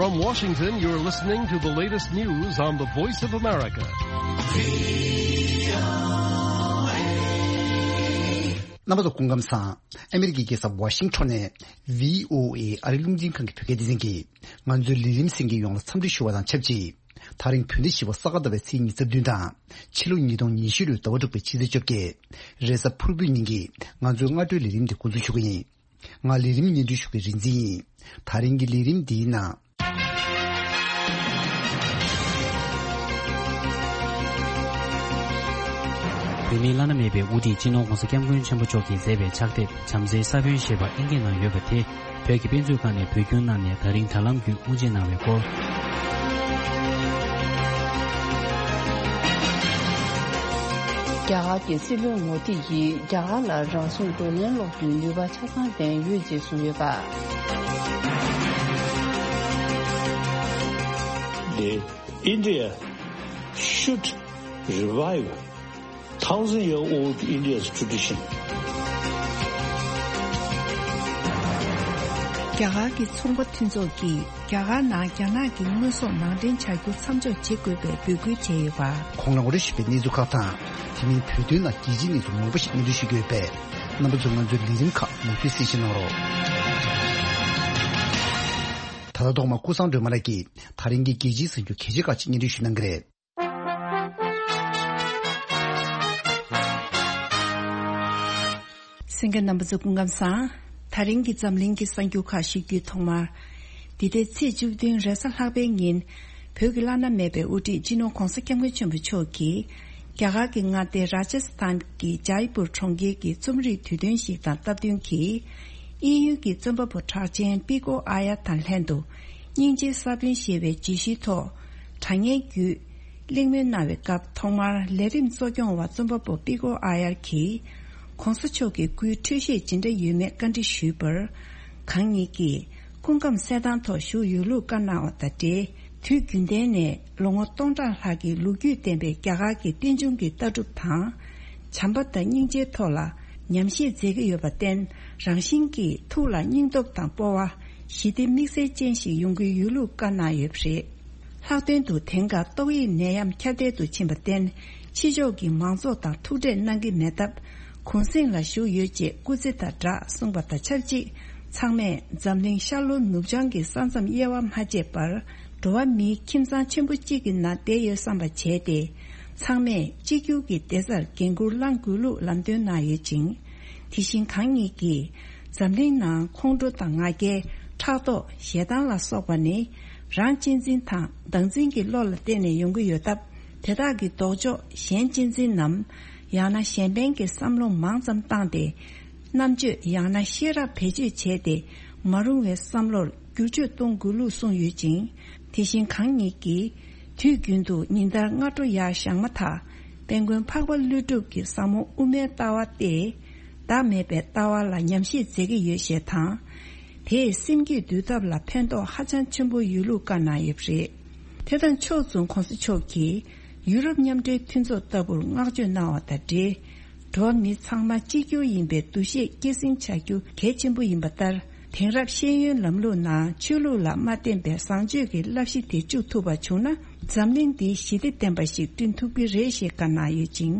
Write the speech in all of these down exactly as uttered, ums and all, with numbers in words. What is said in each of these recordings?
From Washington, you're listening to the latest news on the Voice of America. རྣམ་པ་ཚོ་སྐུ་ཁམས་བཟང་། ཨ་མི་རི་ཀའི་རྒྱལ་ས་ཝ་ཤིང་ཊོན་ནས་བྷི་ཨོ་ཨེ་ཨ་རིའི་རླུང་འཕྲིན་ཁང་གི་བོད་སྐད་སྡེ་ཚན་གྱིས་ང་ཚོའི་ལས་རིམ་གསན་མཁན་ཡོངས་ལ་འཚམས་འདྲི་ཞུ་བ་དང་ཆབས་ཅིག་དེ་རིང་བོད་ཟླ་བཞི་པ་ས་ག་ཟླ་བའི་ཚེས་ཉི་ཤུ་རྩ་བདུན་དང་། ཕྱི་ལོ་ཉིས་སྟོང་ཉི་ཤུ་ལོའི་ཟླ་བ་དྲུག་པའི་ཕྱི་ཚེས་བཅོ་བརྒྱད། རེས་གཟའ་ཕུར་བུའི་ཉིན་གྱི་ང་ཚོའི་སྔ་དྲོའི་ལས་རིམ་དེ་འགོ་འཛུགས་ཞུ་གི་ཡིན། ང་ལས་རིམ་སྙན་སྒྲོན་ཞུ་མཁན་རིག་འཛིན་ཡིན། དེ་རིང་གི་ལས་རིམ་འདིའི་ནང་། བོད་མིའི་བླ་ན་མེད་པའི་དབུ་ཁྲིད་སྤྱི་ནོར་༧གོང་ས་༧སྐྱབས་མགོན་ཆེན་པོ་མཆོག་གིས་མཛད་པའི་ཕྱག་དེབ་བྱམས་བརྩེའི་ས་བོན་ཞེས་པ་ཨིན་སྐད་ནང་ཡོད་པ་དེ། བོད་ཀྱི་དཔེ་མཛོད་ཁང་ནས་བོད་བསྒྱུར་གནང་ནས་ད་རིང་དྲ་ལམ་བརྒྱུད་དབུ་འབྱེད་གནང་བའི་སྐོར། རྒྱ་གར་གྱི་སྲིད་བློན་མོ་དི་ཡིས་རྒྱ་གར་ལ་རང་སྲུང་བགྲོ་གླེང་སློག་རྒྱུའི་ནུས་པ་ཆ་ཚང་ལྡན་ཡོད་ཅེས་གསུངས་ཡོད་པ། The India should revive thousand year old India's tradition. རྒྱ་གར་གྱི་ཚོང་པ་མཐུན་ཚོགས་ཀྱིས་རྒྱ་གར་ནང་རྒྱ་ནག་གི་དངོས་ཟོག་ནང་འདྲེན་བྱ་རྒྱུ་མཚམས་འཇོག་བྱེད་དགོས་པའི་འབོད་སྐུལ་བྱས་ཡོད་པ། གོང་ལ་ངོ་སྤྲོད་ཞུས་པའི་གནས་ཚུལ་ཁག་དང་། དེ་མིན་བོད་དོན་ནང་རྒྱལ་སྤྱིའི་གནས་ཚུལ་མང་པོ་ཞིག་སྙན་སྒྲོན་ཞུ་གི་ཡོད་པས། རྣམ་པ་ཚོས་ང་ཚོའི་ལས་རིམ་ཁག་མུ་མཐུད་གསན་བཞེས་གནང་རོགས། ད་ལྟ་ཐོག་མར་ཀུན་བཟང་སྒྲོལ་མ་ལགས་ཀྱིས་ད་རིང་གི་རྒྱལ་སྤྱིའི་གསར་འགྱུར་གལ་ཆེ་ཁག་ཅིག་སྙན་སྒྲོན་ཞུ་གནང་གི་རེད། གསན་མཁན་རྣམ་པ་ཚོ་སྐུ་ཁམས་བཟང་། ད་རིང་གི་འཛམ་གླིང་གི་གསར་འགྱུར་ཁག་ཞུ་རྒྱུའི་ཐོག་མར། འདི་ཟླའི་ཚེས་བཅུ་བདུན་རེས་གཟའ་ལྷག་པའི་ཉིན། བོད་ཀྱི་བླ་ན་མེད་པའི་དབུ་ཁྲིད་སྤྱི་ནོར་༧གོང་ས་༧སྐྱབས་མགོན་ཆེན་པོ་མཆོག་གིས། རྒྱ་གར་གྱི་མངའ་སྡེ་ར་ཇ་སི་ཐན་གྱི་ཇའི་པུར་གྲོང་ཁྱེར་གྱི་རྩོམ་རིག་དུས་སྟོན་ཞིག་དང་སྟབས་བསྟུན་གྱིས། དབྱིན་ཡུལ་གྱི་རྩོམ་པ་པོ་གྲགས་ཅན་པི་ཀོ་ཨ་ཡར་དང་ལྷན་དུ། སྙིང་རྗེའི་ས་བོན་ཞེས་པའི་བརྗོད་གཞིའི་ཐོག་དྲ་བརྙན་བརྒྱུད། གླེང་མོལ་གནང་བའི་སྐབས་ཐོག་མར་ལས་རིམ་གཙོ་སྐྱོང་བ་རྩོམ་པ་པོ་པི་ཀོ་ཨ་ཡར་གྱིས། ྋགོང་ས་མཆོག་གི་སྐུའི་འཕྲོད་བཞེས་ཇི་འདྲ་ཡོད་མེད་བཀའ་འདྲི་ཞུས་པར། གང་ཉིད་ཀྱིས་སྐུ་ཁམས་གསལ་ཐང་ཐོག་བཞུགས་ཡོད་ལུགས་བཀའ་གནང་བ་དང་འབྲེལ། དུས་རྒྱུན་ལྡན་ནས་ལོ་ངོ་སྟོང་ཕྲག་ལྷག་གི་ལོ་རྒྱུས་ལྡན་པའི་རྒྱ་གར་གྱི་རྟེན་འབྱུང་གི་ལྟ་གྲུབ་དང་། བྱམས་པ་དང་སྙིང་རྗེའི་ཐོག་ལ་ཉམས་བཞེས་མཛད་ཀྱི་ཡོད་པར་བརྟེན། རང་བཞིན་གྱིས་ཐུགས་ལ་སྙིང་སྟོབས་དང་སྤོབས་པ། ཞི་བདེ་དམིགས་བསལ་ཅན་ཞིག་ཡོང་གི་ཡོད་ལུགས་བཀའ་གནང་ཡོད་པ་རེད། ལྷག་དོན་དུ་དེང་སྐབས་ཏོག་དབྱིབས་ནད་ཡམས་ཁྱབ་གདལ་དུ་ཕྱིན་པར་བརྟེན། ཕྱི་ཕྱོགས་ཀྱི་མང་ཚོགས་དང་ཐུག་འཕྲད་གནང་གི་མེད་སྟབས། གུང་གསེང་ལ་བཞུགས་ཡོད་ཅེས་སྐུ་ཚེ་དང་སྦྲགས་གསུངས་པ་དང་ཆབས་ཅིག་ཚང་མས་འཛམ་གླིང་ཤར་ལྷོ་ནུབ་བྱང་གི་ས་མཚམས་དབྱེ་བ་མ་ཕྱེ་བར། འགྲོ་བ་མིའི་ཁྱིམ་ཚང་ཆེན་པོ་གཅིག་གི་ནང་བསྡད་ཡོད་བསམ་པ་བྱས་ཏེ། ཚང་མས་གཅིག་གྱུར་གྱི་བདེ་རྩར་འགན་འཁུར་བླང་དགོས་ལུགས་ལམ་སྟོན་གནང་ཡོད་ཅིང་། དེ་བཞིན་གང་ཉིད་ཀྱིས། འཛམ་གླིང་ནང་ཁོང་ཁྲོ་དང་ང་རྒྱལ། ཕྲག་དོག་ཞེ་སྡང་ལ་སོགས་པ་ནི། རང་གཅེས་འཛིན་དང་བདག་འཛིན་གྱི་བློ་ལ་བརྟེན་ནས་ཡོང་གི་ཡོད་སྟབས། དེ་དག་གི་ལྡོག་ཕྱོགས་གཞན་གཅེས་འཛིན་ནམ། ཡང་ན་གཞན་ཕན་གྱི་བསམ་བློ་མང་ཙམ་བཏང་སྟེ། རྣམ་དཔྱོད་ཡང་ན་ཤེས་རབ་བེད་སྤྱོད་བྱས་ཏེ། མ་རུང་བའི་བསམ་བློར་བསྒྱུར་བཅོས་གཏོང་དགོས་ལུགས་གསུངས་ཡོད་ཅིང་། དེ་བཞིན་གང་ཉིད་ཀྱིས། དུས་རྒྱུན་དུ་ཉིན་ལྟར་སྔ་དྲོ་ཡར་བཞེངས་མ་ཐག་དཔལ་མགོན་འཕགས་པ་ཀླུ་སྒྲུབ་ཀྱི་ཟབ་མོ་དབུ་མའི་ལྟ་བ་སྟེ། བདག་མེད་པའི་ལྟ་བ་ལ་ཉམས་བཞེས་མཛད་ཀྱི་ཡོད་ཞེས་དང་། དེས་སེམས་རྒྱུད་འདུལ་ཐབས་ལ་ཕན་ཐོགས་ཧ་ཅང་ཆེན་པོ་ཡོད་ལུགས་བཀའ་གནང་ཡོད་པ་རེད། དེ་དང་ཕྱོགས་མཚུངས་ྋགོང་ས་མཆོག་གིས་ཡུ་རོབ་མཉམ་འབྲེལ་མཐུན་ཚོགས་ལྟ་བུར་བསྔགས་བརྗོད་གནང་བ་དང་འབྲེལ། འགྲོ་བ་མི་ཚང་མ་གཅིག་གྱུར་ཡིན་པའི་འདུ་ཤེས་སྐྱེད་སྲིང་བྱ་རྒྱུ་གལ་ཆེན་པོ་ཡིན་པ་ལྟར། དེང་རབས་ཤེས་ཡོན་ལམ་ལུགས་ནང་ཆོས་ལུགས་ལ་མ་བརྟེན་པའི་བཟང་སྤྱོད་ཀྱི་བསླབ་གཞི་དེ་བཅུག་ཐུབ་པ་བྱུང་ན། འཛམ་གླིང་འདི་ཞི་བདེ་ལྡན་པ་ཞིག་བསྐྲུན་ཐུབ་ཀྱི་རེད་ཞེས་བཀའ་གནང་ཡོད་ཅིང་།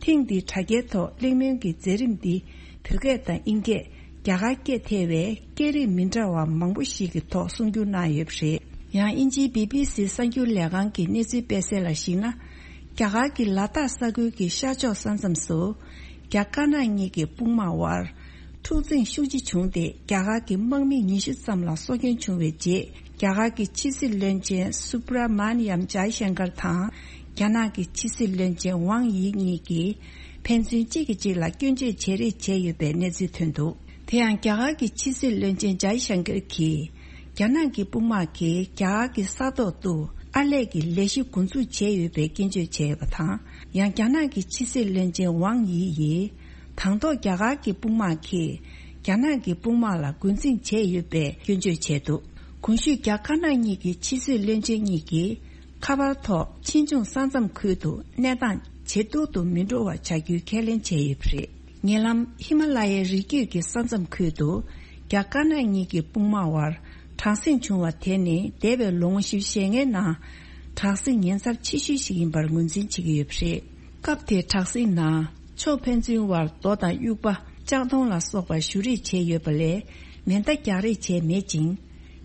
ཐེངས་འདིའི་དྲ་རྒྱའི་ཐོག་གླེང་མོལ་གྱི་མཛད་རིམ་འདི་བོད་སྐད་དང་དབྱིན་སྐད། རྒྱ་གར་སྐད་ཐེ་བའི་སྐད་རིགས་མི་འདྲ་བ་མང་པོ་ཞིག་གི་ཐོག་གསུང་བསྒྱུར་གནང་ཡོད་པ་རེད། ཡང་དབྱིན་ཇིའི་བི་བི་སི་གསར་འགྱུར་ལས་ཁང་གི་གནས་ཚུལ་སྤེལ་གསལ་ལ་གཞིགས་ན། རྒྱ་གར་གྱི་ལ་དྭགས་ས་ཁུལ་གྱི་ཤར་ཕྱོགས་ས་མཚམས་སུ། རྒྱ་དཀར་ནག་གཉིས་ཀྱི་དཔུང་དམག་དབར། འཁྲུག་འཛིང་ཤུགས་ཆེ་བྱུང་སྟེ། རྒྱ་གར་གྱི་དམག་མི་ཉི་ཤུ་ཙམ་ལ་སྲོག་སྐྱོན་བྱུང་བའི་རྗེས། རྒྱ་གར་གྱི་ཕྱི་སྲིད་བློན་ཆེན་སུབ་ར་མ་ནི་ཡམ་ཇའི་ཤང་ཀར་དང་། རྒྱ་ནག་གི་ཕྱི་སྲིད་བློན་ཆེན་ཝང་ཡི་གཉིས་ཀྱིས་ཕན་ཚུན་གཅིག་གིས་གཅིག་ལ་སྐྱོན་བརྗོད་བྱེད་རེས་བྱས་ཡོད་པའི་གནས་ཚུལ་ཐོན་འདུག་དེ་ཡང་རྒྱ་གར་གྱི་ཕྱི་སྲིད་བློན་ཆེན་ཇའི་ཤང་ཀར་གྱིས། རྒྱ་ནག་གི་དཔུང་དམག་གིས་རྒྱ་གར་གྱི་ས་ཐོག་ཏུ་ཨར་ལས་ཀྱི་ལས་གཞི་འགོ་འཛུགས་བྱས་ཡོད་པའི་སྐྱོན་བརྗོད་བྱས་ཡོད་པ་དང་། ཡང་རྒྱ་ནག་གི་ཕྱི་སྲིད་བློན་ཆེན་ཝང་ཡི་ཡིས། དང་ཐོག་རྒྱ་གར་གྱི་དཔུང་དམག་གིས། རྒྱ་ནག་གི་དཔུང་དམག་ལ་རྒོལ་འཛིང་བྱས་ཡོད་པའི་སྐྱོན་བརྗོད་བྱས་འདུག་གོང་ཞུས་རྒྱ་དཀར་ནག་གཉིས་ཀྱི་ཕྱི་སྲིད་བློན་ཆེན་གཉིས་ཀྱིས། ཁ་པར་ཐོག་ཕྱིས་འབྱུང་ས་མཚམས་ཁུལ་དུ་གནས་སྟངས་ཇེ་སྡུག་ཏུ་མི་འགྲོ་བ་བྱ་རྒྱུའི་ཁས་ལེན་བྱས་ཡོད་པ་རེད། ཉེ་ལམ་ཧི་མ་ལ་ཡའི་རི་རྒྱུད་ཀྱི་ས་མཚམས་ཁུལ་དུ་རྒྱ་དཀར་ནག་གཉིས་ཀྱི་དཔུང་དམག་དབར་ གྲང་གཟིངས་བྱུང་བ་དེ་ནི་འདས་པའི་ལོ་ངོ་བཞི་བཅུ་ཞེ་ལྔའི་ནང་གྲང་གཟིངས་ཉེན་ཚབས་ཆེ་ཤོས་ཤིག་ཡིན་པར་ངོས་འཛིན་བྱེད་ཀྱི་ཡོད་པ་རེད། སྐབས་དེའི་གྲང་གཟིངས་ནང་ཕྱོགས་ཕན་ཚུན་བར་རྡོ་དང་དབྱུག་པ། ལྕགས་མདོང་ལ་སོགས་པ་གཞུ་རེས་བྱས་ཡོད་པ་ལས་མེ་མདའ་རྒྱག་རེས་བྱས་མེད་ཅིང་།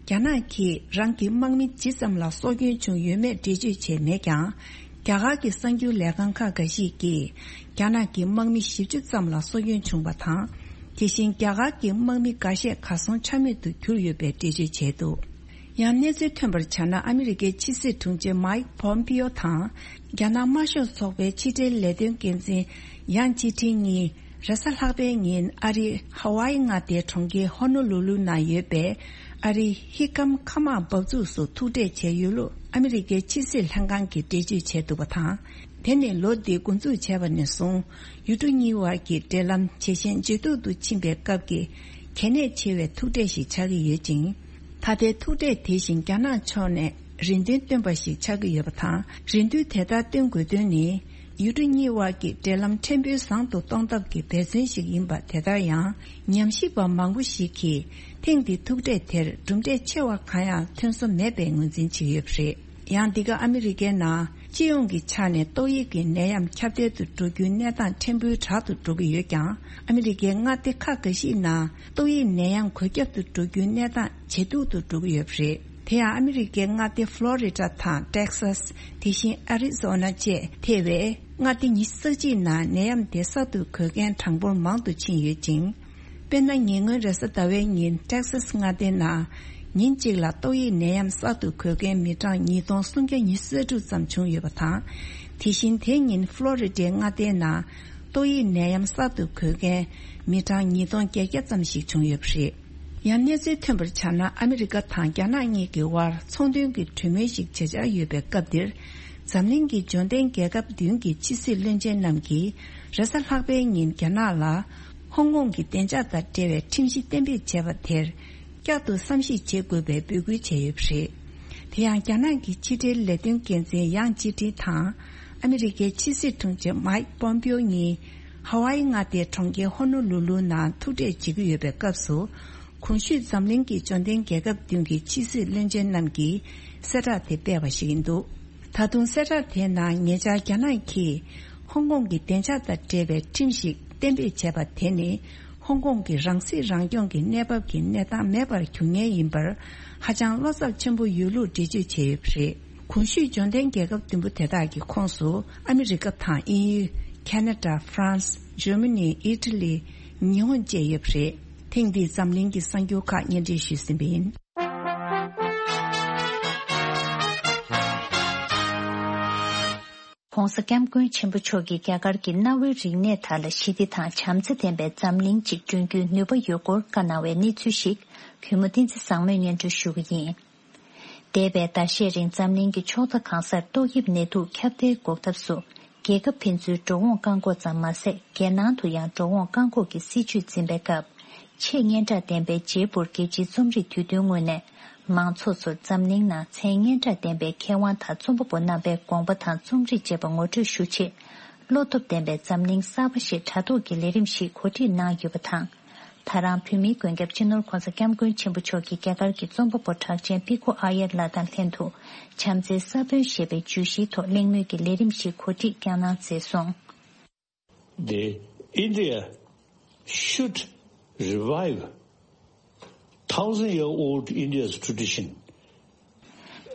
རྒྱ་ནག་གིས་རང་གི་དམག་མི་ཇི་ཙམ་ལ་སྲོག་སྐྱོན་བྱུང་ཡོད་མེད་འགྲེལ་བརྗོད་བྱས་མེད་ཀྱང་། རྒྱ་གར་གྱི་གསར་འགྱུར་ལས་ཁང་ཁག་འགའ་ཞིག་གིས་རྒྱ་ནག་གི་དམག་མི་བཞི་བཅུ་ཙམ་ལ་སྲོག་སྐྱོན་བྱུང་བ་དང་། དེ་བཞིན་རྒྱ་གར་གྱི་དམག་མི་འགའ་ཤས་གར་སོང་ཆ་མེད་དུ་གྱུར་ཡོད་པའི་འགྲེལ་བརྗོད་བྱས་འདུག་ཡང་གནས་ཚུལ་ཐོན་པར་བྱས་ན། ཨ་མི་རི་ཀའི་ཕྱི་སྲིད་དྲུང་ཆེ་མཱིག་པོམ་པིའོ་དང་། རྒྱ་ནག་དམར་ཤོག་ཚོགས་པའི་ཕྱི་འབྲེལ་ལས་དོན་འགན་འཛིན་ཡང་ཅི་ཁྲིན་གཉིས་རེས་གཟའ་ལྷག་པའི་ཉིན་ཨ་རིའི་ཧ་ཝཱ་ཡི་མངའ་སྡེའི་གྲོང་ཁྱེར་ཧོ་ནོ་ལུ་ལུ་ནང་ཡོད་པའི་ཨ་རིའི་ཧི་ཀམ་མཁའ་དམག་འབབ་ཚུགས་སུ་ཐུག་འཕྲད་བྱས་ཡོད་ལུགས་ཨ་མི་རི་ཀའི་ཕྱི་སྲིད་ལྷན་ཁང་གིས་འགྲེལ་བརྗོད་བྱས་འདུག་པ་དང་། དེ་ནི་ལོ་འདི་འགོ་འཛུགས་བྱས་པ་ནས་བཟུང་ཡུལ་གྲུ་གཉིས་དབར་གྱི་འབྲེལ་ལམ་ཇེ་ཞན་ཇེ་སྡུག་ཏུ་ཕྱིན་པའི་སྐབས་ཀྱི་གལ་གནད་ཆེ་བའི་ཐུག་འཕྲད་ཞིག་ཆགས་ཀྱི་ཡོད་ཅིང་། ད་ལྟའི་ཐུག་འཕྲད་དེ་བཞིན་རྒྱ་ནག་ཕྱོགས་ནས་རེ་འདུན་བཏོན་པ་ཞིག་ཆགས་ཀྱི་ཡོད་པ་དང་། རེ་འདུན་དེ་ལྟར་བཏོན་དགོས་དོན་ནི། ཡུལ་གྲུ་གཉིས་དབར་གྱི་འབྲེལ་ལམ་ཕྲན་བུ་བཟང་དུ་གཏོང་ཐབས་ཀྱི་འབད་བརྩོན་ཞིག་ཡིན་པ། དེ་ལྟར་ཡང་ཉམས་ཞིབ་པ་མང་པོ་ཞིག་གིས་ཐེངས་འདིའི་ཐུག་འཕྲད་དེར་གྲུབ་འབྲས་ཆེ་བ་གང་ཡང་ཐོན་སོང་མེད་པའི་ངོས་འཛིན་བྱེད་ཀྱི་ཡོད་པ་རེད། ཡང་འདི་ག་ཨ་མི་རི་ཀའི་ནང་སྤྱི་ཡོངས་ཀྱི་ཆ་ནས་ཏོག་དབྱིབས་ཀྱི་ནད་ཡམས་ཁྱབ་གདལ་དུ་འགྲོ་རྒྱུའི་གནས་སྟངས་ཕྲན་བུ་དྲག་ཏུ་འགྲོ་གི་ཡོད་ཀྱང་། ཨ་མི་རི་ཀའི་མངའ་སྡེ་ཁག་འགའ་ཞིག་ནང་ཏོག་དབྱིབས་ནད་ཡམས་འགོས་ཁྱབ་ཏུ་འགྲོ་རྒྱུའི་གནས་སྟངས་ཇེ་སྡུག་ཏུ་འགྲོ་གི་ཡོད་པ་རེད། དེ་ཡང་ཨ་མི་རི་ཀའི་མངའ་སྡེ་ཕློ་རི་ཌ་དང་ཊེག་སཱས། དེ་བཞིན་ཨ་རི་ཛོ་ན་བཅས་ཐེ་བའི་མངའ་སྡེ་ཉི་ཤུ་རྩ་གཅིག་ནང་ནད་ཡམས་དེ་གསར་དུ་འགོས་མཁན་གྲངས་འབོར་མང་དུ་ཕྱིན་ཡོད་ཅིང་། དཔེར་ན། ཉེ་སྔོན་རེས་གཟའ་ཟླ་བའི་ཉིན་ཊེག་སཱས་མངའ་སྡེའི་ནང་ཉིན་གཅིག་ལ་ཏོག་དབྱིབས་ནད་ཡམས་གསར་དུ་འགོས་མཁན་མི་གྲངས་ཉིས་སྟོང་སུམ་བརྒྱ་ཉི་ཤུ་རྩ་དྲུག་ཙམ་བྱུང་ཡོད་པ་དང་། དེ་བཞིན་དེ་ཉིན་ཕློ་རི་ཌའི་མངའ་སྡེའི་ནང་ཏོག་དབྱིབས་ནད་ཡམས་གསར་དུ་འགོས་མཁན་མི་གྲངས་ཉིས་སྟོང་བརྒྱད་བརྒྱ་ཙམ་ཞིག་བྱུང་ཡོད་པ་རེད། ཡང་གནས་ཚུལ་ཐོན་པར་བྱས་ན། ཨ་མི་རི་ཀ་དང་རྒྱ་ནག་གཉིས་ཀྱི་དབར་ཚོང་དོན་གྱི་གྲོས་མོལ་ཞིག་བྱེད་འཆར་ཡོད་པའི་སྐབས་འདིར། འཛམ་གླིང་གི་འབྱོར་ལྡན་རྒྱལ་ཁབ་བདུན་གྱི་ཕྱི་སྲིད་བློན་ཆེན་རྣམས་ཀྱིས་རེས་གཟའ་ལྷག་པའི་ཉིན་རྒྱ་ནག་ལ་ཧོང་ཀོང་གི་བདེ་འཇགས་དང་འབྲེལ་བའི་ཁྲིམས་གཞི་གཏན་འབེབས་བྱས་པ་དེར་བསྐྱར་དུ་བསམ་གཞིག་བྱེད་དགོས་པའི་འབོད་སྐུལ་བྱས་ཡོད་པ་རེད། དེ་ཡང་རྒྱ་ནག་གི་ཕྱི་འབྲེལ་ལས་དོན་འགན་འཛིན་ཡང་ཅི་ཁྲིན་དང་། ཨ་མི་རི་ཀའི་ཕྱི་སྲིད་དྲུང་ཆེ་མཱིག་པོམ་པིའོ་གཉིས་ཧ་ཝཱ་ཡི་མངའ་སྡེའི་གྲོང་ཁྱེར་ཧོ་ནོ་ལུ་ལུ་ནང་ཐུག་འཕྲད་བྱེད་ཀྱི་ཡོད་པའི་སྐབས་སུ། གོང་ཞུས་འཛམ་གླིང་གི་འབྱོར་ལྡན་རྒྱལ་ཁབ་བདུན་གྱི་ཕྱི་སྲིད་བློན་ཆེན་རྣམས་ཀྱིས་གསལ་བསྒྲགས་དེ་སྤེལ་བ་ཞིག་ཡིན་འདུག་ད་དུང་གསལ་བསྒྲགས་དེའི་ནང་ཉེ་ཆར་རྒྱ་ནག་གིས་ཧོང་ཀོང་གི་བདེ་འཇགས་དང་འབྲེལ་བའི་ཁྲིམས་ཤིག་གཏན་འབེབས་བྱས་པ་དེ་ནི་ཧོང་ཀོང་གི་རང་སྲིད་རང་སྐྱོང་གི་གནས་བབ་ཀྱི་གནས་སྟངས་མེད་པར་གྱུར་ངེས་ཡིན་པར་ཧ་ཅང་བློ་འཚབ་ཆེན་པོ་ཡོད་ལུགས་འགྲེལ་བརྗོད་བྱས་ཡོད་པ་རེད། གོང་ཞུས་འབྱོར་ལྡན་རྒྱལ་ཁབ་བདུན་པོ་དེ་དག་གི་ཁོངས་སུ་ཨ་མི་རི་ཀ་དང་དབྱིན་ཡུལ། ཁ་ན་ཌ། ཧྥ་རན་སི། འཇར་མ་ནི། ཨི་ཊ་ལི། ཉི་ཧོང་བཅས་ཡོད་པ་རེད། ཐེངས་འདིའི་འཛམ་གླིང་གི་གསར་འགྱུར་ཁག་སྙན་སྒྲོན་ཞུས་ཟིན་པ་ཡིན། ྋགོང་ས་ྋསྐྱབས་མགོན་ཆེན་པོ་མཆོག་གིས་རྒྱ་གར་གྱི་གནའ་བོའི་རིག་གནས་དག་ལ་ཞི་བདེ་དང་བྱམས་བརྩེ་ལྡན་པའི་འཛམ་གླིང་ཅིག་བསྐྲུན་རྒྱུའི་ནུས་པ་ཡོད་སྐོར་བཀའ་གནང་བའི་གནས་ཚུལ་ཞིག་གུས་མོ་བསྟན་འཛིན་བཟང་མོས་སྙན་སྒྲོན་ཞུ་གི་ཡིན། འདས་པའི་ཟླ་ཤས་རིང་འཛམ་གླིང་གི་ཕྱོགས་མཐའ་གང་སར་ཏོག་དབྱིབས་ནད་དུག་ཁྱབ་གདལ་འགོག་ཐབས་སུ། རྒྱལ་ཁབ་ཕན་ཚུན་འགྲོ་འོང་བཀག་འགོག་ཙམ་མ་ཟད། རྒྱལ་ནང་དུ་ཡང་འགྲོ་འོང་བཀག་འགོག་གི་སྲིད་ཇུས་འཛིན་པའི་སྐབས། ཆེས་སྙན་གྲགས་ལྡན་པའི་བརྗེ་སྤོར་རྒྱལ་སྤྱིའི་རྩོམ་རིག་དུས་སྟོན་སྔོན་ནས། མང་ཚོགས་ཚོར་འཛམ་གླིང་ནང་མཚན་སྙན་གྲགས་ལྡན་པའི་མཁས་དབང་དང་རྩོམ་པ་པོ་རྣམ་པའི་དགོངས་པ་དང་རྩོམ་རིག་བཅས་པ་ངོ་སྤྲོད་ཞུ་ཆེད། བློ་སྟོབས་ལྡན་པའི་འཛམ་གླིང་གསར་པ་ཞེས་དྲ་ཐོག་གི་ལས་རིམ་ཞིག་གོ་སྒྲིག་གནང་ཡོད་པ་དང་། ད་རང་བོད་མིའི་མགོན་སྐྱབས་སྤྱི་ནོར་༧གོང་ས་༧སྐྱབས་མགོན་ཆེན་པོ་མཆོག་གིས་རྒྱ་གར་གྱི་རྩོམ་པ་པོ་གྲགས་ཅན་པི་ཁུ་ཨ་ཡར་ལགས་དང་ལྷན་དུ། བྱམས་བརྩེའི་ས་བོན་ཞེས་པའི་བརྗོད་གཞིའི་ཐོག་གླེང་མོལ་གྱི་ལས་རིམ་ཞིག་གོ་སྒྲིག་བསྐྱངས་གནང་མཛད་སོང་། The India should revive thousand year old India's tradition.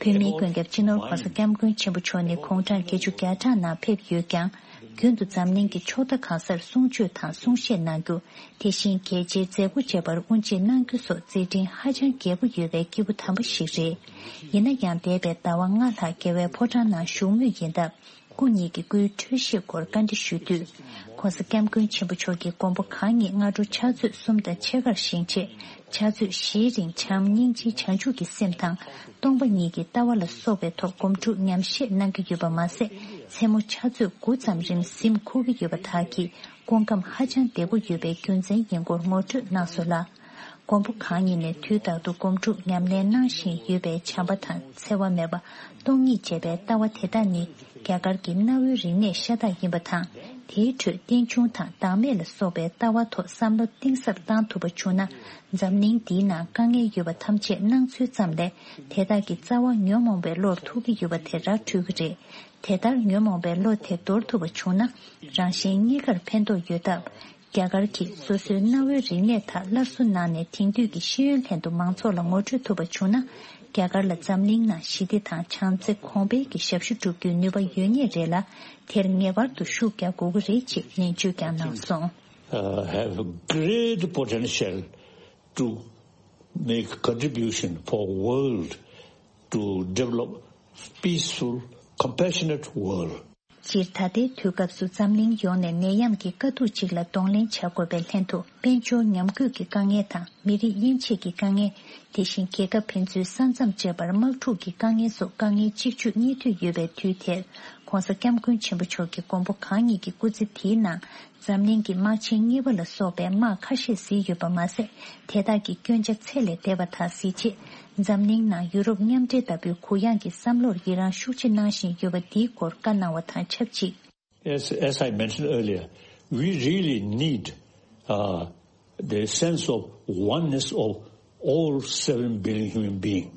བོད་མིའི་མགོན་སྐྱབས་སྤྱི་ནོར་༧གོང་ས་༧སྐྱབས་མགོན་ཆེན་པོ་མཆོག་ནི་དགུང་གྲངས་བརྒྱད་ཅུ་གྱ་གྲངས་ནང་ཕེབས་ཡོད་ཀྱང་། རྒྱུན་དུ་འཛམ་གླིང་གི་ཕྱོགས་མཐའ་གང་སར་གསུང་ཆོས་དང་གསུང་བཤད་གནང་རྒྱུ། དེ་བཞིན་རྒྱལ་སྤྱིའི་མཛད་སྒོ་བཅས་པར་དབུ་འབྱེད་གནང་རྒྱུ་སོགས་མཛད་འཕྲིན་ཧ་ཅང་རྒྱས་པོ་ཡོད་པའི་སྐྱེས་བུ་དམ་པ་ཞིག་རེད། ཡིན་ན་ཡང་། འདས་པའི་ཟླ་བ་ལྔ་ལྷག་རྒྱལ་བའི་ཕོ་བྲང་ནང་བཞུགས་མུས་ཡིན་སྟབས། སྐུ་ཉིད་ཀྱི་སྐུའི་འཕྲོད་བཞེས་སྐོར་བཀའ་འདྲི་ཞུས་དུས། ྋགོང་ས་ྋསྐྱབས་མགོན་ཆེན་པོ་མཆོག་གིས་མགོན་པོ་གང་ཉིད་སྔ་དྲོ་ཕྱག་ཚོད་གསུམ་དང་ཕྱེད་ཀར་བཞེངས་རྗེས། ཕྱག་ཚོད་བཞིའི་རིང་བྱམས་སྙིང་རྗེའི་བྱང་ཆུབ་ཀྱི་སེམས་དང་། སྟོང་པ་ཉིད་ཀྱི་ལྟ་བ་ལ་སོགས་པའི་ཐོག་སྒོམ་སྒྲུབ་ཉམས་བཞེས་གནང་གི་ཡོད་པ་མ་ཟད། མཚན་མོ་ཕྱག་ཚོད་དགུ་ཙམ་རིང་གཟིམ་འཁོར་གྱི་ཡོད་པ་དག་གིས་སྐུ་ཁམས་ཧ་ཅང་བདེ་པོ་ཡོད་པའི་རྒྱུ་མཚན་ཡིན་སྐོར་ངོ་སྤྲོད་གནང་སོང་ལ། མགོན་པོ་གང་ཉིད་ནས་དུས་རྟག་ཏུ་སྒོམ་སྒྲུབ་ཉམས་ལེན་གནང་བཞིན་ཡོད་པས། བྱམས་པ་དང་འཚེ་བ་མེད་པ། སྟོང་ཉིད་ཅེས་པའི་ལྟ་བ་དེ་དག་ནི་རྒྱ་གར་གྱི་གནའ་བོའི་རིག་གནས་ཤ་སྟག་ཡིན་པ་དང་། དེའི་ཁྲོད་རྟེན་འབྱུང་དང་བདག་མེད་ལ་སོགས་པའི་ལྟ་བ་ཐོག་བསམ་བློ་གཏིང་ཟབ་བཏང་ཐུབ་པ་བྱུང་ན། འཛམ་གླིང་འདིའི་ནང་དཀའ་ངལ་ཡོད་པ་ཐམས་ཅད་སྣང་ཚུལ་ཙམ་ལས་དེ་དག་གི་རྩ་བ་ཉོན་མོངས་པའི་བློར་ཐུག་གི་ཡོད་པ་དེ་ར་འཕྲོད་ཀྱི་རེད། དེ་ལྟར་ཉོན་མོངས་པའི་བློ་དེ་དོར་ཐུབ་པ་བྱུང་ན། རང་གཞན་གཉིས་ཀར་ཕན་ཐོགས་ཡོད་སྟབས། རྒྱ་གར་གྱིས་སོ་སོའི་གནའ་བོའི་རིག་གནས་དག་སླར་གསོ་གནང་ནས་དེང་དུས་ཀྱི་ཤེས་ཡོན་ལྷན་དུ་མང་ཚོགས་ལ་ངོ་སྤྲོད་ཐུབ་པ་བྱུང་ན། རྒྱ་གར་ལ་འཛམ་གླིང་ནང་ཞི་བདེ་དང་བྱམས་བརྩེ་གོང་འཕེལ་གྱི་ཞབས་ཞུ་སྒྲུབ་རྒྱུའི་ནུས་པ་ཡོད་ངེས་རེད་ལ། དེར་ངེས་པར་དུ་ཤུགས་རྒྱག་དགོས་ཀྱི་རེད་ཅེས་ནན་བརྗོད་ཀྱང་གནང་སོང་། Uh, have a great potential to make contribution for world to develop peaceful, compassionate world. སྤྱིར་ད་ལྟའི་དུས་སྐབས་སུ་འཛམ་གླིང་ཡོངས་ནས་ནད་ཡམས་ཀྱི་དཀའ་སྡུག་ཅིག་ལ་གདོང་ལེན་བྱ་དགོས་པའི་ལྷན་དུ། དཔལ་འབྱོར་ཉམས་རྒུད་ཀྱི་དཀའ་ངལ་དང་། མི་རིགས་དབྱེ་འབྱེད་ཀྱི་དཀའ་ངལ། དེ་བཞིན་རྒྱལ་ཁབ་ཕན་ཚུན་ས་མཚམས་བཅད་པར་དམག་འཁྲུག་གི་དཀའ་ངལ་སོགས་དཀའ་ངལ་གཅིག་གྱུར་གཉིས་མཐུད་ཡོད་པའི་དུས་དེར། ྋགོང་ས་ྋསྐྱབས་མགོན་ཆེན་པོ་མཆོག་གིས་མགོན་པོ་གང་ཉིད་ཀྱི་སྐུ་ཚེ་དེའི་ནང་། འཛམ་གླིང་གི་དམག་ཆེན་གཉིས་པ་ལ་སོགས་པའི་དམག་ཁ་ཤས་གཟིགས་ཡོད་པ་མ་ཟད། དེ་དག་གི་སྐྱོན་ཆ་ཚད་ལས་འདས་པ་དག་གཟིགས་རྗེས། འཛམ་གླིང་ནང་ཡུ་རོབ་མཉམ་འབྲེལ་ལྟ་བུའི་གུ་ཡངས་ཀྱི་བསམ་བློར་ཡི་རངས་ཤུགས་ཆེ་གནང་བཞིན་ཡོད་པ་འདིའི་སྐོར་བཀའ་གནང་བ་དང་ཆབས་ཅིག As, as I mentioned earlier, we really need, uh, the sense of oneness of all seven billion human beings.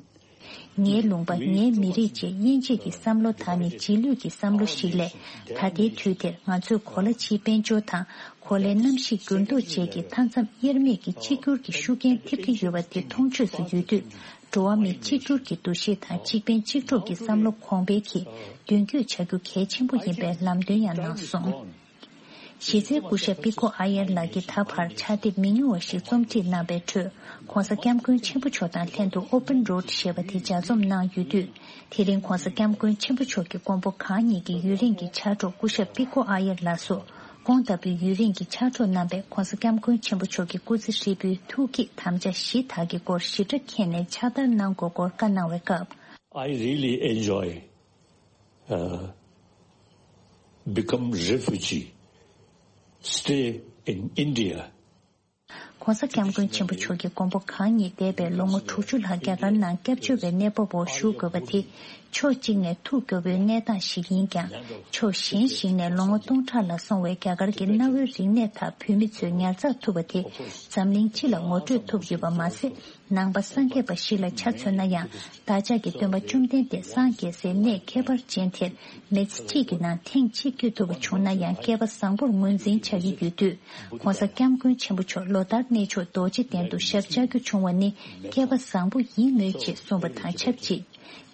ངའི་ལུང་པ། ངའི་མི་རིགས་ཅེས་དབྱེ་འབྱེད་ཀྱི་བསམ་བློ་དག་ནི་རྗེས་ལུས་ཀྱི་བསམ་བློ་ཞིག་ལས། ད་ལྟའི་དུས་དེར་ང་ཚོས་གོ་ལ་ཕྱིའི་དཔལ་འབྱོར་དང་། གོ་ལའི་གནམ་གཤིས་འགྱུར་ལྡོག་བཅས་ཀྱི་མཐའ་མཚམས་དབྱེར་མེད་ཀྱི་གཅིག་གྱུར་གྱི་ཤུགས་རྐྱེན་ཐེབས་ཀྱི་ཡོད་པ་དེ་མཐོང་ཆོས་སུ་ཡོད་དུས། འགྲོ་བ་མི་གཅིག་གྱུར་གྱི་འདུ་ཤེས་དང་། གཅིག་ཕན་གཅིག་གྲོགས་ཀྱི་བསམ་བློ་གོང་འཕེལ་གྱིས་མདུན་སྐྱོད་བྱ་རྒྱུ་གལ་ཆེན་པོ་ཡིན་པའི་ལམ་སྟོན་ཡང་གནང་སོང་། གཞི་རྩའི་སྐུ་ཞབས་པི་ཀོ་ཨ་ཡར་ལགས་ཀྱིས་ད་བར་ཕྱག་དེབ་མི་ཉུང་བ་ཞིག་རྩོམ་སྒྲིག་གནང་བའི་ཁྲོད། ྋགོང་ས་ྋསྐྱབས་མགོན་ཆེན་པོ་མཆོག་དང་ལྷན་དུ་Open Road ཞེས་པ་དེ་ལྗགས་རྩོམ་གནང་ཡོད་དུས། དེ་རིང་ྋགོང་ས་ྋསྐྱབས་མགོན་ཆེན་པོ་མཆོག་གི་མགོན་པོ་གང་ཉིད་ཀྱི་ཡུན་རིང་གི་ཕྱག་གྲོགས་སྐུ་ཞབས་པི་ཀོ་ཨ་ཡར་ལགས་སུ། ཁོང་ལྟ་བུའི་ཡུན་རིང་གི་ཕྱག་གྲོགས་རྣམ་པས་ྋགོང་ས་ྋསྐྱབས་མགོན་ཆེན་པོ་མཆོག་གི་སྐུ་ཚེ་ཧྲིལ་པོའི་ཐུགས་བསྐྱེད་དམ་བཅའ་བཞི་དག་གི་སྐོར་ཞིབ་ཕྲ་མཁྱེན་ནས་ཕྱག་བསྟར་གནང་དགོས་སྐོར་བཀའ་གནང་བའི་སྐབས། I really enjoy, uh, become refugee, stay in India. ྋགོང་ས་ྋསྐྱབས་མགོན་ཆེན་པོ་མཆོག་གི་མགོན་པོ་གང་ཉིད་འདས་པའི་ལོ་ངོ་དྲུག་ཅུ་ལྷག་རྒྱ་གར་ནང་སྐྱབས་བཅོལ་བའི་གནས་བབ་འོག་བཞུགས་དགོས་པ་དེ། ཕྱོགས་གཅིག་ནས་ཐུགས་སྐྱོ་བོའི་གནས་སྟངས་ཤིག་ཡིན་ཀྱང་། ཕྱོགས་གཞན་ཞིག་ནས་ལོ་ངོ་སྟོང་ཕྲག་ལ་སོང་བའི་རྒྱ་གར་གྱི་གནའ་བོའི་རིག་གནས་དག་བོད་མི་ཚོས་ཉར་ཚགས་ཐུབ་པ་དེ། འཛམ་གླིང་སྤྱི་ལ་ངོ་སྤྲོད་ཐུབ་ཡོད་པ་མ་ཟད། ནང་པ་སངས་རྒྱས་པ་ཞིག་ལ་ཆ་མཚོན་ན་ཡང་། བདག་ཅག་གི་སྟོན་པ་བཅོམ་ལྡན་འདས་སངས་རྒྱས་སའི་གནས་ཁྱད་པར་ཅན་དེར། མི་ཚེ་གཅིག་གི་ནང་ཐེངས་གཅིག་བསྐྱོད་ཐུབ་པ་བྱུང་ན་ཡང་། སྐལ་པ་བཟང་པོར་ངོས་འཛིན་བྱ་ཡི་ཡོད་དུས། ྋགོང་ས་ྋསྐྱབས་མགོན་ཆེན་པོ་མཆོག་ལོ་ལྟར་གནས་མཆོག་རྡོ་རྗེ་གདན་དུ་ཞབས་བཅགས་རྒྱུ་བྱུང་བ་ནི་སྐལ་པ་བཟང་པོ་ཡིན་མོད་ཅེས་གསུངས་པ་དང་ཆབས་ཅིག་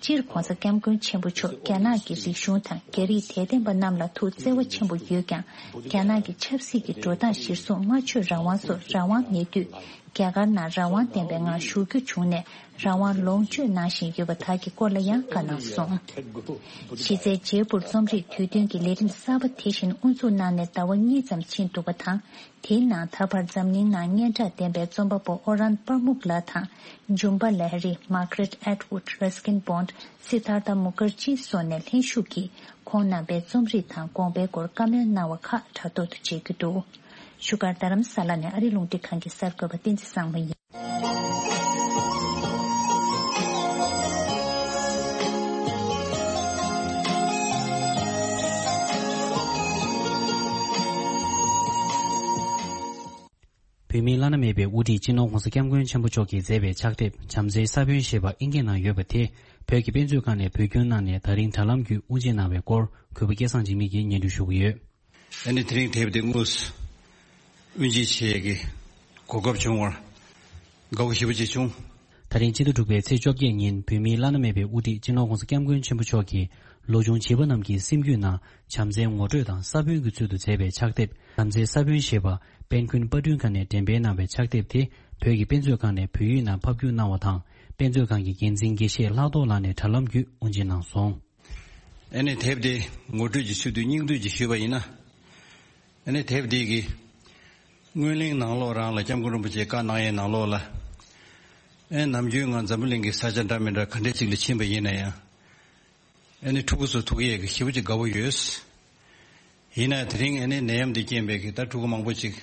སྤྱིར་ྋགོང་ས་ྋསྐྱབས་མགོན་ཆེན་པོ་མཆོག་རྒྱ་ནག་གི་རིག་གཞུང་དང་རྒྱ་རིགས་དད་ལྡན་པ་རྣམས་ལ་ཐུགས་བརྩེ་བ་ཆེན་པོ་ཡོད་ཀྱང་། རྒྱ་ནག་གི་ཆབ་སྲིད་ཀྱི་འགྲོ་སྟངས་གཞིར་བཟུང་སྨྲ་བརྗོད་རང་དབང་སོགས་རང་དབང་མེད་དུས། རྒྱ་གར་ནང་རང་དབང་ལྡན་པའི་ངང་བཞུགས་རྒྱུ་བྱུང་ནས་རང་དབང་ལོངས་སྤྱོད་གནང་བཞིན་ཡོད་པ་དག་གི་སྐོར་ལ་ཡང་བཀའ་གནང་སོང་། གཞི་རྩའི་བརྗེ་སྤོར་རྩོམ་རིག་དུས་སྟོན་གྱི་ལས་རིམ་གསར་པ་དེ་བཞིན་དབུ་འཛུགས་གནང་ནས་ཟླ་བ་གཉིས་ཙམ་ཕྱིན་འདུག་པ་དང་། དེའི་ནང་ད་བར་འཛམ་གླིང་ནང་སྙན་གྲགས་ལྡན་པའི་རྩོམ་པ་པོ་ཨོ་རན་པར་མུག་ལགས་དང་། ཇུམ་པ་ལ་ཧ་རི། མར་ག་རེད་ཨེད་ཝུཌ། རས་ཀིན་བོན། སི་དྷར་ཐ་མུ་ཁར་ཇི་སོགས་ནས་ལྷན་ཞུགས་ཀྱིས་ཁོང་རྣམ་པའི་རྩོམ་རིག་དང་དགོངས་པའི་སྐོར་བཀའ་མོལ་གནང་བ་ཁག་དྲ་ཐོག་ཏུ་མཇལ་རྒྱུ་འདུག་བཞུགས་སྒར་རྡ་རམ་ས་ལ་ནས་ཨ་རི་རླུང་འཕྲིན་ཁང་གི་གསར་འགོད་པ་བསྟན་འཛིན་བཟང་མོ་ཡིན། བོད་མིའི་བླ་ན་མེད་པའི་དབུ་ཁྲིད་སྤྱི་ནོར་༧གོང་ས་༧སྐྱབས་མགོན་ཆེན་པོ་མཆོག་གིས་མཛད་པའི་ཕྱག་དེབ་བྱམས་བརྩེའི་ས་བོན་ཞེས་པ་ཨིན་སྐད་ནང་ཡོད་པ་དེ་བོད་ཀྱི་དཔེ་མཛོད་ཁང་ནས་བོད་བསྒྱུར་གནང་ནས་ད་རིང་དྲ་ལམ་བརྒྱུད་དབུ་འབྱེད་གནང་བའི་སྐོར་གུས་པ་སྐལ་བཟང་འཇིགས་མེད་ཀྱིས་སྙན་སྒྲོན་ཞུ་གི་ཡོད། ཨ་ནི་དེ་རིང་དེབ་དེ་དངོས་སུ་དབུ་འབྱེད་བྱེད་ཀྱི་གོ་སྐབས་བྱུང་བར་དགའ་བོ་ཞེ་པོ་ཅིག་བྱུང་། ད་རིང་སྤྱི་ཟླ་དྲུག་པའི་ཚེས་བཅོ་བརྒྱད་ཉིན་བོད་མིའི་བླ་ན་མེད་པའི་དབུ་ཁྲིད་སྤྱི་ནོར་༧གོང་ས་༧སྐྱབས་མགོན་ཆེན་པོ་མཆོག་གིས་ལོ་ཆུང་བྱིས་པ་རྣམས་ཀྱི་སེམས་རྒྱུད་ནང་བྱམས་བརྩེའི་ངོ་སྤྲོད་དང་ས་བོན་གྱི་ཚུལ་དུ་མཛད་པའི་ཕྱག་དེབ་བྱམས་བརྩེའི་ས་བོན་ཞེས་པ་དཔལ་མགོན་དཔལ་སྒྲོན་ཁང་ནས་འགྲེམས་སྤེལ་གནང་བའི་ཕྱག་དེབ་དེ་བོད་ཀྱི་དཔེ་མཛོད་ཁང་ནས་བོད་ཡིག་ནང་ཕབ་བསྒྱུར་གནང་བ་དང་། དཔེ་མཛོད་ཁང་གི་འགན་འཛིན་དགེ་བཤེས་ལྷག་རྡོར་ལགས་ནས་དྲ་ལམ་བརྒྱུད་དབུ་འབྱེད་གནང་སོང་། ཨ་ནི་དེབ་དེ་ངོ་སྤྲོད་ཀྱི་ཚུལ་དུ་སྙིང་བསྡུས་ཀྱིས་ཞུས་པ་ཡིན་ན། ཨ་ནི་དེབ་འདི་གི་སྔོན་གླེང་ནང་ལོགས་རང་ལ་སྐྱབས་མགོན་རིན་པོ་ཆེས་བཀའ་གནང་ཡས་ནང་ལོགས་ལ། ཨེ་ནམ་རྒྱུན་ང་འཛམ་བུ་གླིང་གི་ས་ཆ་འདྲ་མི་འདྲ་ག་འདྲ་ཅིག་ལ་ཕྱིན་པ་ཡིན་ན་ཡང་། ཨ་ནི་ཕྲུ་གུ་ཚོ་ཐུག་ཡས་ཀྱི་ཞེ་པོ་ཅིག་དགའ་བོ་ཡོད། ཡིན་ན་དེ་རིང་ཨ་ནི་ནད་ཡམས་འདི་རྐྱེན་པས་ཀྱི་ད་ཕྲུ་གུ་མང་པོ་ཅིག་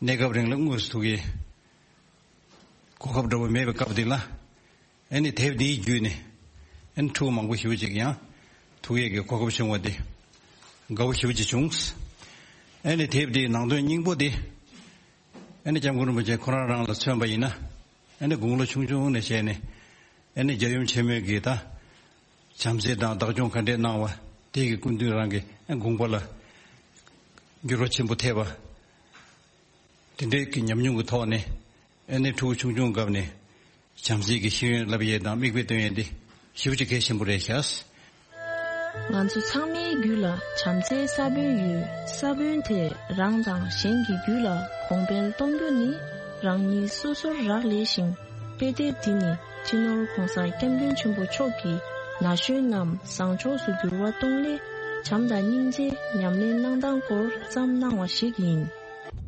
གནས་སྐབས་རིང་ལ་དངོས་སུ་ཐུག་ཡས་གོ་སྐབས་འདྲ་བོ་མེད་པའི་སྐབས་འདི་ལ། ཨ་ནི་དེབ་འདིའི་བརྒྱུད་ནས་ཨ་ནི་ཕྲུ་གུ་མང་པོ་ཞེ་པོ་ཅིག་ཡང་ཐུག་ཡས་ཀྱི་གོ་སྐབས་བྱུང་བ་འདི་དགའ་བོ་ཞེ་པོ་ཅིག་བྱུང་། ཨ་ནི་དེབ་དེའི་ནང་དོན་སྙིང་པོ་དེ། ཨ་ནི་སྐྱབས་མགོན་རིན་པོ་ཆེ་ཁོ་རང་རང་ལ་མཚོན་པ་ཡིན་ན། ཨ་ནི་དགུང་ལོ་ཆུང་ཆུང་ནས་བྱས་ནས། ཨ་ནི་རྒྱལ་ཡུམ་ཆེན་མོའི་གི་ད། བྱམས་བརྩེ་དང་བདག་སྐྱོང་ག་འདྲས་གནང་བ། དེ་གི་སྐུ་མདུན་རང་གི་ཨ་དགོངས་པ་ལ་འགྱུར་བ་ཆེན་པོ་ཐེབས་པ། དེ་འདྲའི་གི་ཉམས་མྱོང་གི་ཐོག་ནས། ཨ་ནི་ཕྲུ་གུ་ཆུང་ཆུང་སྐབས་ནས་བྱམས་བརྩེ་གི་ཤེས་ཡོན་བསླབ་ཡས་དང་མིག་དཔེ་སྟོན་ཡས་འདི་ཞེ་པོ་ཅིག་གལ་ཆེན་པོ་རེད་ཤག། ང་ཚོ་ཚང་མའི་རྒྱུད་ལ་བྱམས་བརྩེའི་ས་བོན་ཡོད། ས་བོན་དེས་རང་དང་གཞན་གྱི་རྒྱུད་ལ་གོང་འཕེལ་གཏོང་རྒྱུ་ནི་རང་ཉིད་སོ་སོར་རག་ལས་ཤིང་། དཔེ་དེབ་འདི་ནི་སྤྱི་ནོར་༸གོང་ས་༸སྐྱབས་མགོན་ཆེན་པོ་མཆོག་གིས་ན་གཞོན་རྣམས་བཟང་ཕྱོགས་སུ་འགྱུར་བ་གཏོང་སླད་བྱམས་དང་སྙིང་རྗེ་ཉམས་ལེན་གནང་སྟངས་སྐོར་བརྩམས་གནང་བ་ཞིག་ཡིན།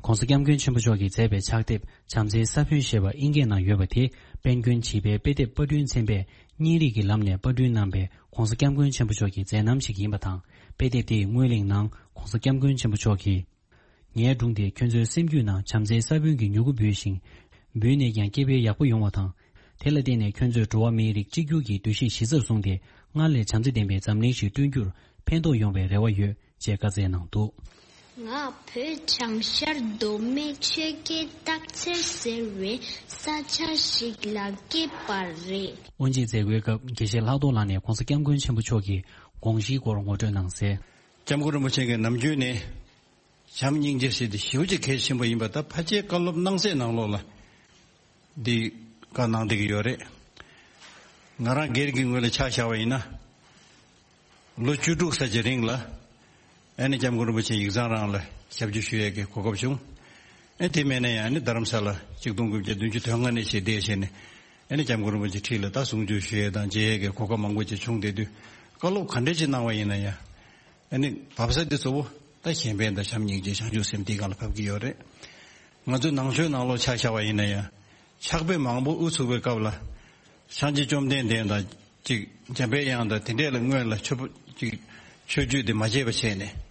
༸གོང་ས་༸སྐྱབས་མགོན་ཆེན་པོ་མཆོག་གིས་མཛད་པའི་ཕྱག་དེབ་བྱམས་བརྩེའི་ས་བོན་ཞེས་པ་ཨིན་སྐད་ནང་ཡོད་པ་དེ། དཔལ་མགོན་བྱིས་པའི་དཔེ་དེབ་པར་སྐྲུན་ཚན་པས་བརྙན་རིས་ཀྱི་ལམ་ནས་པར་སྐྲུན་གནང་པའི་༸གོང་ས་༸སྐྱབས་མགོན་ཆེན་པོ་མཆོག་གི་མཛད་རྣམ་ཞིག་ཡིན་པ་དང་། དཔེ་དེབ་དེའི་སྔོན་གླེང་ནང་༸གོང་ས་༸སྐྱབས་མགོན་ཆེན་པོ་མཆོག་གིས། ངའི་སྒྲུང་དེས་ཁྱོད་ཚོའི་སེམས་རྒྱུད་ནང་བྱམས་བརྩེའི་ས་བོན་གྱི་མྱུ་གུ་འབུས་ཤིང་། འབུས་ནས་ཀྱང་སྐྱེ་འཕེལ་ཡག་པོ་ཡོང་བ་དང་། དེ་ལ་བརྟེན་ནས་ཁྱོད་ཚོས་འགྲོ་བ་མིའི་རིགས་གཅིག་གྱུར་གྱི་འདུ་ཤེས་གཞི་རྩར་བཟུང་སྟེ། སྔར་ལས་བྱམས་བརྩེ་ལྡན་པའི་འཛམ་གླིང་ཞིག་བསྐྲུན་རྒྱུར་ཕན་ཐོགས་ཡོང་བའི་རེ་བ་ཡོད། ཅེས་བཀའ་སྩལ་གནང་འདུག། ང་བོད་བྱང་ཤར་མདོ་སྨད་ཆོས་རྒྱལ་སྟག་འཚེར་ཟེར་བའི་ས་ཆ་ཞིག་ལ་སྐྱེས་པ་རེད། དབུ་འབྱེད་མཛད་སྒོའི་སྐབས་དགེ་བཤེས་ལྷག་རྡོར་ལགས་ནས་༸གོང་ས་༸སྐྱབས་མགོན་ཆེན་པོ་མཆོག་གི་དགོངས་གཞིའི་སྐོར་ངོ་སྤྲོད་གནང་གསལ། སྐྱབས་མགོན་རིན་པོ་ཆེ་གིས་ནམ་རྒྱུན་ནས་བྱམས་སྙིང་རྗེ་ཟེར་དེ་ཞེ་པོ་ཅིག་གལ་ཆེན་པོ་ཡིན་པ་ད་ཕལ་ཆེར་བཀའ་སློབ་གནང་སའི་ནང་ལོགས་ལ། འདི་བཀའ་གནང་བསྡད་ཀྱི་ཡོད་རེད། ང་རང་སྒེར་གྱི་ངོས་ལ་ཆ་བཞག་པ་ཡིན་ན། ལོ་བཅུ་དྲུག་ཙམ་གྱི་རིང་ལ། ཨ་ནི་སྐྱབས་མགོན་རིན་པོ་ཆེ་ཡིག་ཚང་རང་ལ་ཞབས་ཕྱི་ཞུ་ཡས་ཀྱི་གོ་སྐབས་བྱུང་། ཨ་དེ་མིན་ན་ཡང་ཨ་ནི་རྡ་རམ་ས་ལ་ཆིག་སྟོང་དགུ་བརྒྱ་བདུན་ཅུ་དོན་ལྔ་ནས་བྱས་བསྡད་བྱས་ནས། ཨ་ནི་སྐྱབས་མགོན་རིན་པོ་ཆེ་འཁྲིས་ལ་ད་གསུང་ཆོས་ཞུ་ཡས་དང་མཇལ་ཡས་ཀྱི་གོ་སྐབས་མང་པོ་ཅིག་བྱུང་བསྡད་དུས། བཀའ་སློབ་ག་འདྲ་ཅིག་གནང་བ་ཡིན་ན་ཡང་། ཨ་ནི་བབས་ས་འདི་གཙོ་བོ་ད་གཞན་ཕན་དང་བྱམས་སྙིང་རྗེ་བྱང་ཆུབ་སེམས་འདི་སྒང་ལ་བབས་ཀྱི་ཡོད་རེད། ང་ཚོའི་ནང་ཆོས་ནང་ལོགས་ཆ་བཞག་པ་ཡིན་ན་ཡང་། ཕྱག་དཔེ་མང་པོ་དབུ་ཚུགས་པའི་སྐབས་ལ། སངས་རྒྱས་བཅོམ་ལྡན་འདས་དང་གཅིག་འཇམ་པའི་དབྱངས་དང་དེ་འདྲས་ལ་སྔོན་ལ་མཆོད་པ་གཅིག་མཆོད་བརྗོད་དེ་མ་བྱས་པ་བྱས་ནས།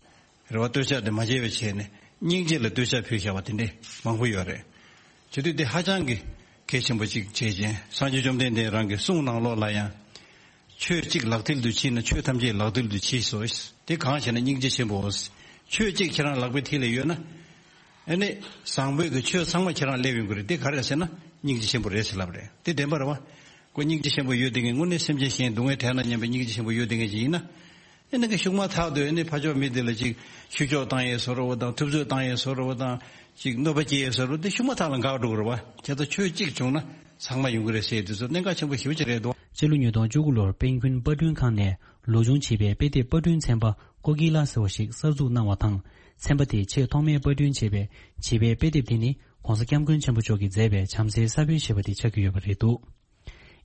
རེ་བ་བསྟོད་ཕྱག་དེ་མ་བྱས་པ་བྱས་ནས་སྙིང་རྗེ་ལ་བསྟོད་ཕྱག་ཕུལ་བཞག་པ་དེ་འདྲས་མང་པོ་ཡོད་རེད། བྱེད་དུས་དེ་ཧ་ཅང་གི་གལ་ཆེན་པོ་གཅིག་བྱས་ཅིང་སངས་རྒྱས་བཅོམ་ལྡན་འདས་རང་གི་གསུང་ནང་ལོགས་ལ་ཡང་། ཆོས་གཅིག་ལག་མཐིལ་དུ་མཆིས་ན་ཆོས་ཐམས་ཅད་ལག་མཐིལ་དུ་མཆིས་སོ། དེ་གང་ཞེ་ན་སྙིང་རྗེ་ཆེན་པོའོ། ཆོས་གཅིག་ཁྱེད་རང་ལག་པའི་མཐིལ་ལ་ཡོད་ན། ཨ་ནི་བཟང་པོའི་གི་ཆོས་ཚང་མ་ཁྱེད་རང་སླེབས་ཡོང་གི་རེད། དེ་ག་རེ་ཟེར་ན་སྙིང་རྗེ་ཆེན་པོ་རེད་ཟེར་ལབ་རེད། དེ་བདེན་པ་རེད་བ། ཁོ་སྙིང་རྗེ་ཆེན་པོ་ཡོད་དེ་ངས་དངོས་གནས་སེམས་ཅན་གཞན་སྡུག་བསྔལ་དྲག་ན་སྙམ་པའི་སྙིང་རྗེ་ཆེན་པོ་ཡོད་དེ་ངས་ཅིག་ཡིན་ན། ཨ་ནི་གི་ཤུགས་མ་ཐག་ཏུ་ཨ་ནི་ཕ་ཕྱོགས་མི་དེ་ལ་ཅིག་ཤུགས་ཆོག་བཏང་ཡས་བཟོ་འདྲ་བོ་དང་ཐུབ་ཚོད་བཏང་ཡས་བཟོ་འདྲ་བོ་དང་ཅིག་གནོད་པ་སྐྱེལ་ཡས་བཟོ་འདྲ་བོ་དེ་ཤུགས་མ་ཐག་ལ་འགག་འགྲོ་གི་རེད་བ། བྱས་ཙང་ཆོས་གཅིག་བྱུང་ན་ཚང་མ་ཡོང་གི་རེད་ཟེར་དུས་ཚོད་གནད་འགག་ཆེན་པོ་ཞེ་པོ་ཅིག་རེད་འདུག། སྤྱི་ལོ་ཉིས་སྟོང་བཅུ་དགུ་ལོར་དཔལ་མགོན་པར་སྐྲུན་ཁང་ནས་ལོ་ཆུང་བྱིས་པའི་དཔེ་དེབ་པར་སྐྲུན་ཚན་པ་ཀོ་ཀི་ལ་ཟེར་བ་ཞིག་གསར་འཛུགས་གནང་བ་དང་། ཚན་པ་དེས་ཆེས་ཐོག་མའི་པར་སྐྲུན་བྱས་པའི་བྱིས་པའི་དཔེ་དེབ་དེ་ནི་༸གོང་ས་༸སྐྱབས་མགོན་ཆེན་པོ་མཆོག་གིས་མཛད་པའི་བྱམས་བརྩེའི་ས་བོན་ཞེས་པ་དེ་ཆགས་ཀྱི་ཡོད་པ་རེད་འདུག།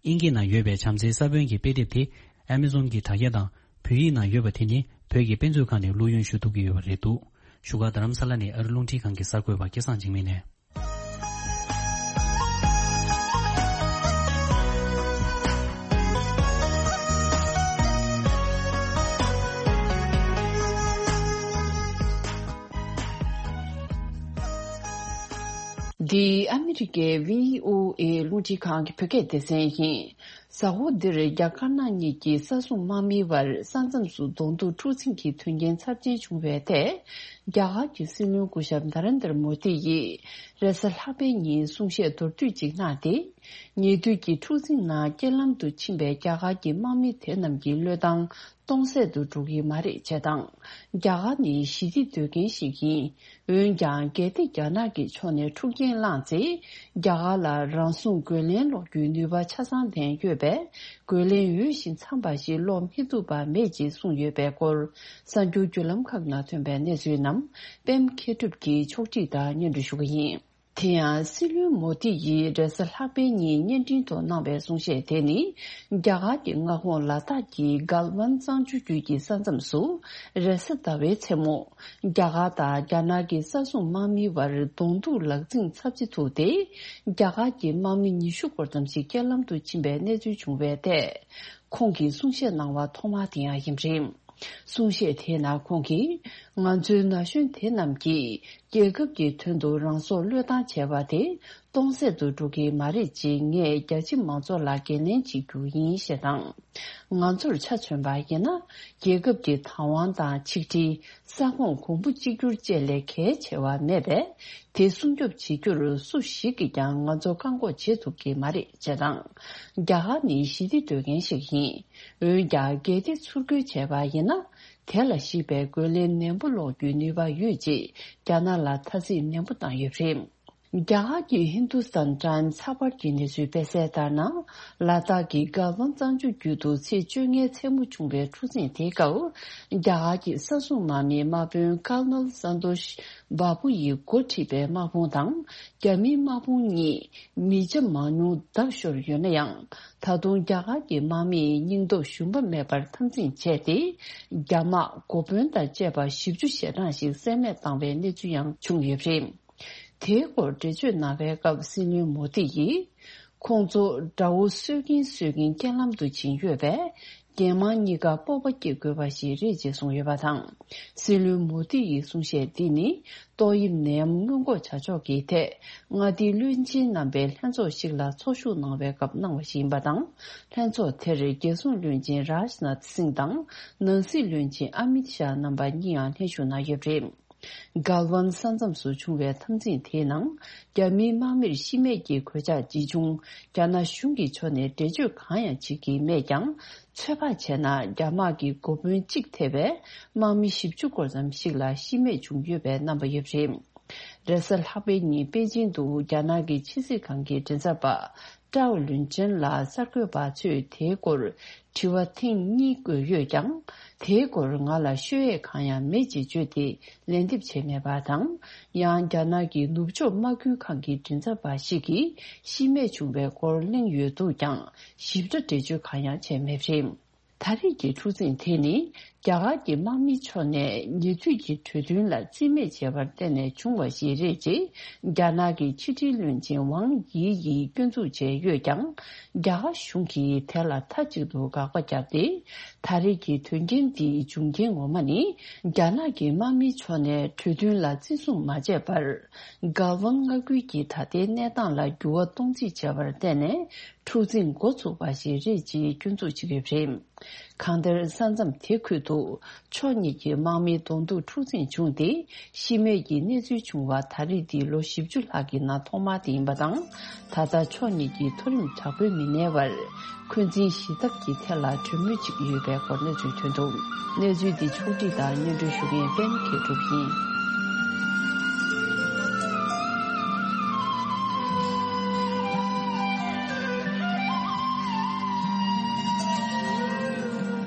ཨིན་སྐད་ནང་ཡོད་པའི་བྱམས་བརྩེའི་ས་བོན་གྱི་དཔེ་དེབ་དེ་ཨ་མེ་ཟོན་གྱི་དྲ་རྒྱ་དང་བོད་ཡིག་ནང་ཡོད་པ་དེ་ནི་བོད་ཀྱི་དཔེ་མཛོད་ཁང་ནས་བླུ་ཡོན་ཞུ་ཐུབ་ཀྱི་ཡོད་པ་རེད་འདུག། བཞུགས་སྒར་རྡ་རམ་ས་ལ་ནས་ཨ་རི་རླུང་འཕྲིན་ཁང་གི་གསར་འགོད་པ་སྐལ་བཟང་འཇིགས་མེད་ནས། འདི་ཨ་མི་རི་ཀའི་བྷི་ཨོ་ཨེ་རླུང་འཕྲིན་ཁང་གི་བོད་སྐད་སྡེ་ཚན་ཡིན། གཟའ་འཁོར་འདིར་རྒྱ་དཀར་ནག་གཉིས་ཀྱི་ས་སྲུང་དམག་མིའི་བར་ས་མཚམས་སུ་གདོང་ཐུག་འཁྲུག་འཛིང་གི་དོན་རྐྱེན་ཚབས་ཆེན་བྱུང་བའི་ཐད། རྒྱ་གར་གྱི་སྲིད་བློན་སྐུ་ཞབས་ན་རེན་དར་མོ་དི་ཡིས་རེས་གཟའ་ལྷག་པའི་ཉིན་གསུང་བཤད་མདོར་བསྡུས་ཅིག་གནང་སྟེ། ཉེ་དུས་ཀྱི་འཁྲུག་འཛིང་ནང་རྐྱེན་ལམ་དུ་ཕྱིན་པའི་རྒྱ་གར་གྱི་དམག་མི་དེ་རྣམས་ཀྱི་བློས་བཏང་སྟོང་ཟད་དུ་འགྲོ་གི་མ་རེད་ཅེས་དང་། རྒྱ་གར་ནི་ཞི་བདེ་འདོད་མཁན་ཞིག་ཡིན། འོན་ཀྱང་། གལ་ཏེ་རྒྱ་ནག་གི་ཕྱོགས་ནས་འཁྲུག་རྐྱེན་བསླངས་ཚེ། རྒྱ་གར་ལ་རང་སྲུང་རྒོལ་ལན་སློག་རྒྱུའི་ནུས་པ་ཆ་ཚང་ལྡན་ཡོད་པས། རྒོལ་ལན་འོས་ཤིང་འཚམས་པ་ཞིག་སློག་མི་ཐུབ་པ་མེད་ཅེས་གསུངས་ཡོད་པའི་སྐོར། གསར་འགྱུར་བརྒྱུད་ལམ་ཁག་ནང་ཐོན་པའི་གནས་ཚུལ་རྣམས་པད་མ་མཁས་གྲུབ་ཀྱིས་ཕྱོགས་སྒྲིག་དང་སྙན་སྒྲོན་ཞུ་གི་ཡིན། དེ་ཡང་། སྲིད་བློན་མོ་དི་ཡིས་རེས་གཟའ་ལྷག་པའི་ཉིན་བརྙན་འཕྲིན་ཐོག་གནང་བའི་གསུང་བཤད་དེ་ནི། རྒྱ་གར་གྱི་མངའ་ཁོངས་ལ་དྭགས་ཀྱི་གལ་ཝན་གཙང་ཆུ་རྒྱུད་ཀྱི་ས་མཚམས་སུ། རེས་གཟའ་ཟླ་བའི་མཚན་མོ། རྒྱ་གར་དང་རྒྱ་ནག་གི་ས་སྲུང་དམག་མིའི་བར་གདོང་ཐུག་ལག་འཛིང་ཚབས་ཆེ་ཐུག་སྟེ། རྒྱ་གར་གྱི་དམག་མི་ཉི་ཤུ་སྐོར་ཙམ་ཞིག་རྐྱེན་ལམ་དུ་ཕྱིན་པའི་གནས་ཚུལ་བྱུང་བའི་ཐད། ཁོང་གིས་གསུང་བཤད་གནང་བ་ཐོག་མ་དེ་ཡང་ཡིན་པ་རེད། གསུང་བཤད་དེའི་ནང་ཁོང་གིས། ང་ཚོའི་ན་གཞོན་དེ་རྣམས་ཀྱིས། རྒྱལ་ཁབ་ཀྱི་དོན་དུ་རང་སྲོག་བློས་བཏང་བྱས་པ་དེ་སྟོང་ཟད་དུ་འགྲོ་གི་མ་རེད་ཅེས་ངས་རྒྱ་ཆེ་མང་ཚོགས་ལ་འགན་ལེན་བྱེད་རྒྱུ་ཡིན་ཞེས་དང་། ང་ཚོར་ཆ་མཚོན་པ་ཡིན་ན། རྒྱལ་ཁབ་ཀྱི་བདག་དབང་དང་ཆིག་སྒྲིལ། ས་ཁོངས་གོང་བུ་གཅིག་གྱུར་བཅས་ལས་གལ་ཆེ་བ་མེད་པས། དེ་སྲུང་སྐྱོབ་བྱེད་རྒྱུར་སུ་ཞིག་གིས་ཀྱང་ང་ཚོ་བཀག་འགོག་བྱེད་ཐུབ་ཀྱི་མ་རེད་ཅེས་དང་། རྒྱ་གར་ནི་ཞི་བདེ་འདོད་མཁན་ཞིག་ཡིན། འོན་ཀྱང་། གལ་ཏེ་ཚུར་རྒོལ་བྱས་པ་ཡིན་ན། དེ་ལ་གཞིགས་པའི་རྒོལ་ལན་ནན་པོ་སློག་རྒྱུའི་ནུས་པ་ཡོད་ཅེས་རྒྱ་ནག་ལ་ཐ་ཚིག་ནན་པོ་བཏང་ཡོད་པ་རེད། རྒྱ་གར་གྱི་ཧིན་དུ་སྟན་ཊཱན་ཚགས་པར་གྱི་གནས་ཚུལ་སྤེལ་གསལ་ལྟར་ན། ལ་དྭགས་ཀྱི་གལ་ཝན་གཙང་ཆུ་རྒྱུད་དུ་ཚེས་བཅོ་ལྔའི་མཚན་མོ་བྱུང་བའི་འཁྲུག་འཛིང་དེའི་སྐབས། རྒྱ་གར་གྱི་ས་སྲུང་དམག་མིའི་དམག་དཔོན་ཀར་ནལ་སན་ཏོ་ཤི་བྷ་བུ་ཡིས་འགོ་ཁྲིད་པའི་དམག་དཔུང་དང་། རྒྱ་མིའི་དམག་དཔུང་གཉིས་མི་ཆ་མང་ཉུང་བརྡབ་ཤོར་ཡོད་ན་ཡང་། ད་དུང་རྒྱ་གར་གྱི་དམག་མིས་སྙིང་སྟོབས་ཞུམ་པ་མེད་པར་འཐབ་འཛིང་བྱས་ཏེ། རྒྱ་དམག་འགོ་དཔོན་དང་བཅས་པ་བཞི་བཅུ་ཞེ་གྲངས་ཤིག་བསད་རྨས་བཏང་བའི་གནས་ཚུལ་ཡང་བྱུང་ཡོད་པ་རེད། དེའི་སྐོར་འགྲེལ་བརྗོད་གནང་བའི་སྐབས། སྲིད་བློན་མོ་དི་ཡིས། ཁོང་ཚོ་དགྲ་བོ་གསོད་ཀྱིན་གསོད་ཀྱིན་རྐྱེན་ལམ་དུ་ཕྱིན་ཡོད་པས། རྒྱལ་དམངས་གཉིས་ཀ་སྤོབས་པ་སྐྱེ་དགོས་པ་ཞིག་རེད་ཅེས་གསུངས་ཡོད་པ་དང་། སྲིད་བློན་མོ་དི་ཡི་གསུང་བཤད་འདི་ནི། ཏོག་དབྱིབས་ནད་ཡམས་སྔོན་འགོག་བྱ་ཕྱོགས་ཀྱི་ཐད། མངའ་སྡེའི་བློན་ཆེན་རྣམ་པའི་ལྷན་ཚོགས་ཤིག་ལ་ཚོགས་ཞུགས་གནང་བའི་སྐབས་གནང་བ་ཞིག་ཡིན་པ་དང་། ལྷན་ཚོགས་དེར་རྒྱལ་སྲུང་བློན་ཆེན་རཱཇ་ནཱཐ་སིང་དང་། ནང་སྲིད་བློན་ཆེན་ཨ་མིད་ཤཱ་རྣམ་པ་གཉིས་ཡང་ལྷན་ཞུགས་གནང་ཡོད་པ་རེད། གལ་ཝན་ས་མཚམས་སུ་བྱུང་བའི་འཐབ་འཛིང་དེའི་ནང་། རྒྱ་མིའི་དམག་མིར་ཤི་རྨས་ཀྱི་གོད་ཆག་ཇི་བྱུང་། རྒྱ་ནག་གཞུང་གི་ཕྱོགས་ནས་འགྲེལ་བརྗོད་གང་ཡང་བྱེད་ཀྱི་མེད་ཀྱང་། ཚོད་དཔག་བྱས་ན། རྒྱ་དམག་གི་འགོ་དཔོན་གཅིག་ཐེ་བའི་དམག་མི་བཞི་བཅུ་སྐོར་ཙམ་ཞིག་ལ་ཤི་རྨས་བྱུང་ཡོད་པའི་རྣམ་པ་ཡོད་པ་རེད། རེས་གཟའ་ལྷག་པའི་ཉིན་པེ་ཅིང་དུ་རྒྱ་ནག་གི་ཕྱི་སྲིད་ཁང་གི་མགྲིན་ཚབ་པ་ཀྲའོ་ལུན་ཅན་ལ་གསར་འགོད་པ་ཚོས་དེའི་སྐོར་དྲི་བ་ཐེངས་གཉིས་བཀོད་ཡོད་ཀྱང་། དེའི་སྐོར་ང་ལ་ཤོད་ཡས་གང་ཡང་མེད་ཅེས་བརྗོད་དེ་ལན་འདེབས་བྱས་མེད་པ་དང་། ཡང་། རྒྱ་ནག་གི་ནུབ་ཕྱོགས་དམག་ཁུལ་ཁང་གི་མགྲིན་ཚབ་པ་ཞིག་གིས་ཤི་རྨས་བྱུང་བའི་སྐོར་གླེང་ཡོད་འདུག་ཀྱང་། ཞིབ་ཕྲ་འགྲེལ་བརྗོད་གང་ཡང་བྱས་མེད་པ་རེད། ད་རེས་ཀྱི་འཁྲུག་འཛིང་དེ་ནི། རྒྱ་གར་གྱི་དམག་མིའི་ཕྱོགས་ནས་ཉེ་དུས་ཀྱི་གྲོས་མཐུན་ལ་རྩིས་མེད་བྱས་པར་བརྟེན་ནས་བྱུང་བ་ཞིག་རེད་ཅེས། རྒྱ་ནག་གི་ཕྱི་དྲིལ་བློན་ཆེན་ཝང་དབྱི་ཡིས་སྐྱོན་འཛུགས་བྱས་ཡོད་ཀྱང་། རྒྱ་གར་གཞུང་གིས་དེ་ལ་མཐའ་གཅིག་ཏུ་དགག་པ་བརྒྱབ་སྟེ། ད་རེས་ཀྱི་དོན་རྐྱེན་འདིའི་འབྱུང་རྐྱེན་ངོ་མ་ནི། རྒྱ་ནག་གི་དམག་མིའི་ཕྱོགས་ནས་གྲོས་མཐུན་ལ་བརྩི་སྲུང་མ་བྱས་པར། གལ་ཝང་མངའ་ཁུལ་གྱི་ད་ལྟའི་གནས་སྟངས་ལ་འགྱུར་བ་གཏོང་རྩིས་བྱས་པར་བརྟེན་ནས། འཁྲུག་འཛིང་འགོ་ཚུགས་པ་ཞིག་རེད་ཅེས་སྐྱོན་འཛུགས་བྱེད་ཀྱི་ཡོད་པ་རེད། གང་ལྟར། ས་མཚམས་དེ་ཁུལ་དུ་ཕྱོགས་གཉིས་ཀྱི་དམག་མིའི་གདོང་ཐུག་འཁྲུག་འཛིང་བྱུང་སྟེ། ཤི་རྨས་ཀྱི་གནས་ཚུལ་བྱུང་བ་ད་རེས་འདི་ལོ་བཞི་བཅུ་ལྷག་གི་ནང་ཐོག་མ་དེ་ཡིན་པ་དང་། ད་ལྟ་ཕྱོགས་གཉིས་ཀྱི་མཐོ་རིམ་དྲག་པོའི་མི་སྣའི་བར་འཁོན་འཛིན་ཞི་ཚབ་ཀྱི་ཐད་ལ་གྲོས་མོལ་བྱེད་ཀྱི་ཡོད་པའི་སྐོར་གནས་ཚུལ་ཐོན་འདུག་གནས་ཚུལ་འདི་ཕྱོགས་སྒྲིག་དང་སྙན་སྒྲོན་ཞུ་མཁན་པད་མ་མཁས་གྲུབ་ཡིན།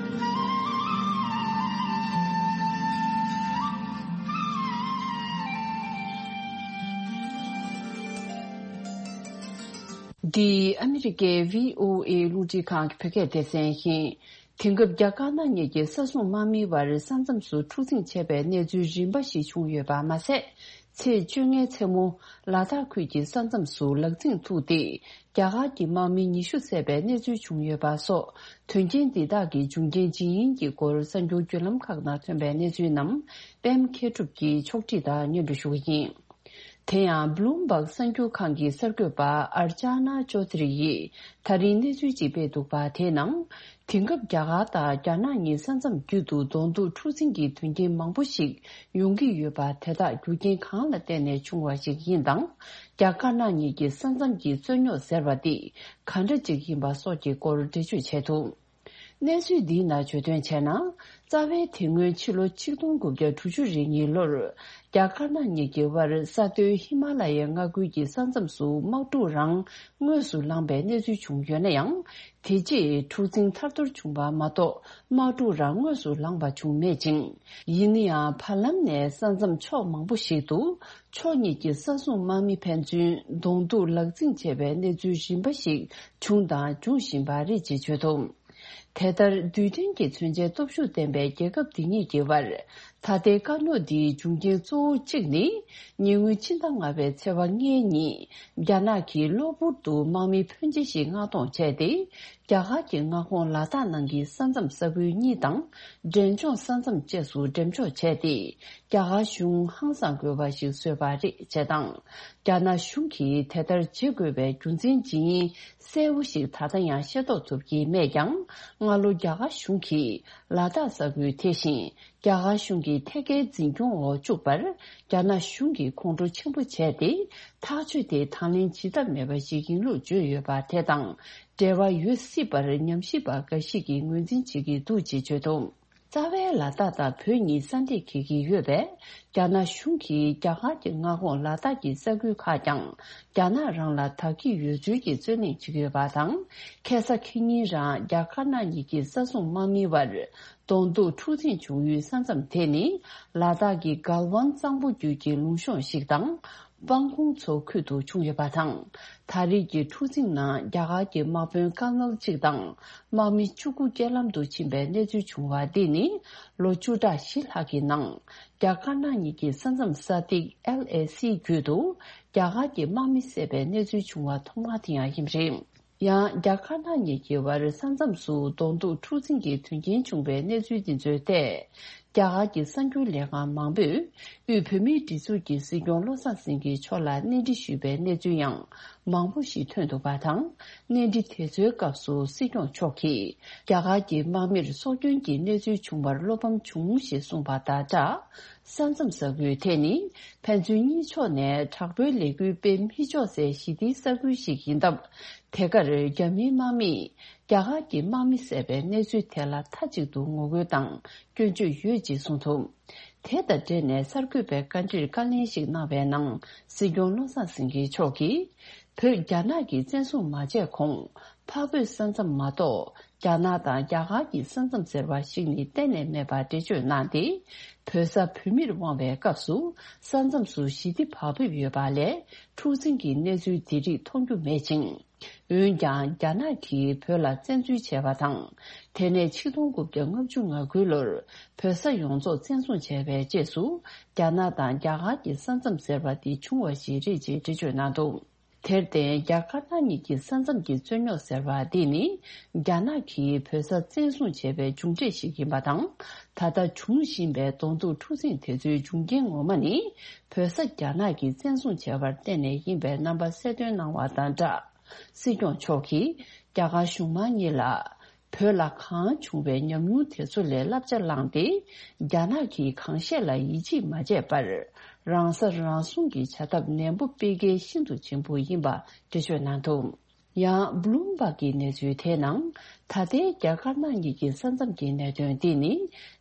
འདི་ཨ་མི་རི་ཀའི་བྷི་ཨོ་ཨེ་རླུང་འཕྲིན་ཁང་གི་བོད་སྐད་སྡེ་ཚན་ཡིན། དེང་སྐབས་རྒྱ་དཀར་ནག་གཉིས་ཀྱི་ས་སྲུང་དམག་མིའི་བར་ས་མཚམས་སུ་འཁྲུག་འཛིང་བྱས་པའི་གནས་ཚུལ་རིམ་པ་ཞིག་བྱུང་ཡོད་པ་མ་ཟད། ཚེས་བཅོ་ལྔའི་མཚན་མོ། ལ་དྭགས་ཁུལ་གྱི་ས་མཚམས་སུ་ལག་འཛིང་ཐུག་སྟེ། རྒྱ་གར་གྱི་དམག་མི་ཉི་ཤུ་བསད་པའི་གནས་ཚུལ་བྱུང་ཡོད་པ་སོགས། དོན་རྐྱེན་འདི་དག་གི་འབྱུང་རྐྱེན་ཇི་ཡིན་གྱི་སྐོར་གསར་འགྱུར་བརྒྱུད་ལམ་ཁག་ནང་ཐོན་པའི་གནས་ཚུལ་རྣམས། པད་མ་མཁས་གྲུབ་ཀྱིས་ཕྱོགས་སྒྲིག་དང་སྙན་སྒྲོན་ཞུ་གི་ཡིན། དེ་ཡང་། བྷི་ལུམ་བྷག་གསར་འགྱུར་ཁང་གི་གསར་འགོད་པ་ཨར་ཅཱ་ན་ཅོ་དྷ་རི་ཡིས་ད་རིང་གནས་ཚུལ་ཅིག་སྤེལ་འདུག་པ། དེའི་ནང་། དེང་སྐབས་རྒྱ་གར་དང་རྒྱ་ནག་གཉིས་ས་མཚམས་རྒྱུད་དུ་གདོང་ཐུག་འཁྲུག་འཛིང་གི་དོན་རྐྱེན་མང་པོ་ཞིག་ཡོང་གི་ཡོད་པ། དེ་དག་རྒྱུ་རྐྱེན་གང་ལ་བརྟེན་ནས་བྱུང་བ་ཞིག་ཡིན་དང་། རྒྱ་དཀར་ནག་གཉིས་ཀྱི་ས་མཚམས་ཀྱི་རྩོད་རྙོག་ཟེར་བ་འདི་ག་འདྲ་ཅིག་ཡིན་པ་སོགས་ཀྱི་སྐོར་འགྲེལ་བརྗོད་བྱས་འདུག་གནས་ཚུལ་འདིའི་ནང་བརྗོད་དོན་བྱས་ན། རྩ་བའི་དེ་སྔོན་ཕྱི་ལོ་ཆིག་སྟོང་དགུ་བརྒྱ་དྲུག་ཅུ་རེ་གཉིས་ལོར། རྒྱ་དཀར་ནག་གཉིས་ཀྱི་དབར་ས་མཐོའི་ཧི་མ་ལ་ཡའི་མངའ་ཁུལ་གྱི་ས་མཚམས་སུ་དམག་འཁྲུག་རང་དངོས་སུ་ལངས་པའི་གནས་ཚུལ་བྱུང་ཡོད་ན་ཡང་། དེ་རྗེས་འཁྲུག་འཛིང་ཐར་ཐོར་བྱུང་བ་མ་གཏོགས། དམག་འཁྲུག་རང་དངོས་སུ་ལངས་པ་བྱུང་མེད་ཅིང་། ཡིན་ན་ཡང་། བར་ལམ་ནས་ས་མཚམས་ཕྱོགས་མང་པོ་ཞིག་ཏུ། ཕྱོགས་གཉིས་ཀྱི་ས་སྲུང་དམག་མི་ཕན་ཚུན་གདོང་ཐུག་ལག་འཛིང་བྱས་པའི་གནས་ཚུལ་རིམ་པ་ཞིག་བྱུང་དང་འབྱུང་བཞིན་པ་རེད་ཅེས་བརྗོད་འདུག་དེ་ལྟར། རྡུལ་ཕྲན་གྱི་མཚོན་ཆའི་སྟོབས་ཤུགས་ལྡན་པའི་རྒྱལ་ཁབ་འདི་གཉིས་ཀྱི་དབར། ད་ལྟའི་དཀའ་རྙོག་འདིའི་འབྱུང་རྐྱེན་གཙོ་བོ་གཅིག་ནི། ཉེ་སྔོན་ཕྱི་ཟླ་ལྔ་པའི་ཚེས་པ་ལྔའི་ཉིན། རྒྱ་ནག་གིས་གློ་བུར་དུ་དམག་མི་ཕོན་ཆེ་ཞིག་མངགས་གཏོང་བྱས་ཏེ། རྒྱ་གར་གྱི་མངའ་ཁོངས་ལ་དྭགས་ནང་གི་ས་མཚམས་ས་ཁུལ་གཉིས་དང་། འབྲས་ལྗོངས་ས་མཚམས་བཅས་སུ་འགྲེམས་འཇོག་བྱས་ཏེ། རྒྱ་གར་གཞུང་ཧང་སང་དགོས་པ་ཞིག་བཟོས་པ་རེད་ཅེས་དང་། རྒྱ་ནག་གཞུང་གིས་དེ་ལྟར་བྱེད་དགོས་པའི་རྒྱུ་མཚན་ཇི་ཡིན་གསལ་བོ་ཞིག་ད་ལྟ་ཡང་ཤེས་རྟོགས་ཐུབ་ཀྱི་མེད་ཀྱང་། སྔ་ལོ་རྒྱ་གར་གཞུང་གིས་ལ་དྭགས་ས་ཁུལ་དེ་བཞིན། རྒྱ་གར་གཞུང་གི་ཐད་ཀའི་འཛིན་སྐྱོང་འོག་བཅུག་པར། རྒྱ་ནག་གཞུང་གིས་ཁོང་ཁྲོ་ཆེན་པོ་བྱས་ཏེ། ཐག་གཅོད་དེ་དང་ལེན་བྱེད་ཐབས་མེད་པ་ཞིག་ཡིན་ལུགས་བརྗོད་ཡོད་པ་དེ་དང་། འབྲེལ་བ་ཡོད་སྲིད་པར་ཉམས་ཞིབ་པ་འགའ་ཞིག་གིས་ངོས་འཛིན་བྱེད་ཀྱི་འདུག་ཅེས་བརྗོད་འདུག་རྩ་བའི་ལ་དྭགས་དང་བོད་གཉིས་ས་འདྲེས་འགེལ་གྱི་ཡོད་པས། རྒྱ་ནག་གཞུང་གིས་རྒྱ་གར་གྱི་མངའ་ཁོངས་ལ་དྭགས་ཀྱི་ས་ཁུལ་ཁག་ཀྱང་རྒྱ་ནག་རང་ལ་བདག་གི་ཡོད་ཚུལ་གྱི་རྩོད་གླེང་བྱེད་ཀྱི་ཡོད་པ་དང་། ཁ་སང་ཁེ་ཉིན་རང་རྒྱ་དཀར་ནག་གཉིས་ཀྱི་ས་སྲུང་དམག་མི་བར་གདོང་ཐུག་འཁྲུག་འཛིང་བྱུང་ཡུལ་ས་མཚམས་དེ་ནི་ལ་དྭགས་ཀྱི་གལ་ཝང་གཙང་པོ་རྒྱུད་ཀྱི་ལུང་གཤོང་ཞིག་དང་། སྤང་ཁུང་མཚོ་ཁུལ་དུ་བྱུང་ཡོད་པ་དང་། ད་རེས་ཀྱི་འཁྲུག་འཛིང་ནང་རྒྱ་གར་གྱི་དམག་དཔོན་ཀར་ནལ་གཅིག་དང་། དམག་མི་བཅུ་དགུ་རྐྱེན་ལམ་དུ་ཕྱིན་པའི་གནས་ཚུལ་བྱུང་བ་འདི་ནི། ལོ་བཅུ་ཕྲག་བཞི་ལྷག་གི་ནང་། རྒྱ་དཀར་ནག་གཉིས་ཀྱི་ས་མཚམས་ས་ཐིག་ཨེལ་ཨེ་སི་བརྒྱུད་དུ། རྒྱ་གར་གྱི་དམག་མི་བསད་པའི་གནས་ཚུལ་བྱུང་བ་ཐོག་མ་དེ་ཡང་ཡིན་པ་རེད། ཡང་རྒྱ་དཀར་ནག་གཉིས་ཀྱི་བར་ས་མཚམས་སུ་གདོང་ཐུག་འཁྲུག་འཛིང་གི་དོན་རྐྱེན་བྱུང་བའི་གནས་ཚུལ་འདི་ཚོའི་ཐད། རྒྱ་གར་གྱི་གསར་འགྱུར་ལས་ཁང་མང་པོས། དབུས་བོད་མིའི་སྒྲིག་འཛུགས་ཀྱི་སྲིད་སྐྱོང་བློ་བཟང་སེང་གེ་མཆོག་ལ་གནས་འདྲི་ཞུས་པའི་གནས་ཚུལ་ཡང་མང་པོ་ཞིག་ཐོན་འདུག་པ་དང་། གནས་འདྲི་དེ་ཚོའི་སྐབས་སུ་སྲིད་སྐྱོང་མཆོག་གིས། རྒྱ་གར་གྱི་དམག་མིར་སྲོག་སྐྱོན་གྱི་གནས་ཚུལ་བྱུང་བར་བློ་ཕམ་བྱུང་ཞེས་གསུངས་པ་དང་སྦྲགས། ས་མཚམས་ས་ཁུལ་དེ་ནི་ཕན་ཚུན་གཉིས་ཕྱོགས་ནས་དྲག་པོའི་ལས་འགུལ་སྤེལ་མི་ཆོག་སའི་ཞི་བདེའི་ས་ཁུལ་ཞིག་ཡིན་སྟབས། དེ་གར་རྒྱ་མིའི་དམག་མིས་རྒྱ་གར་གྱི་དམག་མི་བསད་པའི་གནས་ཚུལ་དེ་ལ་མཐའ་གཅིག་ཏུ་ངོ་རྒོལ་དང་སྐྱོན་བརྗོད་ཡོད་ཅེས་གསུངས་འདུག་དེ་དང་འབྲེལ་ནས་གསར་འགོད་པའི་བཀའ་འདྲིར་བཀའ་ལན་ཞིག་གནང་བའི་ནང་། སྲིད་སྐྱོང་བློ་བཟང་སེང་གེ་མཆོག་གིས། བོད་རྒྱ་ནག་གིས་བཙན་བཟུང་མ་བྱས་གོང་། འཕགས་བོད་ས་མཚམས་མ་གཏོགས། རྒྱ་ནག་དང་རྒྱ་གར་གྱི་ས་མཚམས་ཟེར་བ་ཞིག་ནི་གཏན་ནས་མེད་པ་འགྲེལ་བརྗོད་གནང་སྟེ། བོད་ས་བོད་མིར་དབང་བའི་སྐབས་སུ། ས་མཚམས་སུ་ཞི་བདེ་བག་ཕེབས་ཡོད་པ་ལས། འཁྲུག་འཛིང་གི་གནས་ཚུལ་འདི་རིགས་མཐོང་རྒྱུ་མེད་ཅིང་། འོན་ཀྱང་། རྒྱ་ནག་གིས་བོད་ལ་བཙན་འཛུལ་བྱས་པ་དང་། དེ་ནས་ཆིག་སྟོང་དགུ་བརྒྱ་ལྔ་བཅུ་ང་དགུ་ལོར། བོད་ས་ཡོངས་རྫོགས་བཙན་བཟུང་བྱས་པའི་རྗེས་སུ། རྒྱ་ནག་དང་རྒྱ་གར་གྱི་ས་མཚམས་ཟེར་བ་འདི་བྱུང་བ་ཞིག་རེད་ཅེས་འགྲེལ་བརྗོད་གནང་འདུག་དེར་བརྟེན། རྒྱ་དཀར་ནག་གཉིས་ཀྱི་ས་མཚམས་ཀྱི་རྩོད་རྙོག་ཟེར་བ་འདི་ནི། རྒྱ་ནག་གིས་བོད་ས་བཙན་བཟུང་བྱས་པའི་མཇུག་འབྲས་ཤིག་ཡིན་པ་དང་། ད་ལྟ་འབྱུང་བཞིན་པའི་གདོང་ཐུག་འཁྲུག་འཛིང་དེ་ཚོའི་འབྱུང་རྐྱེན་ངོ་མ་ནི། བོད་ས་རྒྱ་ནག་གིས་བཙན་བཟུང་བྱས་པར་བརྟེན་ནས་ཡིན་པའི་རྣམ་པ་གསལ་སྟོན་གནང་བ་དང་སྦྲགས། སྲིད་སྐྱོང་མཆོག་གིས། རྒྱ་གར་གཞུང་མང་གཉིས་ལ། བོད་ལ་གང་བྱུང་བའི་ཉམས་མྱོང་དེ་ཚོ་ལས་བསླབ་བྱ་བླངས་ཏེ། རྒྱ་ནག་གིས་གང་བཤད་ལ་ཡིད་ཆེས་མ་བྱས་པར། རང་ས་རང་སྲུང་གི་བྱ་ཐབས་ནན་པོ་སྤེལ་གལ་ཤིན་ཏུ་ཆེན་པོ་ཡིན་པ་འགྲེལ་བརྗོད་གནང་འདུག་ཡང་། བྷི་ལུམ་བྷག་གི་གནས་ཚུལ་དེའི་ནང་། ད་ལྟའི་རྒྱ་དཀར་ནག་གཉིས་ཀྱི་ས་མཚམས་ཀྱི་གནད་དོན་འདི་ནི།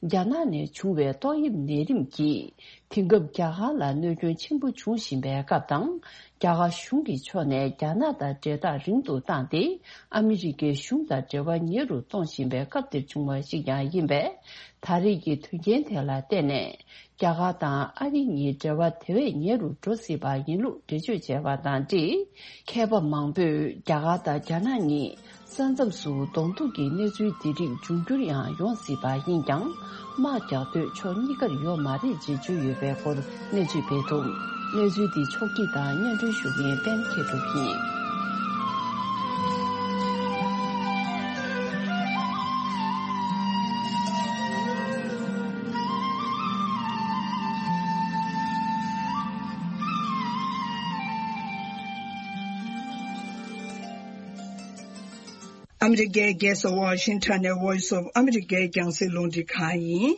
རྒྱ་ནག་ནས་བྱུང་བའི་ཏོག་དབྱིབས་ནད་རིམས་ཀྱིས། དེང་སྐབས་རྒྱ་གར་ལ་གནོད་སྐྱོན་ཆེན་པོ་འབྱུང་བཞིན་པའི་སྐབས་དང་། རྒྱ་གར་གཞུང་གི་ཕྱོགས་ནས་རྒྱ་ནག་དང་འབྲེལ་ཐག་རིང་དུ་བཏང་སྟེ། ཨ་མི་རི་ཀའི་གཞུང་དང་འབྲེལ་བ་ཉེ་རུ་གཏོང་བཞིན་པའི་སྐབས་འདིར་བྱུང་བ་ཞིག་ཀྱང་ཡིན་པས། ད་རེས་ཀྱི་དོན་རྐྱེན་དེ་ལ་བརྟེན་ནས། རྒྱ་གར་དང་ཨ་རི་གཉིས་འབྲེལ་བ་དེ་བས་ཉེ་རུ་འགྲོ་སྲིད་པ་ཡིན་ལུགས་འགྲེལ་བརྗོད་བྱས་པ་དང་འབྲེལ། མཁས་པ་མང་པོས་རྒྱ་གར་དང་རྒྱ་ནག་གཉིས། ས་མཚམས་སུ་གདོང་ཐུག་གི་གནས་ཚུལ་འདི་རིགས་འབྱུང་འགྱུར་ཡང་ཡོང་སྲིད་པ་ཡིན་ཀྱང་། དམག་རྒྱག་འདོད་ཕྱོགས་གཉིས་ཀར་ཡོད་མ་རེད་ཅེས་བརྗོད་ཡོད་པའི་སྐོར་གནས་ཚུལ་སྤེལ་འདུག་གནས་ཚུལ་འདི་ཕྱོགས་སྒྲིག་དང་སྙན་སྒྲོན་ཞུ་མཁན་པད་མ་མཁས་གྲུབ་ཡིན། ཨ་མི་རི་ཀའི་རྒྱལ་ས་ཝ་ཤིང་ཊོན་ནས་Voice of America་རྒྱང་སྲིང་རླུང་འཕྲིན་ཁང་ཡིན།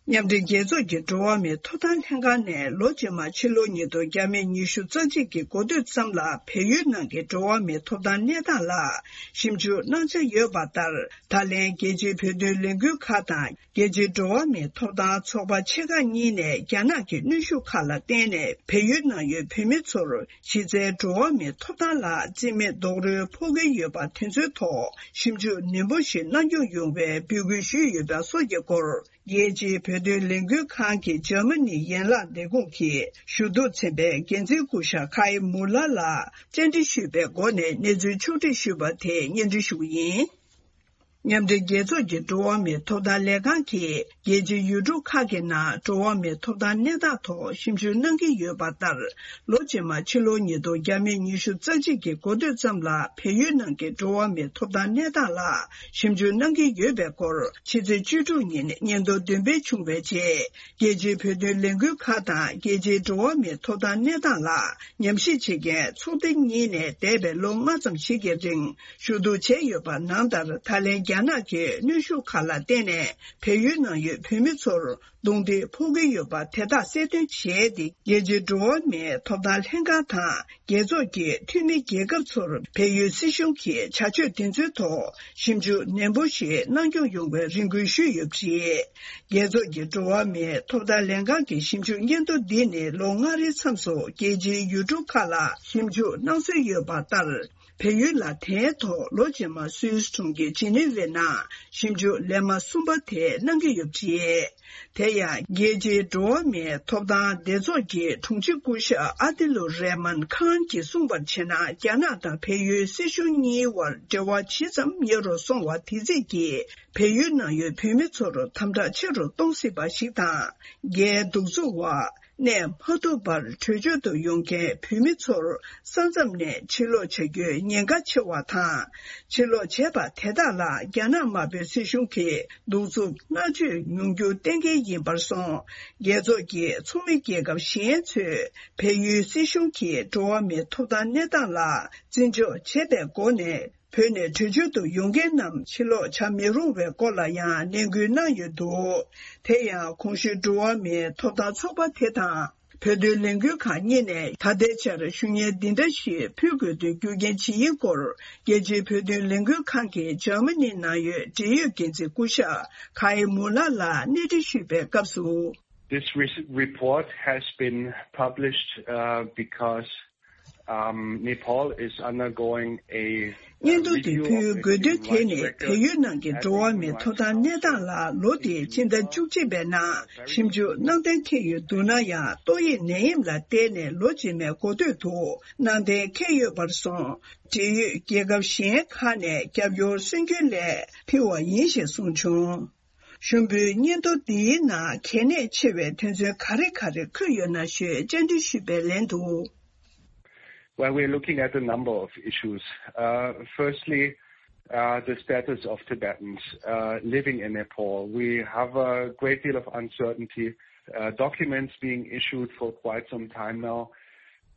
མཉམ་འབྲེལ་རྒྱལ་ཚོགས་ཀྱི་འགྲོ་བ་མིའི་ཐོབ་ཐང་ལྷན་ཁང་ནས་ལོ་རྗེས་མ་ཕྱི་ལོ་ཉིས་སྟོང་ཉི་ཤུ་རྩ་གཅིག་གི་འགོ་སྟོད་ཙམ་ལ་བལ་ཡུལ་ནང་གི་འགྲོ་བ་མིའི་ཐོབ་ཐང་གནས་སྟངས་ལ་ཞིབ་འཇུག་གནང་འཆར་ཡོད་པ་ལྟར། ད་ལན་རྒྱལ་སྤྱིའི་བོད་དོན་ལས་འགུལ་ཁག་དང་རྒྱལ་སྤྱིའི་འགྲོ་བ་མིའི་ཐོབ་ཐང་ཚོགས་པ་ཆེ་ཁག་གཉིས་ནས་རྒྱ་ནག་གི་གནོན་ཤུགས་ཁག་ལ་བརྟེན་ནས་བལ་ཡུལ་ནང་ཡོད་བོད་མི་ཚོར་གཞི་རྩའི་འགྲོ་བ་མིའི་ཐོབ་ཐང་ལ་རྩིས་མེད་རྡོག་རོལ་ཕོག་གི་ཡོད་པ་དེ་ཚོའི་ཐོག་ཞིབ་འཇུག་ནན་པོ་ཞིག་གནང་སྐྱོང་ཡོང་བའི་འབོད་སྐུལ་ཞུས་ཡོད་པ་སོགས་ཀྱི་སྐོར། རྒྱལ་སྤྱིའི་བོད་དོན་ལས་འགུལ་ཁང་གི་འཇར་མ་ནི་ཡན་ལག་ལས་ཁུངས་ཀྱི་ཞུ་གཏུག་ཚན་པའི་འགན་འཛིན་སྐུ་ཞབས་ཁའི་མུ་ལ་ལ་བཅར་འདྲི་ཞུས་པའི་སྒོ་ནས་གནས་ཚུལ་ཕྱོགས་སྒྲིག་ཞུས་པ་དེ་སྙན་སྒྲོན་ཞུ་གི་ཡིན། མཉམ་འབྲེལ་རྒྱལ་ཚོགས་ཀྱི་འགྲོ་བ་མིའི་ཐོབ་ཐང་ལས་ཁང་གིས་རྒྱལ་སྤྱིའི་ཡུལ་གྲུ་ཁག་གི་ནང་འགྲོ་བ་མིའི་ཐོབ་ཐང་གནས་སྟངས་ཐོག་ཞིབ་འཇུག་གནང་གི་ཡོད་པ་ལྟར། ལོ་རྗེས་མ་ཕྱི་ལོ་ཉིས་སྟོང་ཉི་ཤུ་རྩ་གཅིག་གི་འགོ་སྟོད་ཙམ་ལ་བལ་ཡུལ་ནང་གི་འགྲོ་བ་མིའི་ཐོབ་ཐང་གནས་སྟངས་ལ་ཞིབ་འཇུག་གནང་གི་ཡོད་པའི་སྐོར། ཕྱི་ཚེས་བཅུ་དྲུག་ཉིན་སྙན་ཐོ་འདོན་སྤེལ་བྱུང་བའི་རྗེས། རྒྱལ་སྤྱིའི་བོད་དོན་ལས་འགུལ་ཁག་དང་རྒྱལ་སྤྱིའི་འགྲོ་བ་མིའི་ཐོབ་ཐང་གནས་སྟངས་ལ་ཉམས་ཞིབ་བྱེད་མཁན་ཚོགས་སྡེ་གཉིས་ནས་འདས་པའི་ལོ་ལྔ་ཙམ་ཞིག་གི་རིང་ཞུ་གཏུག་བྱས་ཡོད་པ་ནང་ལྟར། ད་ལན་རྒྱ་ནག་གིས་གནོན་ཤུགས་ཁག་ལ་བརྟེན་ནས་བལ་ཡུལ་ནང་ཡོད་བོད་མི་ཚོར་རྡུང་རྡེག་ཕོག་གི་ཡོད་པ་དེ་དག་གསལ་སྟོན་བྱས་ཏེ། རྒྱལ་སྤྱིའི་འགྲོ་བ་མིའི་ཐོབ་ཐང་ལྷན་ཁང་དང་རྒྱལ་ཚོགས་ཀྱི་འཐུས་མི་རྒྱལ་ཁབ་ཚོར་བལ་ཡུལ་སྲིད་གཞུང་གི་བྱ་སྤྱོད་དེ་ཚོའི་ཐོག་ཞིབ་འཇུག་ནན་པོ་ཞིག་གནང་སྐྱོང་ཡོང་བའི་རེ་སྐུལ་ཞུས་ཡོད་པ་རེད། རྒྱལ་ཚོགས་ཀྱི་འགྲོ་བ་མིའི་ཐོབ་ཐང་ལྷན་ཁང་གི་ཞིབ་འཇུག་སྙན་ཐོ་འདི་ནི་ལོ་ལྔ་རེའི་མཚམས་སུ་རྒྱལ་སྤྱིའི་ཡུལ་གྲུ་ཁག་ལ་ཞིབ་འཇུག་གནང་སྲོལ་ཡོད་པ་ལྟར། བལ་ཡུལ་ལ་དེའི་ཐོག་ལོ་རྗེས་མ་སུད་སི་གྲོང་ཁྱེར་ཇི་ནི་ཝའི་ནང་ཞིབ་འཇུག་ལེ་དམར་གསུམ་པ་དེ་གནང་གི་ཡོད་པ་རེད། དེ་ཡང་རྒྱལ་སྤྱིའི་འགྲོ་བ་མིའི་ཐོབ་ཐང་སྡེ་ཚོགས་ཀྱི་དྲུང་ཆེ་སྐུ་ཞབས་ཨ་ཏི་ལུ་རེ་མན་ཁཱན་གྱིས་གསུངས་པར་བྱས་ན། རྒྱ་ནག་དང་བལ་ཡུལ་སྲིད་གཞུང་གཉིས་དབར་འབྲེལ་བ་ཇི་ཙམ་ཉེ་རུ་སོང་བ་དེ་ཙམ་གྱིས་བལ་ཡུལ་ནང་ཡོད་བོད་མི་ཚོར་དམ་དྲག་ཆེ་རུ་གཏོང་སྲིད་པ་ཞིག་དང་། རྒྱའི་གདུག་རྩུབ་འོག་གནས་མ་ཐུབ་པར་བྲོས་བྱོལ་དུ་ཡོང་མཁན་བོད་མི་ཚོར་ས་མཚམས་ནས་ཕྱིར་ལོག་བྱ་རྒྱུའི་ཉེན་ཁ་ཆེ་བ་དང་། ཕྱིར་ལོག་བྱས་པ་དེ་དག་ལ་རྒྱ་ནག་དམར་པོའི་སྲིད་གཞུང་གིས་གདུག་རྩུབ་མནར་གཅོད་མྱོང་རྒྱུ་གཏན་འཁེལ་ཡིན་པར་སོང་། རྒྱལ་ཚོགས་ཀྱི་ཚོགས་མི་རྒྱལ་ཁབ་གཞན་ཚོས་བལ་ཡུལ་སྲིད་གཞུང་གིས་འགྲོ་བ་མིའི་ཐོབ་ཐང་གནས་སྟངས་ལ་བརྩི་འཇོག་བྱས་པའི་སྒོ་ནས། བོད་ནས་བྲོས་བྱོལ་དུ་ཡོང་མཁན་རྣམས་ཕྱིར་ལོག་བྱ་མི་རུང་བའི་སྐོར་ལ་ཡང་ནན་སྐུལ་གནང་ཡོད་འདུག་དེ་ཡང་གོང་ཞུས་འགྲོ་བ་མིའི་ཐོབ་ཐང་ཚོགས་པ་དེ་དང་། བོད་དོན་ལས་འགུལ་ཁང་གཉིས་ནས་ད་ལྟའི་ཆར་ཞུ་སྙན་འདི་འདྲ་ཞིག་ཕུལ་དགོས་དོན་རྒྱུ་རྐྱེན་ཇི་ཡིན་སྐོར། རྒྱལ་སྤྱིའི་བོད་དོན་ལས་འགུལ་ཁང་གི་འཇར་མ་ནི་ནང་ཡོད་འབྲེལ་ཡོད་འགན་འཛིན་སྐུ་ཞབས་ཁའི་མུ་ལ་ལ་གནས་འདྲི་ཞུས་པའི་སྐབས་སུ། This re- report has been published uh, because um, Nepal is undergoing a སྙན་ཐོ་དེ་ཕུལ་དགོས་དོན་དེ་ནི་བལ་ཡུལ་ནང་གི་འགྲོ་བ་མིའི་ཐོབ་ཐང་གནས་སྟངས་ལ་ལོ་དེའི་ཕྱི་ཟླ་བཅུ་གཅིག་པའི་ནང་ཞིབ་འཇུག་གནང་གཏན་འཁེལ་ཡོད་འདུག་ན་ཡང་། ཏོག་དབྱིབས་ནད་ཡམས་ལ་བརྟེན་ནས་ལོ་རྗེས་མའི་འགོ་སྟོད་དུ་གནང་གཏན་འཁེལ་ཡོད་པར་སོང་། འབྲེལ་ཡོད་རྒྱལ་ཁབ་གཞན་ཁག་ནས་རྒྱབ་སྐྱོར་སེམས་འགུལ་སླད་ཕུལ་བ་ཡིན་ཞེས་གསུངས་བྱུང་། ཞུ་འབོད་སྙན་ཐོ་འདིའི་ནང་གལ་གནད་ཆེ་བའི་དོན་ཚན་ག་རེ་ག་རེ་འཁོད་ཡོད་ན་ཞུས་བཅར་འདྲི་ཞུས་པའི་ལན་དུ། Well, we're looking at a number of issues. Uh, firstly, uh, the status of Tibetans uh, living in Nepal. We have a great deal of uncertainty. Uh, documents being issued for quite some time now.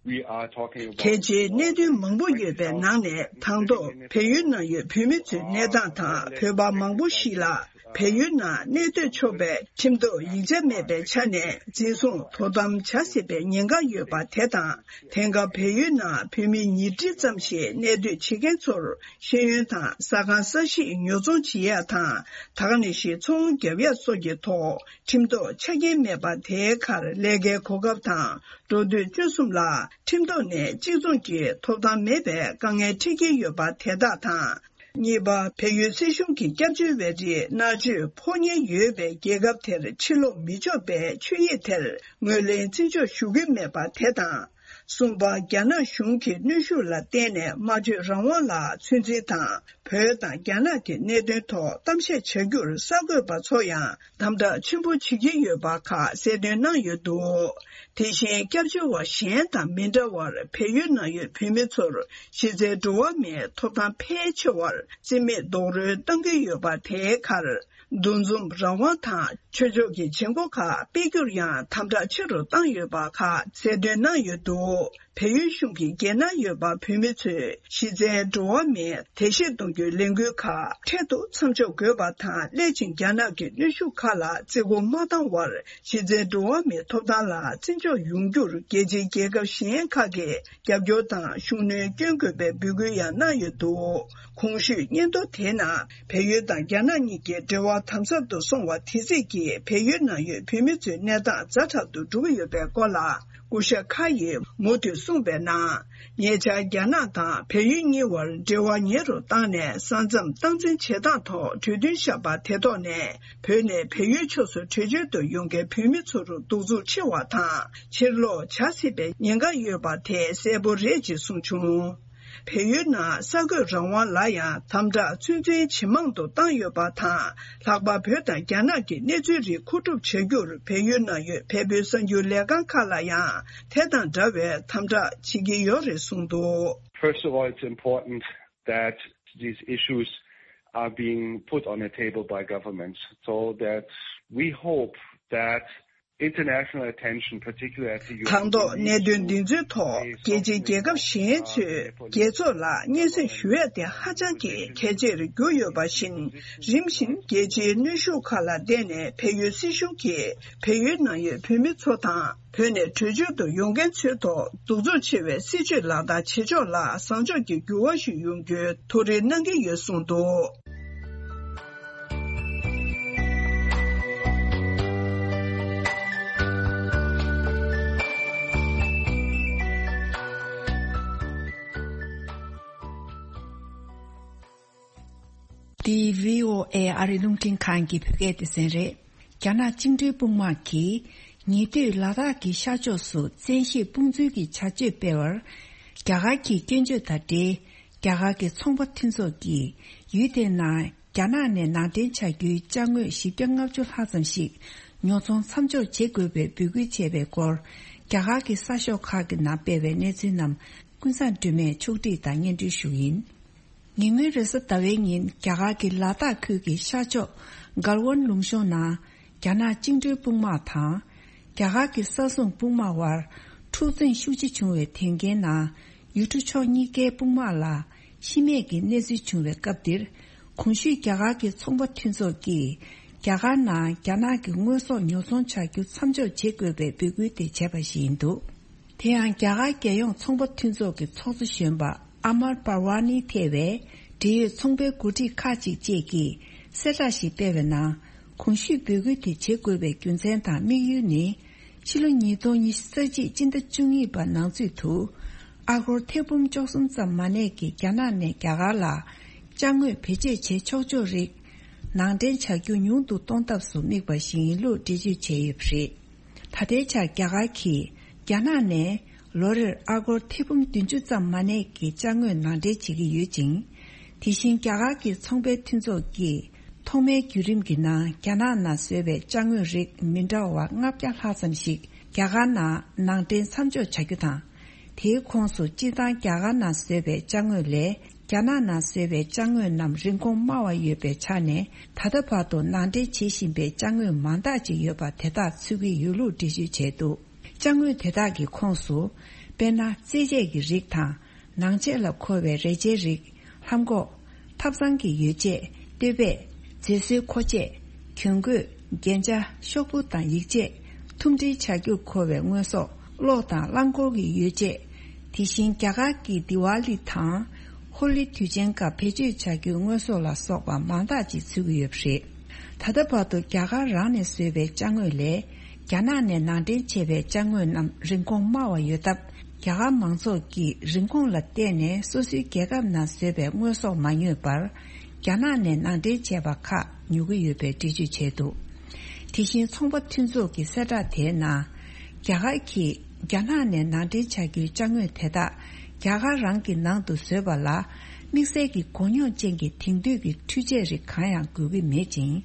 We are talking about གལ་ཆེའི་གནད་དོན་མང་པོ་ཡོད་པའི་ནང་ནས། དང་ཐོག་བལ་ཡུལ་ནང་ཡོད་བོད་མི་ཚོའི་གནས་སྟངས་དང་། བོད་པ་མང་པོ་ཞིག་ལ་བལ་ཡུལ་ནང་གནས་སྡོད་ཆོག་པའི་ཁྲིམས་ཐོག་ཡིག་ཆ་མེད་པའི་ཆ་ནས་འཛིན་བཟུང་དོ་དམ་བྱ་སྲིད་པའི་ཉེན་ཁ་ཡོད་པ་དེ་དང་། དེང་སྐབས་བལ་ཡུལ་ནང་བོད་མི་ཉིས་ཁྲི་ཙམ་ཞིག་གནས་སྡོད་བྱེད་མཁན་ཚོར་ཤེས་ཡོན་དང་ཟ་ཁང་ས་གཞིས་ཉོ་ཚོང་བྱེད་ཡ་དང་། ད་ག་ནང་བཞིན་ཚོང་རྒྱབ་ཡ་སོགས་ཀྱི་ཐོག་ཁྲིམས་ཐོག་ཆ་རྐྱེན་མེད་པ་དེའི་ཁར་ལས་ཀའི་གོ་སྐབས་དང་། འགྲོ་སྡོད་སྤྱོད་གསུམ་ལ་ཁྲིམས་ཐོག་ནས་གཅིག་མཚུངས་ཀྱི་ཐོབ་ཐང་མེད་པའི་དཀའ་ངལ་འཕྲད་ཀྱི་ཡོད་པ་དེ་དག་དང་། གཉིས་པ། བལ་ཡུལ་སྲིད་གཞུང་གི་སྐྱབས་བཅོལ་བའི་རིགས་མནར་གཅོད་ཕོག་ཉེན་ཡོད་པའི་རྒྱལ་ཁབ་དེར་ཕྱིར་ལོག་མི་ཆོག་པའི་ཆོད་ཡིག་དེར་ངོས་ལེན་བརྩི་འཇོག་ཞུ་གི་མེད་པ་དེ་དང་། གསུམ་པ། རྒྱ་ནག་གཞུང་གི་གནོན་ཤུགས་ལ་བརྟེན་ནས་སྨྲ་བརྗོད་རང་དབང་ལ་ཚོད་འཛིན་དང་། བོད་དང་རྒྱ་ནག་གི་གནད་དོན་ཐོག་གཏམ་བཤད་བྱ་རྒྱུར་གསར་འགོད་པ་ཚོ་ཡང་དམ་དྲག་ཆེན་པོ་བྱེད་ཀྱི་ཡོད་པ་ཁག་གསལ་སྟོན་གནང་ཡོད་འདུག་དེ་བཞིན་སྐྱབས་བཅོལ་བ་གཞན་དང་མི་འདྲ་བར་བལ་ཡུལ་ནང་ཡོད་བོད་མི་ཚོར་གཞི་རྩའི་འགྲོ་བ་མིའི་ཐོབ་ཐང་ཕལ་ཆེ་བར་རྩིས་མེད་རྡོག་རོལ་བཏང་གི་ཡོད་པ་དེའི་ཁར། འདུ་འཛོམས་རང་དབང་དང་ཆོས་ཕྱོགས་ཀྱི་བྱེད་སྒོ་ཁག་སྤེལ་རྒྱུར་ཡང་དམ་དྲག་ཆེ་རུ་བཏང་ཡོད་པ་ཁག་གསལ་སྟོན་གནང་ཡོད་འདུག་བལ་ཡུལ་གཞུང་གིས་རྒྱལ་ནང་ཡོད་པ་བོད་མི་ཚོས་གཞི་རྩའི་འགྲོ་བ་མིའི་དད་གཤིས་གཏོང་རྒྱུའི་ལས་འགུལ་ཁག་འཕྲལ་དུ་མཚམས་འཇོག་དགོས་པ་དང་། སླད་ཕྱིན་རྒྱ་ནག་གི་གནོན་ཤུགས་ཁག་ལ་བརྩི་བཀུར་མ་བཏང་བར། གཞི་རྩའི་འགྲོ་བ་མིའི་ཐོབ་ཐང་ལ་བརྩི་འཇོག་ཡོང་རྒྱུར་རྒྱལ་སྤྱིའི་རྒྱལ་ཁབ་གཞན་ཁག་གིས་རྒྱབ་སྐྱོར་དང་ཤུགས་སྣོན་སྐྱོན་དགོས་པའི་འབོད་སྐུལ་ཡང་གནང་ཡོད་འདུག་གོང་ཞུས་སྙན་ཐོ་དེའི་ནང་བལ་ཡུལ་དང་རྒྱ་ནག་གཉིས་ཀྱི་འབྲེལ་བ་དམ་ཟབ་ཏུ་སོང་བ་དེ་སྲིད་ཀྱི་བལ་ཡུལ་ནང་ཡོད་བོད་མི་ཚོའི་གནས་སྟངས་ཛ་དྲག་ཏུ་འགྲོ་གི་ཡོད་པའི་སྐོར་ལ། སྐུ་ཞབས་ཁ་ཡིས་མུ་མཐུད་གསུངས་པའི་ནང་། ཉེ་ཆར་རྒྱ་ནག་དང་བལ་ཡུལ་གཉིས་བར་འབྲེལ་བ་ཉེ་རུ་བཏང་ནས། ས་མཚམས་སྟངས་འཛིན་བྱེད་སྟངས་ཐོག་གྲོས་མཐུན་བཞག་པ་དེ་ཐོག་ནས། བོད་ནས་བལ་ཡུལ་ཕྱོགས་སུ་བྲོས་བྱོལ་དུ་ཡོང་མཁན་བོད་མི་ཚོར་གདུག་རྩུབ་ཆེ་བ་དང་། ཕྱིར་ལོག་བྱ་སྲིད་པའི་ཉེན་ཁ་ཡོད་པ་དེ་གསལ་པོ་རེད་ཅེས་གསུངས་བྱུང་། བལ་ཡུལ་ནང་གསར་འགོད་རང་དབང་ལ་ཡང་དམ་དྲག་ཚུན་ཚོད་ཇེ་མང་དུ་བཏང་ཡོད་པ་དང་། ལྷག་པར་བོད་དང་རྒྱ་ནག་གི་གནས་ཚུལ་རིགས་མཁོ་སྒྲུབ་བྱ་རྒྱུར་བལ་ཡུལ་ནང་ཡོད་བལ་པོའི་གསར་འགྱུར་ལས་ཁང་ཁག་ལ་ཡང་དེ་དང་འདྲ་བའི་དམ་དྲག་བྱེད་ཀྱི་ཡོད་རེད་གསུངས་འདུག། First of all, it's important that these issues are being put on the table by governments, so that we hope that international attention, particularly at the U N, དང་ཐོག་གནད་དོན་འདི་ཚོའི་ཐོག་རྒྱལ་སྤྱིའི་རྒྱལ་ཁབ་གཞན་ཚོས་རྒྱལ་ཚོགས་ལ་སྙན་སེང་ཞུ་ཡ་དེ་ཧ་ཅང་གི་གལ་ཆེར་གྱུར་ཡོད་པ་བཞིན། རིམ་བཞིན་རྒྱལ་སྤྱིའི་གནོན་ཤུགས་ཁག་ལ་བརྟེན་ནས་བལ་ཡུལ་སྲིད་གཞུང་གིས་བལ་ཡུལ་ནང་ཡོད་བོད་མི་ཚོ་དང་། བོད་ནས་བྲོས་བྱོལ་དུ་ཡོང་མཁན་ཚོའི་ཐོག་གདུག་རྩུབ་ཆེ་བའི་སྲིད་བྱུས་ལག་བསྟར་བྱེད་ཕྱོགས་ལ་བཟང་ཕྱོགས་ཀྱི་འགྱུར་བ་ཞིག་ཡོང་རྒྱུའི་ཐུགས་རེ་གནང་གི་ཡོད་གསུངས་འདུག། འདི་བྷི་ཨོ་ཨེ་ཨ་རི་རླུང་འཕྲིན་ཁང་གི་བོད་སྐད་སྡེ་ཚན་རེད། རྒྱ་ནག་བཅིངས་འགྲོལ་དཔུང་དམག་གིས་ཉེ་དུས་ལ་དྭགས་ཀྱི་ཤར་ཕྱོགས་སུ་བཙན་ཤེད་དཔུང་འཛུལ་གྱི་བྱ་སྤྱོད་སྤེལ་བར། རྒྱ་གར་གྱི་སྐྱོན་བརྗོད་དང་འབྲེལ། རྒྱ་གར་གྱི་ཚོང་པ་མཐུན་ཚོགས་ཀྱིས་ཡུལ་དེའི་ནང་རྒྱ་ནག་ནས་ནང་འདྲེན་བྱ་རྒྱུའི་ཅ་དངོས་བཞི་བརྒྱ་ལྔ་བཅུ་ལྷག་ཙམ་ཞིག་ཉོ་ཚོང་མཚམས་འཇོག་བྱེད་དགོས་པའི་འབོད་སྐུལ་བྱས་པའི་སྐོར། རྒྱ་གར་གྱི་གསར་ཤོག་ཁག་གི་ནང་སྤེལ་བའི་གནས་ཚུལ་རྣམས་ཀུན་བཟང་སྒྲོལ་མས་ཕྱོགས་སྒྲིག་དང་སྙན་སྒྲོན་ཞུ་གི་ཡིན། ཉེ་སྔོན་རེས་གཟའ་ཟླ་བའི་ཉིན་རྒྱ་གར་གྱི་ལ་དྭགས་ཁུལ་གྱི་ཤར་ཕྱོགས་གལ་ཝན་ལུང་གཤོང་ནང་རྒྱ་ནག་བཅིངས་འགྲོལ་དཔུང་དམག་དང་། རྒྱ་གར་གྱི་ས་སྲུང་དཔུང་དམག་དབར་འཁྲུག་རྩོད་ཤུགས་ཆེ་བྱུང་བའི་དོན་རྐྱེན་ནང་། ཡུལ་གྲུ་ཕྱོགས་གཉིས་ཀའི་དཔུང་དམག་ལ་ཤི་རྨས་ཀྱི་གནས་ཚུལ་བྱུང་བའི་སྐབས་འདིར། གོང་ཞུས་རྒྱ་གར་གྱི་ཚོང་པ་མཐུན་ཚོགས་ཀྱིས་རྒྱ་གར་ནང་རྒྱ་ནག་གི་དངོས་ཟོག་ཉོ་ཚོང་བྱ་རྒྱུ་མཚམས་འཇོག་བྱེད་དགོས་པའི་འབོད་སྐུལ་དེ་བྱས་པ་ཞིག་ཡིན་འདུག། དེ་ཡང་རྒྱ་གར་རྒྱལ་ཡོངས་ཚོང་པ་མཐུན་ཚོགས་ཀྱི་ཚོགས་གཙོ་གཞོན་པ་ཨ་མར་པར་ཝ་ནི་ཐེ་བའི་འབྲེལ་ཡོད་ཚོང་པའི་འགོ་ཁྲིད་ཁག་ཅིག་བཅས་ཀྱིས་གསལ་བསྒྲགས་ཤིག་སྤེལ་བའི་ནང་། གོང་ཞུས་འབོད་སྐུལ་དེ་བྱེད་དགོས་པའི་རྒྱུ་མཚན་དང་དམིགས་ཡུལ་ནི། ཕྱི་ལོ་ཉིས་སྟོང་ཉི་ཤུ་རྩ་གཅིག་སྤྱི་ཟླ་བཅུ་གཉིས་པ་ནང་ཚུད་དུ། ཨ་སྒོར་ཐེར་འབུམ་བཅུ་གསུམ་ཙམ་མ་གནས་ཀྱི་རྒྱ་ནག་ནས་རྒྱ་གར་ལ་ཅ་དངོས་བེད་སྤྱོད་བྱེད་ཆོག་ཆོག་རིགས་ནང་འདྲེན་བྱ་རྒྱུ་ཉུང་དུ་གཏོང་ཐབས་སུ་དམིགས་པ་ཞིག་ཡིན་ལུགས་འགྲེལ་བརྗོད་བྱས་ཡོད་པ་རེད། ད་ལྟའི་ཆར་རྒྱ་གར་གྱིས་རྒྱ་ནག་ནས་ལོ་རེར་ཨ་སྒོར་ཐེར་འབུམ་བདུན་ཅུ་ཙམ་མ་གནས་ཀྱི་ཅ་དངོས་ནང་འདྲེན་བྱེད་ཀྱི་ཡོད་ཅིང་། དེ་བཞིན་རྒྱ་གར་གྱི་ཚོང་པའི་མཐུན་ཚོགས་ཀྱིས་ཐོག་མའི་བརྒྱུད་རིམ་གྱི་ནང་རྒྱ་ནག་ནང་བཟོས་པའི་ཅ་དངོས་རིགས་མི་འདྲ་བ་ལྔ་བརྒྱ་ལྷག་ཙམ་ཞིག་རྒྱ་གར་ནང་ནང་འདྲེན་མཚམས་འཇོག་བྱ་རྒྱུ་དང་། དེའི་ཁོངས་སུ་སྤྱིར་བཏང་རྒྱ་གར་ནང་བཟོས་པའི་ཅ་དངོས་ལས། རྒྱ་ནག་ནང་བཟོས་པའི་ཅ་དངོས་རྣམས་རིན་གོང་དམའ་བ་ཡོད་པའི་ཆ་ནས། ད་ལྟ་བར་དུ་ནང་འདྲེན་བྱེད་བཞིན་པའི་ཅ་དངོས་མང་དག་ཅིག་ཡོད་པ་དེ་དག་ཚུད་ཀྱི་ཡོད་ལུགས་འགྲེལ་བརྗོད་བྱས་འདུག། ཅ་དངོས་དེ་དག་གི་ཁོངས་སུ། དཔེར་ན། རྩེད་ཆས་ཀྱི་རིགས་དང་། ནང་ཆས་ལ་མཁོ་བའི་རས་ཆའི་རིགས། ལྷམ་གོག། ཐབ་ཚང་གི་ཡོ་བྱད། སྟོད་བེད། མཛེས་བཟོའི་མཁོ་ཆས། གྱོན་གོས། རྒྱན་ཆ། ཤོག་བུ་དང་ཡིག་ཆས། ཐུམ་སྒྲིལ་བྱ་རྒྱུར་མཁོ་བའི་དངོས་ཟོག། གློག་དང་རླངས་འཁོར་གྱི་ཡོ་བྱད། དེ་བཞིན་རྒྱ་གར་གྱི་དི་ཝཱ་ལི་དང་། ཧོ་ལི་དུས་ཆེན་སྐབས་བེད་སྤྱོད་བྱ་རྒྱུའི་དངོས་ཟོག་ལ་སོགས་པ་མང་དག་ཅིག་ཚུད་ཀྱི་ཡོད་པ་རེད། ད་ལྟ་བར་དུ་རྒྱ་གར་རང་ནས་བཟོས་པའི་ཅ་དངོས་ལས། རྒྱ་ནག་ནས་ནང་འདྲེན་བྱས་པའི་ཅ་དངོས་རྣམས་རིན་གོང་དམའ་བ་ཡོད་སྟབས། རྒྱ་གར་མང་ཚོགས་ཀྱིས་རིན་གོང་ལ་བལྟས་ནས་སོ་སོའི་རྒྱལ་ཁབ་ནང་བཟོས་པའི་དངོས་ཟོག་མ་ཉོས་པར། རྒྱ་ནག་ནས་ནང་འདྲེན་བྱས་པ་ཁག་ཉོ་གི་ཡོད་པའི་འགྲེལ་བརྗོད་བྱས་འདུག། དེ་བཞིན་ཚོང་པ་མཐུན་ཚོགས་ཀྱི་གསལ་བསྒྲགས་དེའི་ནང་། རྒྱ་གར་གྱིས་རྒྱ་ནག་ནས་ནང་འདྲེན་བྱ་རྒྱུའི་ཅ་དངོས་དེ་དག་རྒྱ་གར་རང་གི་ནང་དུ་བཟོས་པ་ལ། དམིགས་བསལ་གྱི་གོ་མྱོང་ཅན་གྱི་དེང་དུས་ཀྱི་འཕྲུལ་ཆས་རིགས་གང་ཡང་དགོས་ཀྱི་མེད་ཅིང་།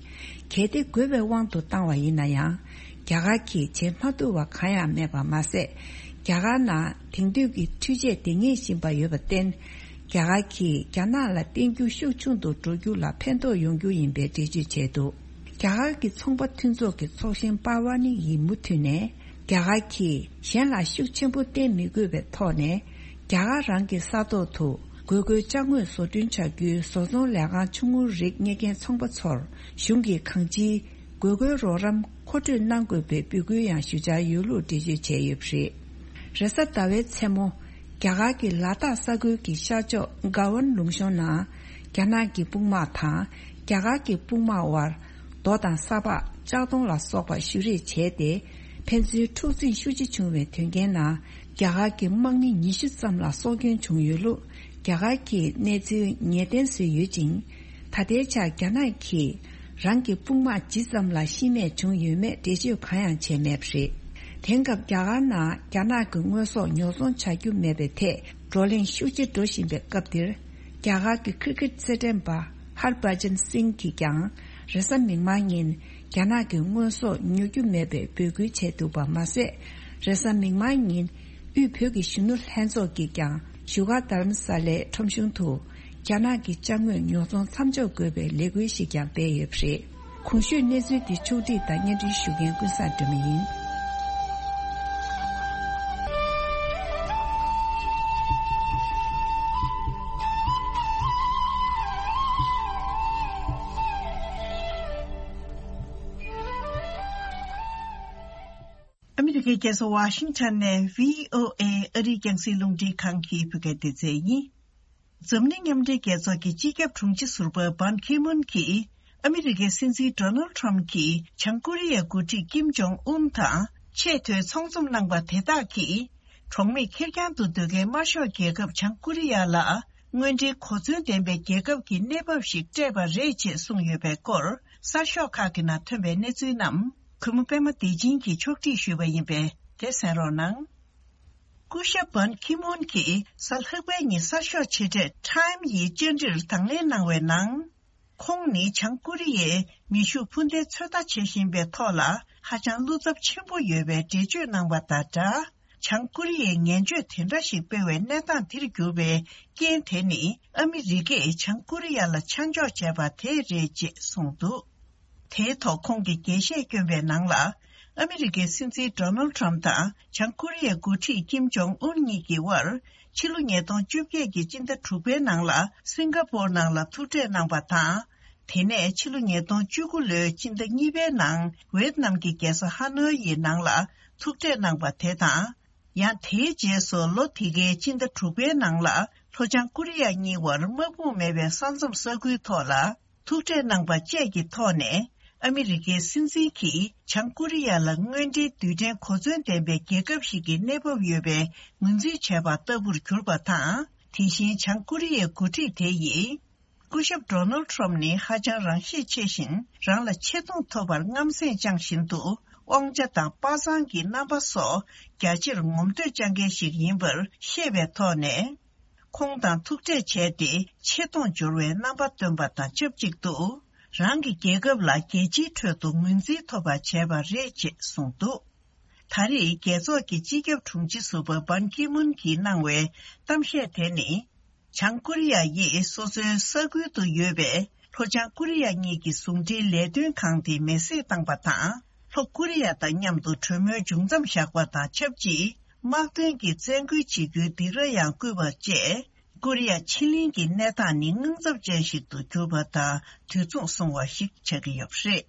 གལ་ཏེ་དགོས་པའི་དབང་དུ་བཏང་བ་ཡིན་ན་ཡང་། རྒྱ་གར་གྱིས་བྱེད་མ་ཐུབ་པ་གང་ཡང་མེད་པ་མ་ཟད། རྒྱ་གར་ནང་དེང་དུས་ཀྱི་འཕྲུལ་ཆས་འདི་ངེས་བཞིན་པ་ཡོད་པར་བརྟེན། རྒྱ་གར་གྱིས་རྒྱ་ནག་ལ་བརྟེན་རྒྱུ་ཤུགས་ཆུང་དུ་འགྲོ་རྒྱུ་ལ་ཕན་ཐོགས་ཡོང་རྒྱུ་ཡིན་པའི་འགྲེལ་བརྗོད་བྱས་འདུག། རྒྱ་གར་གྱི་ཚོང་པ་མཐུན་ཚོགས་ཀྱི་ཚོགས་གཞོན་པར་ཝ་ནི་ཡིས་མུ་མཐུད་ནས། རྒྱ་གར་གྱིས་གཞན་ལ་ཤུགས་ཆེན་པོ་བརྟེན་མི་དགོས་པའི་ཐོག་ནས། རྒྱ་གར་རང་གི་ས་ཐོག་ཏུ་དགོས་མཁོའི་ཅ་དངོས་བཟོ་སྐྲུན་བྱ་རྒྱུའི་བཟོ་ཚོང་ལས་ཁང་ཆུང་ངུ་རིགས་གཉེར་མཁན་ཚོང་པ་ཚོར་གཞུང་གིས་གང་ཅིའི་དགོས་མཁོའི་རོགས་རམ་མཁོ་སྤྲོད་གནང་དགོས་པའི་འབོད་སྐུལ་ཡང་ཞུ་འཆར་ཡོད་ལུགས་འགྲེལ་བརྗོད་བྱས་ཡོད་པ་རེད། རེས་གཟའ་ཟླ་བའི་མཚན་མོ། རྒྱ་གར་གྱི་ལ་དྭགས་ས་ཁུལ་གྱི་ཤར་ཕྱོགས་གལ་ཝན་ལུང་གཤོང་ནང་། རྒྱ་ནག་གི་དཔུང་དམག་དང་། རྒྱ་གར་གྱི་དཔུང་དམག་དབར། རྡོ་དང་ས་ཕག་ལྕགས་མདོང་ལ་སོགས་པ་གཞུ་རེས་བྱས་ཏེ། ཕན་ཚུན་འཁྲུག་འཛིང་ཤུགས་ཆེ་བྱུང་བའི་དོན་རྐྱེན་ནང་། རྒྱ་གར་གྱི་དམག་མི་ཉི་ཤུ་ཙམ་ལ་སྲོག་སྐྱོན་བྱུང་ཡོད་ལུགས། རྒྱ་གར་གྱིས་གནས་ཚུལ་ངེས་གཏན་བཟོས་ཡོད་ཅིང་། ད་ལྟའི་ཆར་རྒྱ་ནག་གིས་རང་གི་དཔུང་དམག་ཇི་ཙམ་ལ་ཤི་རྨས་བྱུང་ཡོད་མེད་འགྲེལ་བརྗོད་གང་ཡང་བྱས་མེད་པ་རེད། དེང་སྐབས་རྒྱ་གར་ནང་རྒྱ་ནག་གི་དངོས་ཟོག་ཉོ་ཚོང་བྱ་རྒྱུ་མེད་པའི་ཐད་བགྲོ་གླེང་ཤུགས་ཆེ་འགྲོ་བཞིན་པའི་སྐབས་འདིར། རྒྱ་གར་གྱི་ཁིར་ཀིར་རྩེད་འགྲན་པ་ཧར་བྷ་ཇན་སིང་གིས་ཀྱང་རེས་གཟའ་མིག་དམར་ཉིན་རྒྱ་ནག་གི་དངོས་ཟོག་ཉོ་རྒྱུ་མེད་པའི་འབོད་སྐུལ་བྱས་འདུག་པ་མ་ཟད། རེས་གཟའ་མིག་དམར་ཉིན་དབུས་བོད་ཀྱི་གཞོན་ནུ་ལྷན་ཚོགས་ཀྱིས་ཀྱང་བཞུགས་སྒར་རྡ་རམ་ས་ལའི་ཁྲོམ་གཞུང་དུ་རྒྱ་ནག་གི་ཅ་དངོས་ཉོ་ཚོང་མཚམས་འཇོག་དགོས་པའི་ལས་འགུལ་ཞིག་ཀྱང་སྤེལ་ཡོད་པ་རེད། གོང་ཞུས་གནས་ཚུལ་འདི་ཕྱོགས་བསྒྲིགས་དང་སྙན་སྒྲོན་ཞུ་མཁན་ཀུན་བཟང་སྒྲོལ་མ་ཡིན། ཨ་མི་རི་ཀའི་རྒྱལ་ས་ཝ་ཤིང་ཊོན་ནས་བྷི་ཨོ་ཨེ་ཨ་རིའི་རྒྱང་སྲིང་རླུང་འཕྲིན་ཁང་གི་བོད་སྐད་སྡེ་ཚན་ཡིན། འཛམ་གླིང་མཉམ་འབྲེལ་རྒྱལ་ཚོགས་ཀྱི་སྤྱི་ཁྱབ་དྲུང་ཆེ་ཟུར་པ་བྷན་ཁི་མུན་གྱིས་ཨ་མི་རི་ཀའི་སྲིད་འཛིན་ཌོ་ནལ་ཊམ་གྱིས་བྱང་ཀོ་རི་ཡའི་འགོ་ཁྲིད་ཀིམ་ཇོང་ཨུན་དང་ཆེས་མཐོའི་ཚོགས་འཛོམས་གནང་པ་དེ་དག་གིས་གྲོགས་མེད་ཁེར་རྐྱང་དུ་སྡོད་མཁན་དམར་ཤོག་རྒྱལ་ཁབ་བྱང་ཀོ་རི་ཡ་ལ་དངོས་འབྲེལ་གོ་མཚོན་ལྡན་པའི་རྒྱལ་ཁབ་ཀྱི་གནས་བབ་ཞིག་སྤྲད་པ་རེད་ཅེས་གསུངས་ཡོད་པའི་སྐོར་གསར་ཤོག་ཁག་གི་ནང་ཐོན་པའི་གནས་ཚུལ་རྣམས་གུས་མོ་པད་མ་བདེ་ཆེན་གྱིས་ཕྱོགས་སྒྲིག་ཞུས་པ་ཡིན་པས་དེ་གསན་རོགས་གནང་། སྐུ་ཞབས་བྷན་ཁི་མུན་གྱིས་གཟའ་ལྷག་པའི་ཉིན་གསར་ཤོག་ཆེ་གྲས་Time་ཡི་བཅར་འདྲིར་དང་ལེན་གནང་བའི་ནང་། ཁོང་ནི་བྱང་ཀོ་རི་ཡས་མེ་ཤུགས་འཕུར་མདེལ་ཚོད་ལྟ་བྱེད་བཞིན་པའི་ཐོག་ལ་ཧ་ཅང་བློ་འཚབ་ཆེན་པོ་ཡོད་པའི་འགྲེལ་བརྗོད་གནང་བ་དང་སྦྲགས། བྱང་ཀོ་རི་ཡས་ངན་བྱུས་དེ་འདྲ་ཞིག་སྤེལ་བའི་གནས་སྟངས་འདིར་གྱུར་པའི་རྐྱེན་དེ་ནི་ཨ་མི་རི་ཀས་བྱང་ཀོ་རི་ཡ་ལ་ཆ་འཇོག་བྱས་པ་དེ་རེད་ཅེས་གསུངས་འདུག་དེའི་ཐོག་ཁོང་གིས་རྒྱས་བཤད་བསྐྱོན་པའི་ནང་ལ། ཨ་མི་རི་ཀའི་སྲིད་འཛིན་ཌོ་ནལ་ཊམ་དང་བྱང་ཀོ་རི་ཡའི་འགོ་ཁྲིད་ཀིམ་ཇོང་ཨུན་གཉིས་ཀྱི་དབར་ཕྱི་ལོ་ཉིས་སྟོང་བཅོ་བརྒྱད་ཀྱི་སྤྱི་ཟླ་དྲུག་པའི་ནང་ལ་སིང་ག་པོར་ནང་ལ་ཐུག་འཕྲད་གནང་པ་དང་། དེ་ནས་ཕྱི་ལོ་ཉིས་སྟོང་བཅུ་དགུ་ལོའི་སྤྱི་ཟླ་གཉིས་པའི་ནང་ཝེད་ནམ་གྱི་རྒྱལ་ས་ཧ་ནོ་ཡི་ནང་ལ་ཐུག་འཕྲད་གནང་པ་དེ་དང་། ཡང་དེའི་རྗེས་སུ་ལོ་དེ་གའི་སྤྱི་ཟླ་དྲུག་པའི་ནང་ལ་ལྷོ་བྱང་ཀོ་རི་ཡ་གཉིས་དབར་དམག་དཔུང་མེད་པའི་ས་མཚམས་ས་ཁུལ་ཐོག་ལ་ཐུག་འཕྲད་གནང་པ་བཅས་ཀྱི་ཐོག་ནས་ཨ་མི་རི་ཀའི་སྲིད་འཛིན་གྱིས་བྱང་ཀོ་རི་ཡ་ལ་དངོས་འབྲེལ་རྡུལ་ཕྲན་གོ་མཚོན་ལྡན་པའི་རྒྱལ་ཁབ་ཞིག་གི་གནས་བབ་ཡོད་པའི་ངོས་འཛིན་བྱས་པ་ལྟ་བུར་གྱུར་པ་དང་། དེ་བཞིན་བྱང་ཀོ་རི་ཡའི་འགོ་ཁྲིད་དེ་ཡིས། སྐུ་ཞབས་ཌོ་ནལ་ཊམ་ནི་ཧ་ཅང་རང་ཤེད་ཆེ་ཞིང་། རང་ལ་ཆེ་མཐོང་ཐོབ་པར་རྔམ་སེམས་བཅངས་བཞིན་དུ། དབང་ཆ་དང་དཔའ་མཛངས་ཀྱི་རྣམ་པ་སོགས་རྒྱ་ཆེར་ངོམ་སྟོན་བཅའ་མཁན་ཞིག་ཡིན་པར་ཤེས་པའི་ཐོག་ནས། ཁོང་དང་ཐུག་འཕྲད་བྱས་ཏེ་ཆེ་མཐོང་འབྱོར་བའི་རྣམ་པ་སྟོན་པ་དང་ཆབས་ཅིག་ཏུ། རང་གི་རྒྱལ་ཁབ་ལ་རྒྱལ་སྤྱིའི་ཁྲོད་དུ་ངོས་འཛིན་ཐོབ་པ་བྱས་པ་རེད་ཅེས་གསུངས་འདུག་ད་རེས་རྒྱལ་ཚོགས་ཀྱི་སྤྱི་ཁྱབ་དྲུང་ཆེ་ཟུར་པ་བྷན་ཁི་མུན་གྱིས་གནང་བའི་གཏམ་བཤད་དེ་ནི། བྱང་ཀོ་རི་ཡ་ཡིས་སོ་སོའི་ས་ཁུལ་དུ་ཡོད་པའི་ལྷོ་བྱང་ཀོ་རི་ཡ་གཉིས་ཀྱི་ཟུང་འབྲེལ་ལས་དོན་ཁང་དེ་མེ་བསྲེགས་བཏང་པ་དང་། ལྷོ་ཀོ་རི་ཡ་དང་མཉམ་དུ་གྲོས་མོལ་མཇུག་མཚམས་བཞག་པ་དང་ཆབས་ཅིག་དམག་དོན་གྱི་བཙན་རྒོལ་བྱེད་རྒྱུའི་སྡིགས་ར་ཡང་བསྐུལ་བ་བཅས། ཀོ་རི་ཡ་ཕྱེད་གླིང་གི་གནས་སྟངས་ནི་དངངས་འཚབ་ཅན་ཞིག་ཏུ་གྱུར་པ་དང་དུས་མཚུངས་སོང་བ་ཞིག་ཆགས་ཀྱི་ཡོད་པ་རེད།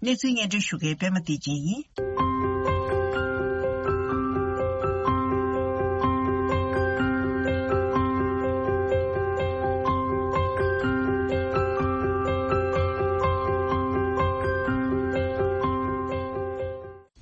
གནས་ཚུལ་སྙན་སྒྲོན་ཞུ་མཁན་པད་མ་བདེ་ཆེན་ཡིན།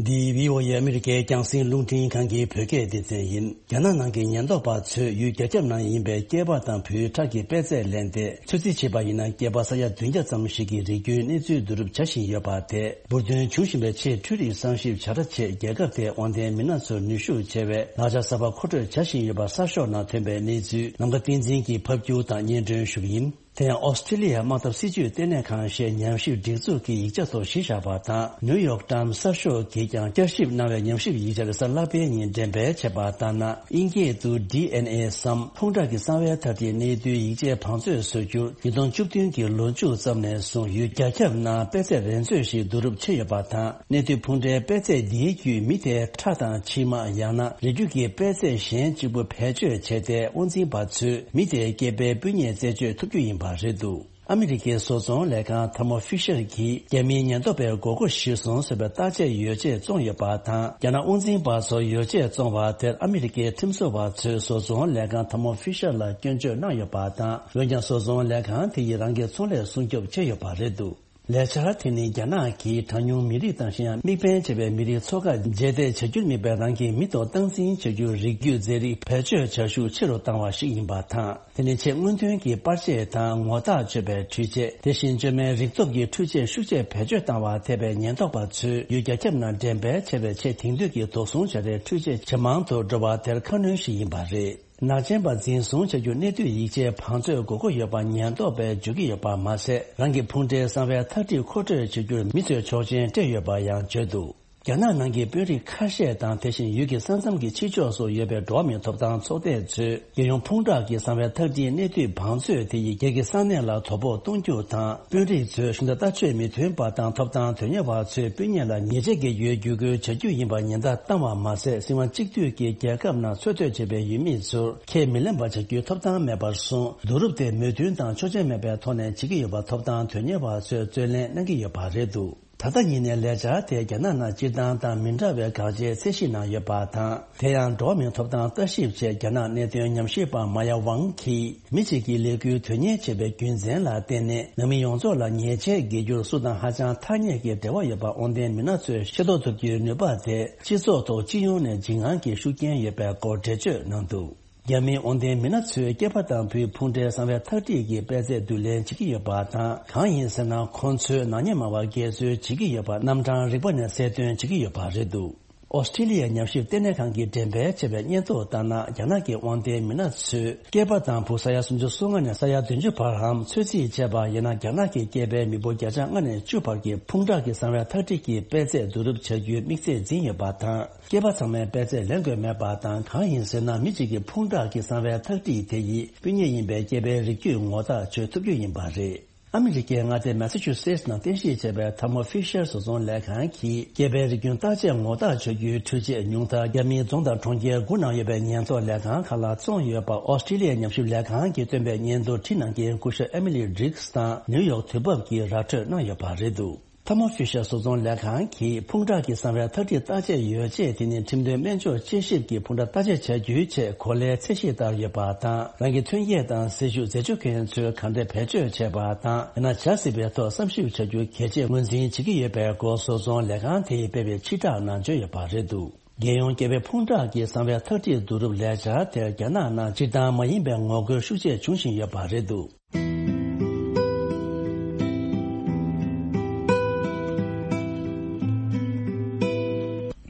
འདི་བྷི་ཨོ་ཨེ་ཨ་མི་རི་ཀའི་རྒྱང་སྲིང་རླུང་འཕྲིན་ཁང་གི་བོད་སྐད་སྡེ་ཚན་ཡིན། རྒྱ་ནག་ནང་གི་ཉེན་རྟོག་པ་ཚོས་ཡུལ་རྒྱ་ཁྱབ་ནང་ཡིན་པའི་སྐྱེས་པ་དང་བུའི་ཁྲག་གི་པད་ཚལ་ལེན་ཏེ། ཚོད་རྩིས་བྱས་པ་ཡིན་ན། སྐྱེས་པ་ས་ཡ་བདུན་བརྒྱ་ཙམ་ཞིག་གི་རིགས་རྒྱུད་གནས་ཚུལ་བསྡུ་རུབ་བྱ་བཞིན་ཡོད་པ་དེས། འབུར་ཐོན་བྱུང་བཞིན་པའི་ཆེས་འཕྲུལ་རིག་གསར་ཞིབ་བྱ་གྲྭ་ཆེད་རྒྱལ་ཁབ་དེའི་དབང་ལྡན་མི་སྣ་ཚོར་ནུས་ཤུགས་ཆེ་བའི་ལག་ཆ་གསར་པ་མཁོ་སྤྲོད་བྱ་བཞིན་ཡོད་པ་གསར་ཤོག་ནང་ཐོན་པའི་གནས་ཚུལ་ལམ་ཁ་བསྟན་འཛིན་གྱིས་ཕབ་སྒྱུར་དང་སྙན་སྒྲོན་ཞུ་གི་ཡིན། དེ་ཡང་ཨོ་སི་ཀྲི་ལི་ཡ་དམག་འཐབ་སྲིད་ཇུས་ལྟེ་གནས་ཁང་ཞེས་ཉམས་ཞིབ་སྒྲིག་འཛུགས་ཀྱི་ཡིག་ཆ་ཐོག་གཞི་བཞག་པ་དང་། ནིའུ་ཡོག་ཊའིམ་གསར་ཤོག་གིས་ཀྱང་བསྐྱར་ཞིབ་གནང་བའི་ཉམས་ཞིབ་ཡིག་ཆ་རེས་གཟའ་ལྷག་པའི་ཉིན་འགྲེམས་སྤེལ་བྱས་པ་ལྟར་ན། དབྱིན་སྐད་དུ་ཌི་ཨེན་ཨེ་སམ་ཕུང་ཁྲག་གི་གསང་བའི་ཐ་དད་གནས་ཚུལ་ཡིག་ཆའི་བང་མཛོད་བཟོ་རྒྱུར་ཉིས་སྟོང་བཅུ་བདུན་གྱི་ལོ་མཇུག་ཙམ་ནས་བཟུང་ཡུལ་རྒྱ་ཁྱབ་ནང་པད་ཚལ་རེ་མཛོད་ཞིག་བསྡུ་རུབ་བྱས་ཡོད་པ་དང་། གནས་དུས་ཕུང་ཁྲགའི་པད་ཚལ་འདིའི་བརྒྱུད་མི་དེའི་ཁྲག་དང་མཆིལ་མ། ཡང་ན་རིགས་རྒྱུད་ཀྱི་པད་ཚལ་གཞན་གཅིག་པུ་བེད་སྤྱོད་བྱས་ཏེ། དབང་འཛིན་པ་ཚོས་མི་དེའི་སྐྱེས་པའི་སྤུས་ཉེས་རྩད་གཅོད་ཐུབ་རྒྱུ་ཡིན་པ་རེད་འདུག་ཨ་མི་རི་ཀའི་བཟོ་ཚོང་ལས་ཁང་ཐར་མོ་ཕི་ཤར་གྱིས་རྒྱ་མིའི་ཉེན་རྟོག་པའི་མགོ་སྐོར་ཞིག་སོང་ཟེར་བའི་བརྟག་དཔྱད་ཡོ་བྱད་བཙོངས་ཡོད་པ་དང་། རྒྱ་ནག་དབང་འཛིན་པ་ཚོར་ཡོ་བྱད་བཙོངས་པ་དེར་ཨ་མི་རི་ཀའི་ཁྲིམས་བཟོ་བ་ཚོས་བཟོ་ཚོང་ལས་ཁང་ཐར་མོ་ཕི་ཤར་ལ་སྐྱོན་བརྗོད་གནང་ཡོད་པ་དང་། འོན་ཀྱང་བཟོ་ཚོང་ལས་ཁང་དེ་ཡིས་རང་གི་ཚོང་ལས་སྲུང་སྐྱོབ་བྱས་ཡོད་པ་རེད་འདུག་ལས་འཆར་དེ་ནི་རྒྱ་ནག་གིས་གྲངས་ཉུང་མི་རིགས་དང་གཞན་ཡང་དམིགས་འབེན་བྱས་པའི་མི་རིགས་ཚོ་ཁག་རྗེས་འདེད་བྱ་རྒྱུར་དམིགས་པའི་རང་གི་མི་ཐོག་སྟངས་འཛིན་བྱ་རྒྱུའི་རིགས་རྒྱུད་རྫས་རིགས་བེད་སྤྱོད་བྱ་ཤུགས་ཆེ་རུ་བཏང་བ་ཞིག་ཡིན་པ་དང་། དེ་ནི་ཆེས་སྔོན་ཐོན་གྱི་པར་ཆས་དང་ངོ་རྟགས་ཆོད་པའི་འཕྲུལ་ཆས། དེ་བཞིན་བཅོས་མའི་རིག་སྟོབས་ཀྱི་འཕྲུལ་ཆས་ཤུགས་ཆེ་བེད་སྤྱོད་བཏང་བ་ཐེ་བའི་ཉེན་རྟོག་པ་ཚོས་ཡུལ་རྒྱ་ཁྱབ་ནང་འགྲེམས་སྤེལ་བྱས་པའི་ཆེས་དེང་དུས་ཀྱི་དོགས་ཟོན་བྱ་རའི་འཕྲུལ་ཆས་ཇེ་མང་དུ་འགྲོ་བ་དེར་ཁ་སྣོན་ཞིག་ཡིན་པ་རེད། ནག་ཅན་པ་འཛིན་བཟུང་བྱ་རྒྱུ་གནད་བསྡུས་ཡིག་ཆའི་བང་མཛོད་དགོས་མཁོ་ཡོད་པ་ཉེན་རྟོག་པས་བརྗོད་ཀྱི་ཡོད་པ་མ་ཟད། རང་གི་ཕུང་འདྲེའི་གསང་བའི་ཐག་ཁྲིད་མཁོ་སྤྲོད་བྱ་རྒྱུར་མི་ཚོས་ཆོག་མཆན་སྤྲད་ཡོད་པ་ཡང་བརྗོད་འདུག་རྒྱ་ནག་ནང་གི་དཔོན་རིགས་ཁ་ཤས་དང་། དེ་བཞིན་ཡུལ་གྱི་ས་མཚམས་ཀྱི་ཕྱི་ཕྱོགས་སུ་ཡོད་པའི་འགྲོ་བ་མིའི་ཐོབ་ཐང་ཚོགས་སྡེ་ཚོས། རྒྱལ་ཡོངས་ཕུང་དགྲ་གི་གསང་བའི་ཐག་ཁྲིད་གནད་བསྡུས་བང་མཛོད་དེ་ཡིས་སྒེར་གྱི་ས་གནས་ལ་དོ་ཕོག་གཏོང་རྒྱུ་དང་། དཔོན་རིགས་ཚོས་གཞུང་དང་ལྟ་སྤྱོད་མི་མཐུན་པ་དང་ཐོབ་ཐང་དོན་གཉེར་བ་ཚོའི་སྤུན་ཉེ་ལ་ཉེས་ཆད་ཀྱི་འོས་བསྡུ་དགོས་བྱ་རྒྱུ་ཡིན་པ་ཉེན་བརྡ་བཏང་བ་མ་ཟད། སྲིད་དབང་གཅིག་སྡུད་ཀྱི་རྒྱལ་ཁབ་ནང་འཚོ་སྡོད་བྱེད་པའི་ཡུལ་མི་ཚོར་ཁས་མི་ལེན་པ་བྱ་རྒྱུའི་ཐོབ་ཐང་མེད་པར་བཟུང་། བསྡུ་རུབ་དེ་མོས་མཐུན་དང་ཆོག་མཆན་མེད་པའི་ཐོག་ནས་བྱེད་ཀྱི་ཡོད་པ་ཐོབ་ཐང་དོན་གཉེར་བ་ཚོས་རྩོད་ལེན་གནང་གི་ཡོད་པ་རེད་འདུག་ད་ལྟ་ཉིད་ནས་ལས་འཆར་དེ་རྒྱ་ནག་ནང་སྤྱིར་བཏང་དང་མི་འདྲ་བའི་དགག་བྱའི་ཚད་གཞི་ནང་ཡོད་པ་དང་། དེ་ཡང་འགྲོ་བ་མིའི་ཐོབ་ཐང་ལྟ་ཞིབ་ཆེད་རྒྱ་ནག་གནད་དོན་ཉམས་ཞིབ་པ་མ་ཡ་ཝང་གིས། མི་གཅིག་གིས་ལས་འགུལ་དོན་གཉེར་བྱེད་པའི་རྒྱུ་མཚན་ལ་བརྟེན་ནས། ནང་མི་ཡོངས་རྫོགས་ལ་ཉེས་ཆད་འགེལ་རྒྱུར་སུ་དང་ཧ་ཅང་ཐག་ཉེ་གི་འབྲེལ་བ་ཡོད་པ་དབང་ལྡན་མི་སྣ་ཚོས་ཤེས་རྟོགས་ཐུབ་རྒྱུའི་ནུས་པ་དེ། སྤྱི་ཚོགས་ཐོག་སྤྱི་ཡོངས་ནས་འཇིགས་དངངས་ཀྱི་ཤུགས་རྐྱེན་ཡོད་པའི་སྐོར་འགྲེལ་བརྗོད་གནང་འདུག་རྒྱ་མིའི་དབང་ལྡན་མི་སྣ་ཚོས་སྐྱེས་པ་དང་བུའི་ཕུང་འདྲེའི་གསང་བའི་ཐག་ཁྲིད་ཀྱི་པད་ཚལ་བསྡུ་ལེན་བྱེད་ཀྱི་ཡོད་པ་དང་། གང་ཡིན་ཟེར་ན། ཁོང་ཚོས་ནག་ཉེས་མང་བ་འགལ་འཛོལ་བྱེད་ཀྱི་ཡོད་པ་རྣམ་གྲངས་རིག་པ་ནས་གསལ་སྟོན་བྱེད་ཀྱི་ཡོད་པ་རེད་འདུག་ཨོ་སི་ཀྲི་ལི་ཡའི་ཉམས་ཞིབ་ལྟེ་གནས་ཁང་གིས་འགྲེམས་སྤེལ་བྱས་པའི་སྙན་ཐོ་ལྟར་ན། རྒྱ་ནག་གི་དབང་ལྡན་མི་སྣ་ཚོས་སྐྱེས་པ་དང་བུ་ས་ཡ་སུམ་ཅུ་སོ་ལྔ་ནས་ས་ཡ་བདུན་ཅུ་བར་འམ། ཚོད་རྩིས་བྱས་པ་ཡིན་ན། རྒྱ་ནག་གི་སྐྱེས་པའི་མི་འབོར་བརྒྱ་ཆ་ལྔ་ནས་བཅུ་བར་གྱི་ཕུང་དགྲ་གི་གསང་བའི་ཐག་ཁྲིད་ཀྱི་པད་ཚལ་བསྡུ་རུབ་བྱ་རྒྱུའི་དམིགས་ཚད་འཛིན་ཡོད་པ་དང་། སྐྱེས་པ་ཚང་མས་པད་ཚལ་ལེན་དགོས་མེད་པ་དང་། གང་ཡིན་ཟེར་ན། མི་གཅིག་གི་ཕུང་དགྲ་གི་གསང་བའི་ཐག་ཁྲིད་དེ་ཡིས་སྤུན་ཉེ་ཡིན་པའི་སྐྱེས་པའི་རིགས་རྒྱུད་ངོ་རྟགས་ཆོད་ཐུབ་རྒྱུ་ཡིན་པ་རེད། ཨ་མི་རི་ཀའི་མངའ་སྡེ་མེ་ས་ཆུ་སེ་ཊི་ནང་རྟེན་གཞི་བྱས་པའི་ཐར་མོ་ཕི་ཤར་བཟོ་ཚོང་ལས་ཁང་གིས་སྐྱེས་པའི་རིགས་རྒྱུད་བརྟག་དཔྱད་ངོ་རྟགས་ཆོད་རྒྱུའི་འཕྲུལ་ཆས་ཉུང་མཐར་རྒྱ་མིའི་རྫོང་དང་གྲོང་ཁྱེར་དགུ་ནང་ཡོད་པའི་ཉེན་རྟོག་ལས་ཁང་ཁག་ལ་བཙོངས་ཡོད་པ་ཨོ་སི་ཀྲི་ལི་ཡའི་ཉམས་ཞིབ་ལས་ཁང་གིས་བཏོན་པའི་སྙན་ཐོ་བྲིས་གནང་མཁན་སྐུ་ཞབས་ཨེ་མི་ལི་བྷི་རིགས་དང་ནིའུ་ཡོག་དུས་བབ་ཀྱིས་ར་འཕྲོད་གནང་ཡོད་པ་རེད་འདུག་ཐར་མོ་ཕི་ཤར་བཟོ་ཚོང་ལས་ཁང་གིས་ཕུང་དགྲ་གི་གསང་བའི་ཐག་ཁྲིད་བརྟག་དཔྱད་ཡོ་བྱད་དེ་ནི་ཁྲིམས་དོན་སྨན་བཅོས་དཔྱད་ཞིབ་ཀྱི་ཕུང་དགྲ་བརྟག་དཔྱད་བྱ་རྒྱུའི་ཆེད་གོ་ལའི་ཚད་གཞི་ལྟར་ཡོད་པ་དང་། རང་གི་ཐོན་སྐྱེད་དང་སྲིད་ཇུས་འཛད་སྤྱོད་མཁན་ཚོས་ག་འདྲས་བེད་སྤྱོད་བྱས་པ་དང་། ཡང་ན་བྱ་སྲིད་པའི་ཐོག་བསམ་ཞིབ་བྱ་རྒྱུ་གལ་ཆེ་ངོས་འཛིན་བྱེད་ཀྱི་ཡོད་པའི་སྐོར་བཟོ་ཚོང་ལས་ཁང་དེས་སྤེལ་བའི་ཕྱིར་བསྒྲགས་ནང་བརྗོད་ཡོད་པ་རེད་འདུག་རྒྱལ་ཡོངས་སྐྱེས་པའི་ཕུང་དགྲ་གི་གསང་བའི་ཐག་ཁྲིད་བསྡུ་རུབ་ལས་འཆར་དེར་རྒྱ་ནག་ནང་སྤྱིར་བཏང་མ་ཡིན་པའི་ངོ་རྒོལ་ཤུགས་ཆེ་འབྱུང་བཞིན་ཡོད་པ་རེད་འདུག་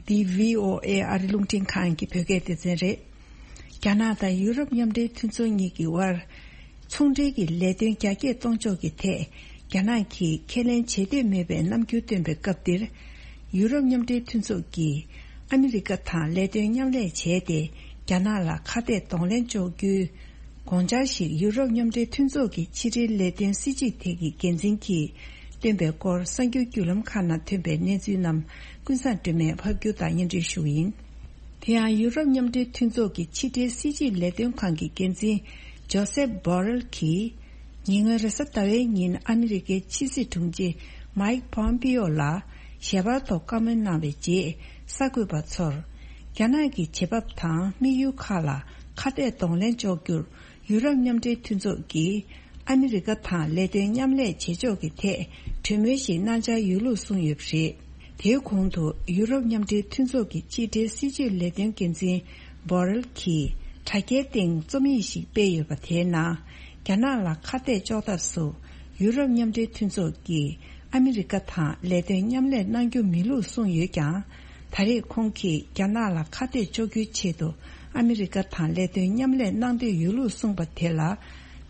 འདི་བྷི་ཨོ་ཨེ་ཨ་རི་རླུང་འཕྲིན་ཁང་གི་བོད་སྐད་སྡེ་ཚན་རེད། རྒྱ་ནག་དང་ཡུ་རོབ་མཉམ་འབྲེལ་མཐུན་ཚོགས་གཉིས་ཀྱི་དབར་ཚོང་འབྲེལ་གྱི་ལས་དོན་རྒྱ་སྐྱེད་གཏོང་ཕྱོགས་ཀྱི་ཐད་རྒྱ་ནག་གིས་ཁས་ལེན་བྱེད་འདོད་མེད་པའི་རྣམ་འགྱུར་བཏོན་པའི་སྐབས་འདིར། ཡུ་རོབ་མཉམ་འབྲེལ་མཐུན་ཚོགས་ཀྱིས་ཨ་མི་རི་ཀ་དང་ལས་དོན་མཉམ་ལས་བྱས་ཏེ། རྒྱ་ནག་ལ་ཁ་གཏད་གདོང་ལེན་གཅོག་རྒྱུའི་དགོངས་འཆར་ཞིག་ཡུ་རོབ་མཉམ་འབྲེལ་མཐུན་ཚོགས་ཀྱི་ཕྱི་འབྲེལ་ལས་དོན་སྲིད་བྱུས་ཐད་ཀྱི་འགན་འཛིན་གྱིས་བཏོན་པའི་སྐོར། གསར་འགྱུར་བརྒྱུད་ལམ་ཁག་ནང་ཐོན་པའི་གནས་ཚུལ་རྣམས་ཀུན་བཟང་སྒྲོལ་མས་ཕབ་སྒྱུར་དང་སྙན་སྒྲོན་ཞུ་གི་ཡིན། དེ་ཡང་ཡུ་རོབ་མཉམ་འབྲེལ་མཐུན་ཚོགས་ཀྱི་ཕྱི་འབྲེལ་སྲིད་བྱུས་ལས་དོན་ཁང་གི་འགན་འཛིན་ཇོ་སེབ་བྷོ་རེལ་གྱིས། ཉེ་སྔོན་རེས་གཟའ་ཟླ་བའི་ཉིན་ཨ་མི་རི་ཀའི་ཕྱི་སྲིད་དྲུང་ཆེ་མཱིག་པོམ་པིའོ་ལ་ཞལ་པར་ཐོག་བཀའ་མོལ་གནང་བའི་རྗེས། གསར་འགོད་པ་ཚོར། རྒྱ་ནག་གི་བྱེད་བབ་དང་དམིགས་ཡུལ་ཁག་ལ་ཁ་གཏད་གདོང་ལེན་གཅོག་རྒྱུར། ཡུ་རོབ་མཉམ་འབྲེལ་མཐུན་ཚོགས་ཀྱིས་ཨ་མི་རི་ཀ་དང་ལས་དོན་མཉམ་ལས་བྱེད་ཕྱོགས་ཀྱི་ཐད་གྲོས་མོལ་ཞིག་གནང་འཆར་ཡོད་ལུགས་གསུངས་ཡོད་པ་རེད། དེའི་གོང་དུ་ཡུ་རོབ་མཉམ་འབྲེལ་མཐུན་ཚོགས་ཀྱི་ཕྱི་འབྲེལ་སྲིད་བྱུས་ལས་དོན་འགན་འཛིན་བྷོ་རེལ་གྱིས་དྲ་རྒྱའི་སྟེང་རྩོམ་ཡིག་ཞིག་སྤེལ་ཡོད་པ། དེའི་ནང་རྒྱ་ནག་ལ་ཁ་གཏད་གཅོག་ཐབས་སུ་ཡུ་རོབ་མཉམ་འབྲེལ་མཐུན་ཚོགས་ཀྱིས་ཨ་མི་རི་ཀ་དང་ལས་དོན་མཉམ་ལས་གནང་རྒྱུ་མིན་ལུགས་གསུངས་ཡོད་ཀྱང་། ད་རེས་ཁོང་གིས་རྒྱ་ནག་ལ་ཁ་གཏད་གཅོག་རྒྱུའི་ཆེད་དུ་ཨ་མི་རི་ཀ་དང་ལས་དོན་མཉམ་ལས་གནང་འདོད་ཡོད་ལུགས་གསུངས་པ་དེ་ལ།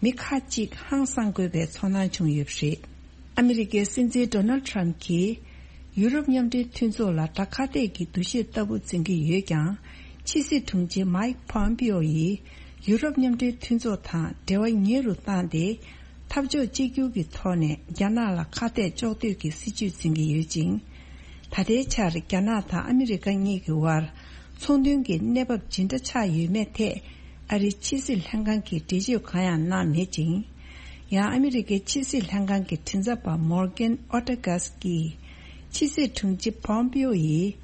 མི་ཁག་ཅིག་ཧང་སང་དགོས་པའི་ཚོར་སྣང་བྱུང་ཡོད་པ་རེད། ཨ་མི་རི་ཀའི་སྲིད་འཛིན་ཌོ་ནལ་ཊམ་གྱིས་ཡུ་རོབ་མཉམ་འབྲེལ་མཐུན་ཚོགས་ལ་དགྲ་ཁ་གཏད་ཀྱི་འདུ་ཤེས་ལྟ་བུ་འཛིན་གྱི་ཡོད་ཀྱང་། ཕྱི་སྲིད་དྲུང་ཆེ་མཱིག་པོམ་པིའོ་ཡིས་ཡུ་རོབ་མཉམ་འབྲེལ་མཐུན་ཚོགས་དང་འབྲེལ་བ་ཉེ་རུ་བཏང་སྟེ། འཐབ་ཕྱོགས་གཅིག་གྱུར་གྱི་ཐོག་ནས་རྒྱ་ནག་ལ་ཁ་གཏད་གཅོག་འདོད་ཀྱི་སྲིད་བྱུས་འཛིན་གྱི་ཡོད་ཅིང་། ད་ལྟའི་ཆར་རྒྱ་ནག་དང་ཨ་མི་རི་ཀ་གཉིས་ཀྱི་དབར་ཚོང་དོན་གྱི་གནས་བབ་ཇི་འདྲ་ཆགས་ཡོད་མེད་ཐད། ཨ་རིའི་ཕྱི་སྲིད་ལྷན་ཁང་གིས་འགྲེལ་བརྗོད་གང་ཡང་གནང་མེད་ཅིང་། ཡང་ཨ་མི་རི་ཀའི་ཕྱི་སྲིད་ལྷན་ཁང་གི་མགྲིན་ཚབ་པ་མོར་གན་ཨོ་ཏེ་གྷས་ཀྱིས། ཕྱི་སྲིད་དྲུང་ཆེ་པོམ་པིའོ་ཡིས་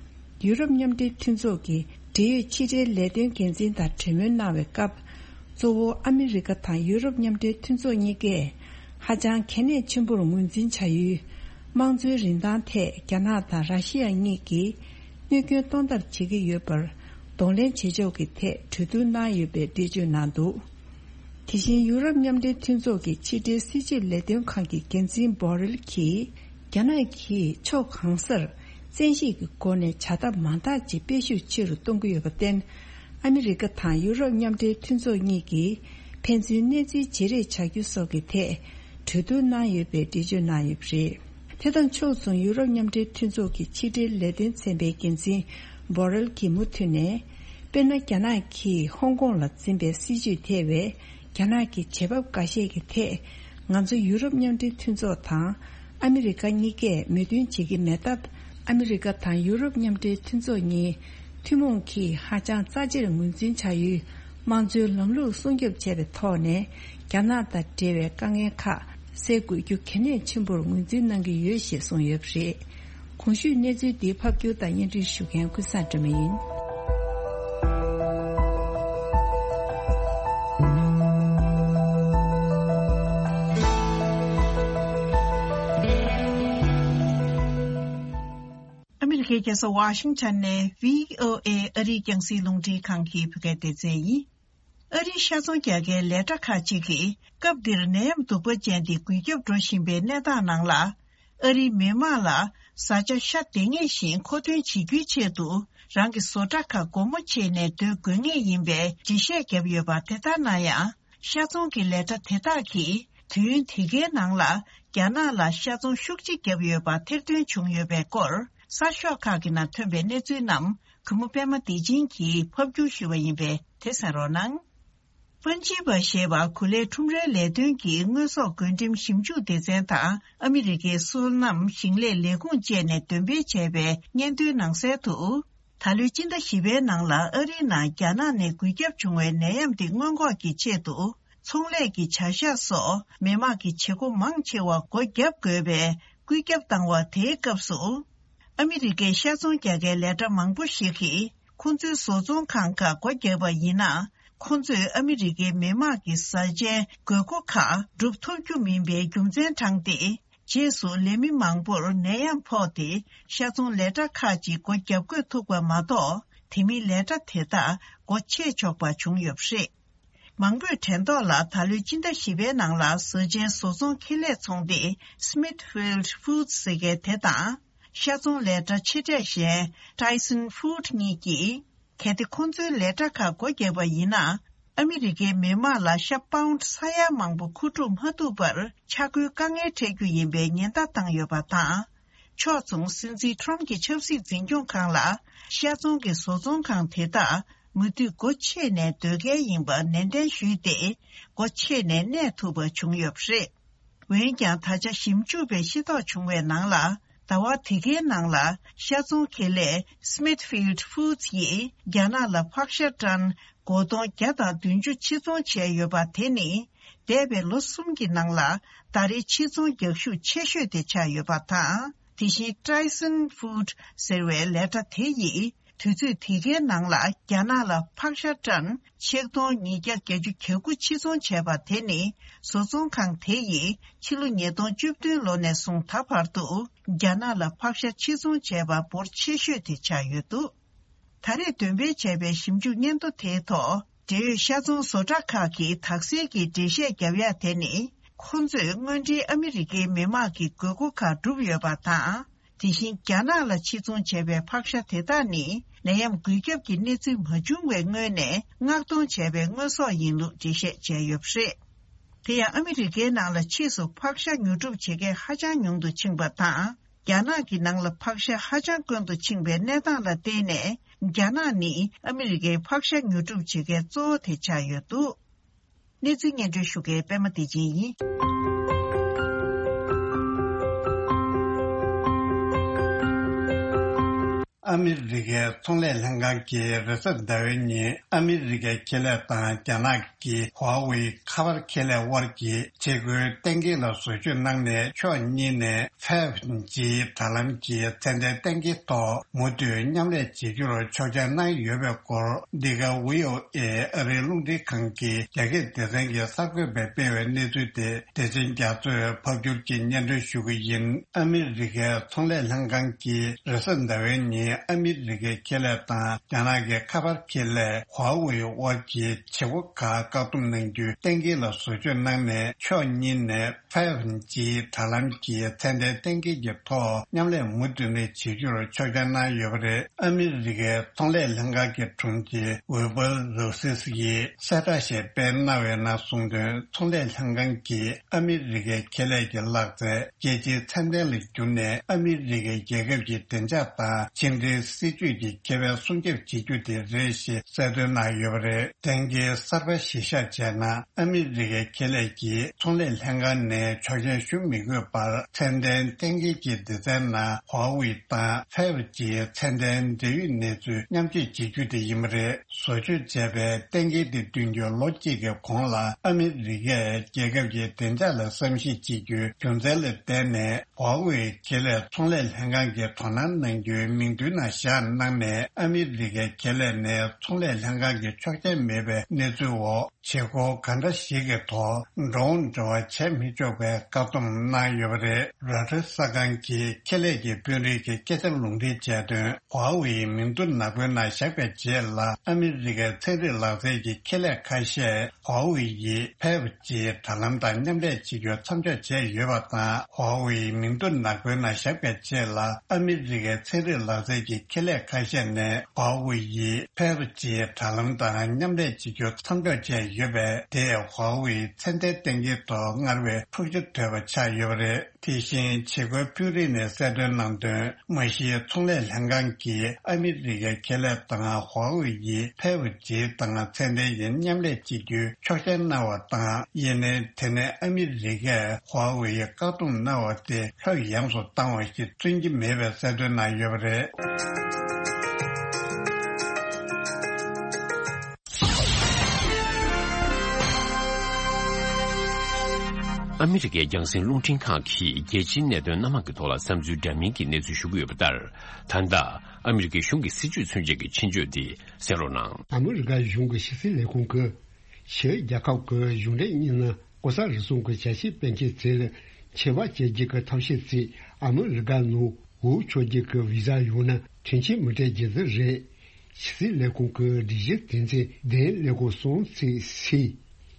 ཡུ་རོབ་མཉམ་འབྲེལ་མཐུན་ཚོགས་ཀྱི་འབྲེལ་ཡོད་ཕྱི་འབྲེལ་ལས་དོན་འགན་འཛིན་དང་གྲོས་མོལ་གནང་བའི་སྐབས། གཙོ་བོ་ཨ་མི་རི་ཀ་དང་ཡུ་རོབ་མཉམ་འབྲེལ་མཐུན་ཚོགས་གཉིས་ཀས་ཧ་ཅང་གལ་གནད་ཆེན་པོར་ངོས་འཛིན་བྱ་ཡུལ། དམངས་གཙོའི་རིན་ཐང་ཐད་རྒྱ་ནག་དང་ར་ཤི་ཡ་གཉིས་ཀྱིས་གནོད་སྐྱོན་གཏོང་ཐབས་བྱེད་ཀྱི་ཡོད་པར་གདོང་ལེན་བྱེད་ཕྱོགས་ཀྱི་ཐད་གྲོས་བསྡུར་གནང་ཡོད་པའི་འགྲེལ་བརྗོད་གནང་འདུག་དེ་བཞིན་ཡུ་རོབ་མཉམ་འབྲེལ་མཐུན་ཚོགས་ཀྱི་ཕྱི་འབྲེལ་སྲིད་ཇུས་ལས་དོན་ཁང་གི་འགན་འཛིན་བྷོ་རེལ་གྱིས། རྒྱ་ནག་གིས་ཕྱོགས་གང་སར་བཙན་ཤེད་ཀྱི་སྒོ་ནས་བྱ་ཐབས་མང་དག་ཅིག་སྤེལ་ཤུགས་ཆེ་རུ་གཏོང་གི་ཡོད་པར་བརྟེན། ཨ་མི་རི་ཀ་དང་ཡུ་རོབ་མཉམ་འབྲེལ་མཐུན་ཚོགས་གཉིས་ཀྱིས་ཕན་ཚུན་གནས་ཚུལ་བརྗེ་རེས་བྱ་རྒྱུ་སོགས་ཀྱི་ཐད་གྲོས་བསྡུར་གནང་ཡོད་པའི་འགྲེལ་བརྗོད་གནང་ཡོད་པ་རེད། དེ་དང་ཕྱོགས་མཚུངས་ཡུ་རོབ་མཉམ་འབྲེལ་མཐུན་ཚོགས་ཀྱི་ཕྱི་འབྲེལ་ལས་དོན་ཚན་པའི་འགན་འཛིན་བྷོ་རེལ་གྱིས་མུ་མཐུད་ནས། དཔེར་ན། རྒྱ་ནག་གིས་ཧོང་ཀོང་ལ་འཛིན་པའི་སྲིད་ཇུས་ཐེ་བའི་རྒྱ་ནག་གི་བྱེད་བབ་འགའ་ཤས་ཀྱི་ཐད། ང་ཚོ་ཡུ་རོབ་མཉམ་འབྲེལ་མཐུན་ཚོགས་དང་ཨ་མི་རི་ཀ་གཉིས་ཀས་མོས་མཐུན་བྱེད་ཀྱི་མེད་སྟབས། ཨ་མི་རི་ཀ་དང་ཡུ་རོབ་མཉམ་འབྲེལ་མཐུན་ཚོགས་གཉིས་ཐུན་མོང་གིས་ཧ་ཅང་རྩ་ཆེར་ངོས་འཛིན་བྱ་ཡུལ་དམངས་གཙོའི་ལམ་ལུགས་སྲུང་སྐྱོབ་བྱས་པའི་ཐོག་ནས། རྒྱ་ནག་དང་འབྲེལ་བའི་དཀའ་ངལ་ཁག་སེལ་དགོས་རྒྱུ་གལ་གནད་ཆེན་པོར་ངོས་འཛིན་གནང་གི་ཡོད་ཞེས་གསུངས་ཡོད་པ་རེད། གོང་ཞུས་གནས་ཚུལ་འདི་ཕབ་སྒྱུར་དང་སྙན་སྒྲོན་ཞུ་མཁན་ཀུན་བཟང་སྒྲོལ་མ་ཡིན། ཨ་མི་རི་ཀའི་རྒྱལ་ས་ཝ་ཤིང་ཊོན་ནས་བྷི་ཨོ་ཨེ་ཨ་རིའི་རྒྱང་སྲིང་རླུང་འཕྲིན་ཁང་གི་བོད་སྐད་སྡེ་ཚན་ཡིན། ཨ་རིའི་ཤ་ཚོང་རྒྱག་མཁན་ལས་གྲྭ་ཁག་ཅིག་གིས་སྐབས་འདིར་ནད་ཡམས་གདུག་པ་ཅན་འདི་འགོས་ཁྱབ་འགྲོ་བཞིན་པའི་གནས་སྟངས་ནང་ལ། ཨ་རིའི་མི་དམངས་ལ་བཟའ་བཅའ་ཤ་འདེད་ངེས་ཤིང་མཁོ་འདོན་བྱེད་རྒྱུའི་ཆེད་དུ། རང་གི་བཟོ་གྲྭ་ཁག་སྒོ་མོ་ཕྱེ་ནས་སྡོད་དགོས་ངེས་ཡིན་པའི་འགྲེལ་བཤད་བརྒྱབ་ཡོད་པ་དེ་ལྟར་ན་ཡང་། ཤ་ཚོང་གི་ལས་གྲྭ་དེ་དག་གིས་དུས་ཡུན་དེ་གའི་ནང་ལ་རྒྱ་ནག་ལ་ཤ་ཚོང་ཤུགས་ཆེ་བརྒྱབ་ཡོད་པ་ཐེར་འདོན་བྱུང་ཡོད་པའི་སྐོར། གསར་ཤོག་ཁག་གི་ནང་ཐོན་པའི་གནས་ཚུལ་རྣམས། གུས་མོ་པད་མ་བདེ་ཆེན་གྱིས་ཕབ་སྒྱུར་ཞུས་པ་ཡིན་པས། དེ་གསན་རོགས་གནང་། པན་ཇི་བ་ཞེས་པ་གོ་ལའི་ཁྲོམ་རའི་ལས་དོན་གྱི་དངོས་ཟོག་བགོ་འགྲེམས་ཞིབ་འཇུག་སྡེ་ཚན་དང་ཨ་མི་རི་ཀའི་སོ་ནམ་ཞིང་ལས་ལས་ཁུངས་བཅས་ནས་འདོན་སྤེལ་བྱས་པའི་སྙན་ཐོའི་ནང་གསལ་དུ། ད་ལོའི་སྤྱི་ཟླ་བཞི་པའི་ནང་ལ་ཨ་རིའི་ནང་རྒྱ་ནག་ནས་འགོས་ཁྱབ་བྱུང་བའི་ནད་ཡམས་དེ་སྔོན་འགོག་གི་ཆེད་དུ། ཚོང་ལས་ཀྱི་བྱ་གཞག་སོགས་མི་དམངས་ཀྱི་བྱེད་སྒོ་མང་ཆེ་བ་སྒོ་བརྒྱབ་དགོས་པའི་བཀོད་ཁྱབ་བཏང་བ་དེའི་སྐབས་སུ། ཨ་མི་རི་ཀའི་ཤ་ཚོང་རྒྱག་མཁན་ལས་གྲྭ་མང་པོ་ཞིག་གིས། ཁོང་ཚོའི་བཟོ་ཚོང་ཁང་ཁག་སྒོ་བརྒྱབ་པ་ཡིན་ན། ཁོང་ཚོས་ཨ་མི་རི་ཀའི་མི་དམངས་ཀྱི་བཟའ་བཅའི་དགོས་མཁོ་ཁག་སྒྲུབ་ཐུབ་རྒྱུ་མིན་པའི་རྒྱུ་མཚན་དྲངས་ཏེ། རྗེས་སུ་ལས་མི་མང་པོར་ནད་ཡམས་ཕོག་སྟེ། ཤ་ཚོང་ལས་གྲྭ་ཁག་ཅིག་སྒོ་བརྒྱབ་དགོས་ཐུག་པ་མ་གཏོགས། དེ་མིན་ལས་གྲྭ་དེ་དག་སྒོ་ཕྱེ་ཆོག་པ་བྱུང་ཡོད་པ་རེད། མང་པོས་དྲན་ཐོག་ལ། ད་ལོའི་སྤྱི་ཟླ་བཞི་པའི་ནང་ལ་བཟའ་བཅའི་བཟོ་ཚོང་ཁེ་ལས་ཚོང་སྡེ་Smithfield Foods ཟེར་མཁན་དེ་དང་། ཤ་ཚོང་ལས་གྲྭ་ཆེ་གྲས་གཞན་Tyson Food གཉིས་ཀྱིས། གལ་ཏེ་ཁོང་ཚོའི་ལས་གྲྭ་ཁག་སྒོ་བརྒྱབ་པ་ཡིན་ན། ཨ་མི་རི་ཀའི་མི་དམངས་ལ་ཤ་པའུནཌ་ས་ཡ་མང་པོ་མཁོ་སྒྲུབ་མ་ཐུབ་པར་ཆག་སྒོའི་དཀའ་ངལ་འཕྲད་རྒྱུ་ཡིན་པའི་ཉེན་བརྡ་བཏང་ཡོད་པ་དང་། ཕྱོགས་མཚུངས། སྲིད་འཛིན་ཊརམཕ་གྱི་ཆབ་སྲིད་འཛིན་སྐྱོང་ཁང་ལ། ཤ་ཚོང་གི་བཟོ་ཚོང་ཁང་དེ་དག་མུ་མཐུད་སྒོ་ཕྱེ་ནས་སྡོད་གལ་ཡིན་པ་ནན་ཏན་ཞུས་ཏེ། སྒོ་ཕྱེ་ནས་གནས་ཐུབ་པ་བྱུང་ཡོད་པ་རེད། འོན་ཀྱང་། ད་ཆ་ཞིབ་འཇུག་པས་ཤེས་རྟོགས་བྱུང་བའི་ནང་ལ། ཟླ་བ་དེ་གའི་ནང་ལ། ཤ་ཚོང་ཁེ་ལས་Smithfield Foods ཡིས། རྒྱ་ནག་ལ་ཕག་ཤ་ཊོན་སྒོར་སྟོང་བརྒྱ་དང་བདུན་ཅུ་ཕྱིར་ཚོང་བྱས་ཡོད་པ་དེ་ནི། འདས་པའི་ལོ་གསུམ་གྱི་ནང་ལ། ཟླ་རེའི་ཕྱིར་ཚོང་རྒྱག་ཤུགས་ཆེ་ཤོས་དེ་ཆགས་ཡོད་པ་དང་། དེ་བཞིན། Tyson Food ཟེར་བའི་ལས་གྲྭ་དེ་ཡིས། དུས་ཚོད་དེ་གའི་ནང་ལ། རྒྱ་ནག་ལ་ཕག་ཤ་ཊོན་ཆིག་སྟོང་ཉིས་བརྒྱ་བརྒྱད་ཅུ་གྱ་དགུ་ཕྱིར་ཚོང་བྱས་པ་དེ་ནི། བཟོ་ཚོང་ཁང་དེ་ཡིས། ཕྱི་ལོ་ཉིས་སྟོང་བཅུ་བདུན་ལོ་ནས་བཟུང་ད་བར་དུ། རྒྱ་ནག་ལ་ཕག་ཤ་ཕྱིར་ཚོང་བྱས་པ་འབོར་ཆེ་ཤོས་དེ་ཆགས་ཡོད་འདུག་ད་རེས་འདོན་སྤེལ་བྱས་པའི་ཞིབ་འཇུག་སྙན་ཐོ་དེའི་ཐོག་འབྲེལ་ཡོད་ཤ་ཚོང་བཟོ་གྲྭ་ཁག་གིས་དག་སེལ་གྱི་འགྲེལ་བཤད་བརྒྱབ་ཡ་དེ་ནི། ཁོང་ཚོས་དངོས་འབྲེལ་ཨ་མི་རི་ཀའི་མི་དམངས་ཀྱི་དགོས་མཁོ་ཁག་བསྒྲུབས་ཡོད་པ་དང་། དེ་བཞིན། རྒྱ་ནག་ལ་ཕྱིར་ཚོང་བྱས་པའི་ཕག་ཤ་དེ་དག་ནི། ནད་ཡམས་འགོས་ཁྱབ་ཀྱི་གནས་ཚུལ་མ་བྱུང་བའི་སྔོན་ནས་མངགས་གཏོང་བྱས་པའི་དངོས་ཟོག་ཡིན་ལུགས་འགྲེལ་བཤད་བྱས་ཡོད་པ་རེད། དེ་ཡང་། ཨ་མི་རི་ཀའི་ནང་ལ་ཕྱིས་སུ་ཕག་ཤ་ཉོ་སྒྲུབ་བྱེད་མཁན་ཧ་ཅང་ཉུང་དུ་ཕྱིན་པ་དང་། རྒྱ་ནག་གི་ནང་ལ་ཕག་ཤ་ཧ་ཅང་དཀོན་དུ་ཕྱིན་པའི་གནས་སྟངས་ལ་བརྟེན་ནས། རྒྱ་ནག་ནི་ཨ་མི་རི་ཀའི་ཕག་ཤ་ཉོ་སྒྲུབ་བྱེད་མཁན་གཙོ་བོ་དེ་ཆགས་ཡོད་འདུག་གནས་ཚུལ་སྙན་སྒྲོན་ཞུ་མཁན་པད་མ་བདེ་ཆེན་ཡིན། ཨ་མི་རི་ཀའི་ཚོང་ལས་ལྷན་ཁང་གིས་རེས་གཟའ་ཟླ་བའི་ཉིན་ཨ་མི་རི་ཀའི་ཁེ་ལས་དང་རྒྱ་ནག་གི་ཧྭ་ཝེ་ཁ་པར་ཁེ་ལས་དབར་གྱི་བྱེད་སྒོའི་གཏན་འཁེལ་ལ་བཟོ་བཅོས་གནང་ནས་ཕྱོགས་གཉིས་ནས་ཕའེབ་ཇི་དྲ་ལམ་གྱི་ཚད་ལྡན་གཏན་འཁེལ་ཐོག་མུ་མཐུད་མཉམ་ལས་བྱེད་རྒྱུར་ཆོག་མཆན་གནང་ཡོད་པའི་སྐོར། འདི་ག་ཝི་ཨོ་ཨེ་ཨ་རིའི་རླུང་འཕྲིན་ཁང་གི་རྒྱ་སྐད་སྡེ་ཚན་གྱི་གསར་འགོད་པས་སྤེལ་བའི་གནས་ཚུལ་དེ་བདེ་ཆེན་རྒྱ་མཚོས་ཕབ་སྒྱུར་གྱིས་སྙན་སྒྲོན་ཞུ་གི་ཡིན། ཨ་མི་རི་ཀའི་ཚོང་ལས་ལྷན་ཁང་གིས་རེས་གཟའ་ཟླ་བའི་ཉིན་ཨ་མི་རི་ཀའི་ཁེ་ལས་དང་རྒྱ་ནག་གི་ཁ་པར་ཁེ་ལས་ཧྭ་ཝེ་དབར་གྱི་བྱེད་སྒོ་ཁག་བཀག་སྡོམ་གནང་རྒྱུའི་གཏན་འཁེལ་ལ་བཟོ་བཅོས་གནང་ནས་ཕྱོགས་གཉིས་ནས་ཕའེབ་ཇི་དྲ་ལམ་གྱི་ཚད་ལྡན་གཏན་འཁེལ་གྱི་ཐོག་མཉམ་ལས་མུ་མཐུད་ནས་བྱེད་རྒྱུར་ཆོག་མཆན་གནང་ཡོད་པ་རེད། ཨ་མི་རི་ཀའི་ཚོང་ལས་ལྷན་ཁང་གི་དྲུང་ཆེ་ཝི་པལ་རོ་སིས་ཡིས་གསལ་བསྒྲགས་ཤིག་སྤེལ་གནང་བའི་ནང་གསུངས་དོན། ཚོང་ལས་ལྷན་ཁང་གིས་ཨ་མི་རི་ཀའི་ཁེ་ལས་ཀྱི་ལག་རྩལ་རྒྱལ་སྤྱིའི་ཚད་ལྡན་ལ་བསྒྱུར་ནས་ཨ་མི་རི་ཀའི་རྒྱལ་ཁབ་ཀྱི་བདེ་འཇགས་དང་ཕྱི་འབྲེལ་སྲིད་ཇུས་ཀྱི་ཁེ་ཕན་སྲུང་སྐྱོབ་བྱེད་རྒྱུ་དེ་རེད་ཞེས་གསལ་སྟོན་གནང་ཡོད་པ་རེད། གཏན་འཁེལ་གསར་པ་གཞིར་བཞག་བྱས་ན། ཨ་མི་རི་ཀའི་ཁེ་ལས་ཀྱིས་ཚོང་ལས་ལྷན་ཁང་ནས་ཆོག་མཆན་ཞུ་མི་དགོས་པར་ཚད་ལྡན་གཏན་འཁེལ་གྱི་སྡེ་ཚན་ནང་ཧྭ་ཝེ་དང་ཕའེབ་ཇིའི་ཚད་ལྡན་འབྲེལ་ཡོད་གནས་ཚུལ་མཉམ་སྤྱོད་བྱེད་རྒྱུ་དེ་ཡིན་པ་རེད། བཟོ་བཅོས་བྱས་པའི་གཏན་འཁེལ་དེ་བཏོན་རྒྱུ་ལོ་གཅིག་གི་གོང་ལ་ཨ་མི་རི་ཀས་རྒྱལ་ཁབ་ཀྱི་བདེ་འཇགས་ལ་བསམ་གཞིག་བྱེད་རྒྱུའི་རྒྱུ་མཚན་ལ་བརྟེན་ནས། ཧྭ་ཝེ་ཁེ་ལས་ཚོང་ལས་ལྷན་ཁང་གིས་དོ་སྣང་གནང་རྒྱུའི་མིང་ཐོའི་ནང་བཞག་གནང་ནས། ཨ་མི་རི་ཀའི་ཁེ་ལས་ནས་ཚོང་ལས་ལྷན་ཁང་གི་ཆོག་མཆན་མེད་པའི་གནས་ཚུལ་འོག་བྱེད་སྒོ་གང་འདྲ་ཞིག་གི་ཐོག་འགྲོ་འོང་འབྲེལ་བ་བྱས་མི་ཆོག་པའི་བཀག་སྡོམ་གནང་ཡོད་པ་རེད། རོའི་ཊར་གསར་ཁང་གིས་ཁེ་ལས་ཀྱི་དཔོན་རིགས་ཀྱི་སྐད་ཆར་ལུང་འདྲེན་བྱས་དོན། ཧྭ་ཝེ་ཡི་མིང་ཐོ་ནག་པོའི་ནང་བཞག་པའི་རྗེས་ལ། ཨ་མི་རི་ཀའི་ཚན་རིག་ལག་རྩལ་གྱི་ཁེ་ལས་ཁ་ཤས་ཧྭ་ཝེ་ཡི་ཕའེབ་ཇི་དྲ་ལམ་དང་མཉམ་ལས་བྱེད་རྒྱུ་མཚམས་འཇོག་བྱས་ཡོད་པ་དང་། ཧྭ་ཝེ་ཡི་མིང་ཐོ་ནག་པོའི་ནང་བཞག་པའི་རྗེས་ལ། ཨ་མི་རི་ཀའི་ཚན་རིག་ལག་རྩལ་གྱི་ཁེ་ལས་ཁ་ཤས་ནས་ཧྭ་ཝེ་ཡི་ཕའེབ་ཇི་དྲ་ལམ་དང་མཉམ་ལས་བྱེད་རྒྱུ་མཚམས་འཇོག་བྱས་ཡོད་པས། དེས་ཧྭ་ཝེ་ཡི་ཚད་ལྡན་གཏན་འཁེལ་ཐོག་སྔར་བས་འཁྲུག་ཆ་དོད་པ་ཆགས་ཡོད་པ་རེད། དེ་བཞིན་བྱེད་སྒོའི་དཔོན་རིགས་ནས་གསལ་སྟོན་གནང་དོན། མ་གཞི་ཚོང་ལས་ལྷན་ཁང་གིས་ཨ་མི་རི་ཀའི་ཁེ་ལས་དང་ཧྭ་ཝེ་ཡི་ཕའེབ་ཇི་དང་ཚད་ལྡན་ཡི་མཉམ་ལས་བྱེད་རྒྱུའི་ཆོག་མཆན་གནང་བ་དང་། ཡིན་ནའི་དེ་ནས་ཨ་མི་རི་ཀས་ཧྭ་ཝེ་ཡི་བཀག་སྡོམ་གནང་བ་དེ་ལྷོད་ཡངས་སུ་བཏང་བ་ཞིག་མཚོན་གྱི་མེད་པའི་གསལ་སྟོན་གནང་ཡོད་པ་རེད། ཨ་མི་རི་ཀའི་རྒྱང་སྲིང་རླུང་འཕྲིན་ཁང་གིས་རྒྱལ་སྤྱིའི་གནད་དོན་སྣ་མང་གི་ཐོག་ལ་བསམ་ཚུལ་འདྲ་མིན་གྱི་གནས་ཚུལ་ཞུ་གི་ཡོད་པ་ལྟར། ད་ལྟ་ཨ་མི་རི་ཀའི་གཞུང་གི་སྲིད་ཇུས་མཚོན་བྱེད་ཀྱི་ཆེད་བརྗོད་འདི་གསན་རོགས་གནང་། ཨ་མི་རི་ཀ་གཞུང་གི་ཕྱི་སྲིད་ལས་ཁུངས་ཀྱིས་ཕྱིའི་རྒྱལ་ཁབ་ཀྱི་གཞུང་འབྲེལ་མི་སྣ་ལྐོག་ཟ་རུལ་སུངས་ཀྱི་བྱ་བྱེད་སྤེལ་མཁན་ཚོ་ལ་ཆད་པ་གཅོད་རྒྱུ་གི་ཐབས་ཤེས་ཚོ་ཨ་མི་རི་ཀ་ནང་འོས་ཆོག་རྒྱུ་གི་བི་ཟ་ཡོད་ན་མཐུན་རྐྱེན་མི་སྤྲད་རྒྱུ་དེ་རེད། ཕྱི་སྲིད་ལས་ཁུངས་ཀྱི་སྒྲིག་གཞི་དོན་ཚན་བདུན་ཀླད་ཀོར་གསུམ་ཚེག་སི།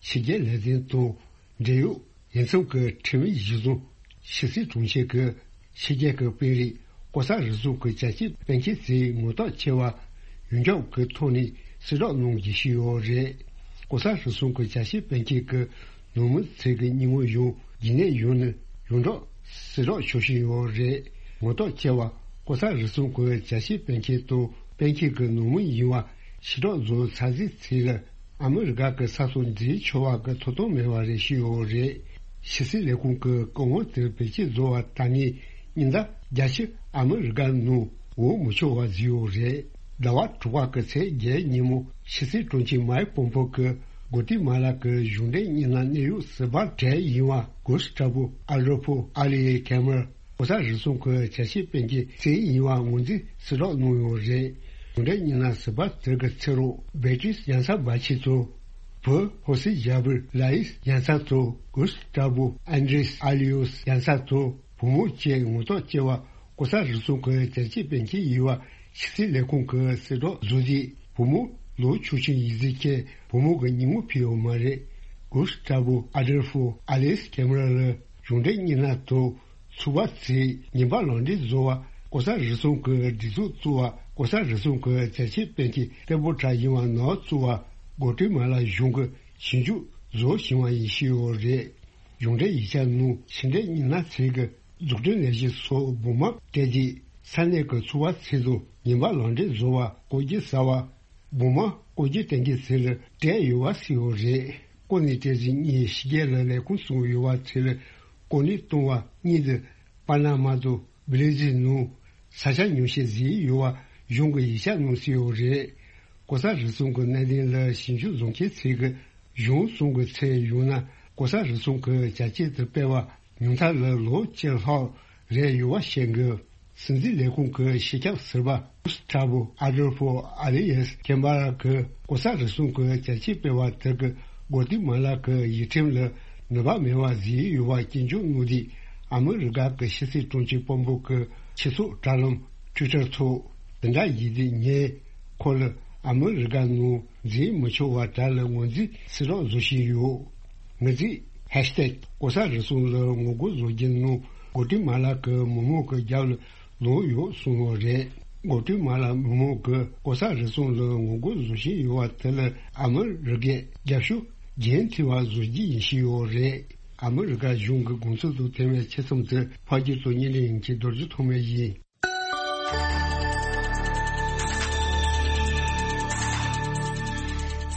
ཕྱི་རྒྱལ་ལས་དོན་དང་འབྲེལ་ཡོད་འོས་འཚམ་གྱི་ཁྲིམས་གཞི་བཟུང་། ཕྱི་སྲིད་དྲུང་ཆེ་གིས་ཕྱི་རྒྱལ་གྱི་དཔོན་རིགས་ལྐོག་ཟ་རུལ་སུངས་ཀྱི་བྱ་བྱེད་སྤེལ་མཁན་ཚོའི་ངོ་རྟགས་འཁྱེར་བ་ཡོངས་ཁྱབ་ཀྱི་ཐོག་ནས་གསལ་བསྒྲགས་གནང་རྒྱུ་ཞིག་ཡོད་རེད། ལྐོག་ཟ་རུལ་སུངས་ཀྱི་བྱ་བྱེད་སྤེལ་མཁན་གྱི་ནང་མི་ཚོའི་མྱིང་ངོ་ཡང་རྒྱུན་གནས་ཡོང་ནས་ཡོངས་གྲགས་གསལ་བསྒྲགས་ཞུ་བཞིན་ཡོད་རེད། ངོ་རྟགས་འཁྱེར་བ་ལྐོག་ཟ་རུལ་སུངས་ཀྱི་བྱ་བྱེད་སྤེལ་མཁན་དང་སྤེལ་མཁན་གྱི་ནང་མི་ཡིན་པ་ཕྱིར་བསྒྲགས་བཟོ་ཚར་ཚེ་ཚོ་ལ་ཨ་མི་རི་ཀ་གི་ས་ཐོག་འཛུལ་ཆོག་པ་གི་ཐོབ་ཐང་མེད་པ་རེད་ཞུས་ཡོད་རེད། ཕྱི་སྲིད་ལས་ཁུངས་ཀྱི་བཀའ་དབང་དེ་བེད་སྤྱོད་བཟོ་བ་ད་ངས་ཉིན་ལྟར་བརྒྱ་ཕྱིར་ཨ་མི་རི་ཀ་ནང་འོས་མི་ཆོག་པ་བཟོས་ཡོད་རེད། ཟླ་བ་དྲུག་པ་གི་ཚེས་བརྒྱད་ཉིན་མོ་ཕྱི་སྲིད་དྲུང་ཆེ་མའེ་པོམ་པོ་གིས་གོ་ཏི་མ་ལ་གི་གཞུང་འབྲེལ་མི་སྣ་གནད་ཡོད་ཟུར་པ་གྲས་ཡིན་པ་གུ་སི་ཏྲ་བུ་ཨ་རོལ་ཕོ་ཨ་ལི་ཡེ་ཁེ་མ་རལ་ལྐོག་ཟ་རུལ་སུངས་ཀྱི་བྱ་བྱེད་སྤེལ་མཁན་ཚོ་ཡིན་པ་ངོས་འཛིན་གསལ་བསྒྲགས་གནང་ཡོད་རེད། གཞུང་འབྲེལ་མི་སྣ་ཟུར་པ་དེ་གི་ཚེ་རོགས་བེ་ཏྲིས་ཡན་ས་བྷ་ཆི་ཚོ། བུ་ཧོ་སི་ཇ་བིར་ལ་ཡིས་ཡན་ས་ཚོ། གུ་སི་ཏྲ་བུ་ཨན་དྲེས་ཨ་ལི་ཡོས་ཡན་ས་ཚོ། བུ་མོ་བཅས་ངོ་རྟགས་བཅས་པ་ལྐོག་ཟ་རུལ་སུངས་ཀྱི་བྱ་བྱེད་སྤེལ་མཁན་ཡིན་པ་ཕྱི་སྲིད་ལས་ཁུངས་ཀྱིས་གསལ་བསྒྲགས་བཟོས་རྗེས། བུ་མོ་ལོ་ཆུང་ཆུང་ཡིན་ཚུལ་མཁན་བུ་མོ་གི་མྱིང་ངོ་ཕུལ་ཡོད་མ་རེད། གུ་སི་ཏྲ་བུ་ཨ་དར་ཧྥོ་ཨ་ལེས་ཁེ་མ་རལ་ལ་གཞུང་འབྲེལ་མི་སྣ་དང་ཚོགས་པ་ཚོས་ཉེས་པ་ལག་འབྲེལ་བཟོ་བ། ལྐོག་ཟ་རུལ་སུངས་ཀྱི་སྒྲིག་འཛུགས་བཙུགས་པ། ལྐོག་ཟ་རུལ་སུངས་ཀྱི་བྱ་བྱེད་སྤེལ་མཁན་གཏེ་པོ་བྲག་ཡིན་པ་ནང་བཙུགས་པ། གོ་ཏི་མ་ལ་གཞུང་གི་ཞིབ་འཇུག་བཟོ་བཞིན་པ་ཡིན་ཞུས་ཡོད་རེད། གཞུང་འབྲེལ་ཡིག་ཆ་ནང་ཕྱི་འབྲེལ་མི་སྣ་ཚོས་ཀྱི་འཛུགས་སྐྲུན་ལས་གཞི་སོགས་སྦུག་མ་སྤྲད་རྗེས་ས་གནས་ཀྱི་ཚོགས་པ་ཚོ་དང་ཉེས་པ་ལག་འབྲེལ་བཟོ་བ། ལྐོག་ཇུས་ཟ་བ། སྦུག་མ་ལྐོག་ཇུས་སྤྲད་མཁན་ཚོ་ལ་སྤྲད་ཡོད་པ་གསལ་ཡོད་རེད། ལྐོག་ནས་སྤྲད་རྗེས་ངས་ཕྱི་རྒྱལ་ལ་ལས་ཁུངས་བཙུགས་ཡོད་པ་ཚོ་ལ་གོ་གནས་གཏོང་བ་གཉིས་ཏེ་པ་ན་མ་དང་བྷི་རེ་ཟིལ་ནང་ས་ཆ་ཉོ་ཆ་བཟོས་ཡོད་ གཞུང་གི་ཡིག་ཆ་གནང་སྲིད་ཡོད་རེད། ལྐོག་ཟ་རུལ་སུངས་ཀྱི་གནད་དོན་ལ་ཞིབ་འཇུག་བཟོ་མཁན་ཚོས་ཀྱི་གཞུང་གསུམ་གྱི་ཚད་ཡོང་ན་ལྐོག་ཟ་རུལ་སུངས་ཀྱི་བྱ་སྤྱོད་དུ་སྤེལ་བ་ཉུང་མཐའ་ལ་ལོ་གཅིག་ལྷག་རེད་ཡོད་པ་བཤད་འདུག་སྲིད་འཛིན་ལས་ཁུངས་ཀྱི་སྤྱི་ཁྱབ་ཟུར་པ་ཀུ་སི་ཏྲ་བོ་ཨ་དོལ་ཕོ་ཨ་ལེ་ཡེས་ཀེམ་པ་ར་གྱིས་ལྐོག་ཟ་རུལ་སུངས་ཀྱི་བྱ་སྤྱོད་སྤེལ་བ་དེ་གིས་གོ་ཏི་མ་ལ་གི་ཡུལ་ཁྲིམས་ལ་ནུས་པ་མེད་པ་བཟོས་ཡོད་པ་སྐྱོན་བརྗོད་གནང་དུས། ཨ་མི་རི་ཀ་གི་ཕྱི་སྲིད་དྲུང་ཆེ་དཔོན་པོ་གི་སྤྱི་ཚོགས་དྲ་ལམ་ཊུའི་ཊར་ཐོག་དེ་འདྲ་ཡིན་དུས་ངས་ཁོ་ལ་ཨ་མི་རི་ཀ་ནང་འཛིན་མི་ཆོག་པ་དྲ་ལ་ངོས་འཛིན་བྱེད་རོགས་བཟོ་བཞིན་ཡོད། ངོས་འཛིན་ཧེཤ་ཏེག་ལྐོག་ཟ་རུལ་སུངས་ལ་ངོ་རྒོལ་བཟོ་རྒྱུ་ནང་གོ་ཏི་མ་ལ་གི་མི་མང་གི་རྒྱབ་ལ་ལངས་ཡོད་གསུངས་པ་རེད། གོ་ཏི་མ་ལ་མི་མང་གིས་ལྐོག་ཟ་རུལ་སུངས་ལ་ངོ་རྒོལ་བཟོ་བཞིན་ཡོད་པ་དེ་ལ་ཨ་མི་རི་ཀས་རྒྱབ་སྐྱོར་རྒྱུན་མཐུད་པ་བཟོ་རྒྱུ་ཡིན་བཞིན་ཡོད་རེད། ཨ་མི་རི་ཀ་གཞུང་གི་དགོངས་ཚུལ་དང་མཐུན་པའི་ཆེད་རྩོམ་དེ་ཕག་སྐྱིད་དང་གཉན་རི་ཡིན་གྱིས་རྡོ་རྗེ་ཐོགས་མེད་ཡིན།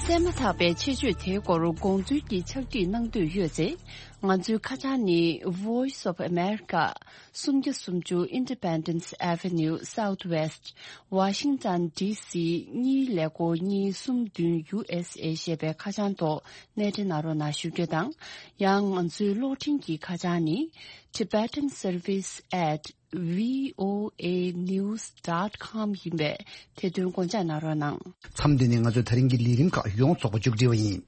གསན་མ་ཐག་པའི་ཆེད་བརྗོད་དེའི་སྐོར་དགོངས་ཚུལ་གྱི་ཕྱག་བྲིས་གནང་འདོད་ཡོད་ཚེ། ང་ཚོའི་ཁ་བྱང་ནི། Voice of America། སུམ་བརྒྱ་སུམ་ཅུ་Independence Avenue Southwest། Washington D C གཉིས་ཀླད་ཀོར་གཉིས་གསུམ་བདུན་U S A ཞེས་པའི་ཁ་བྱང་ཐོག་གནས་འབྲེལ་གནང་རོགས་གནང་ཞུ་རྒྱུ་དང་། ཡང་ང་ཚོའི་གློག་འཕྲིན་གྱི་ཁ་བྱང་ནི། Tibetan Service at V O A news dot com ཡིན་པས་དེ་དོན་དགོངས་འཇགས་གནང་རོགས་གནང་། མཚམས་འདི་ནས་ང་ཚོའི་ད་རིང་གི་ལས་རིམ་ཁག་ཡོངས་རྫོགས་པ་མཇུག་སྒྲིལ་བ་ཡིན།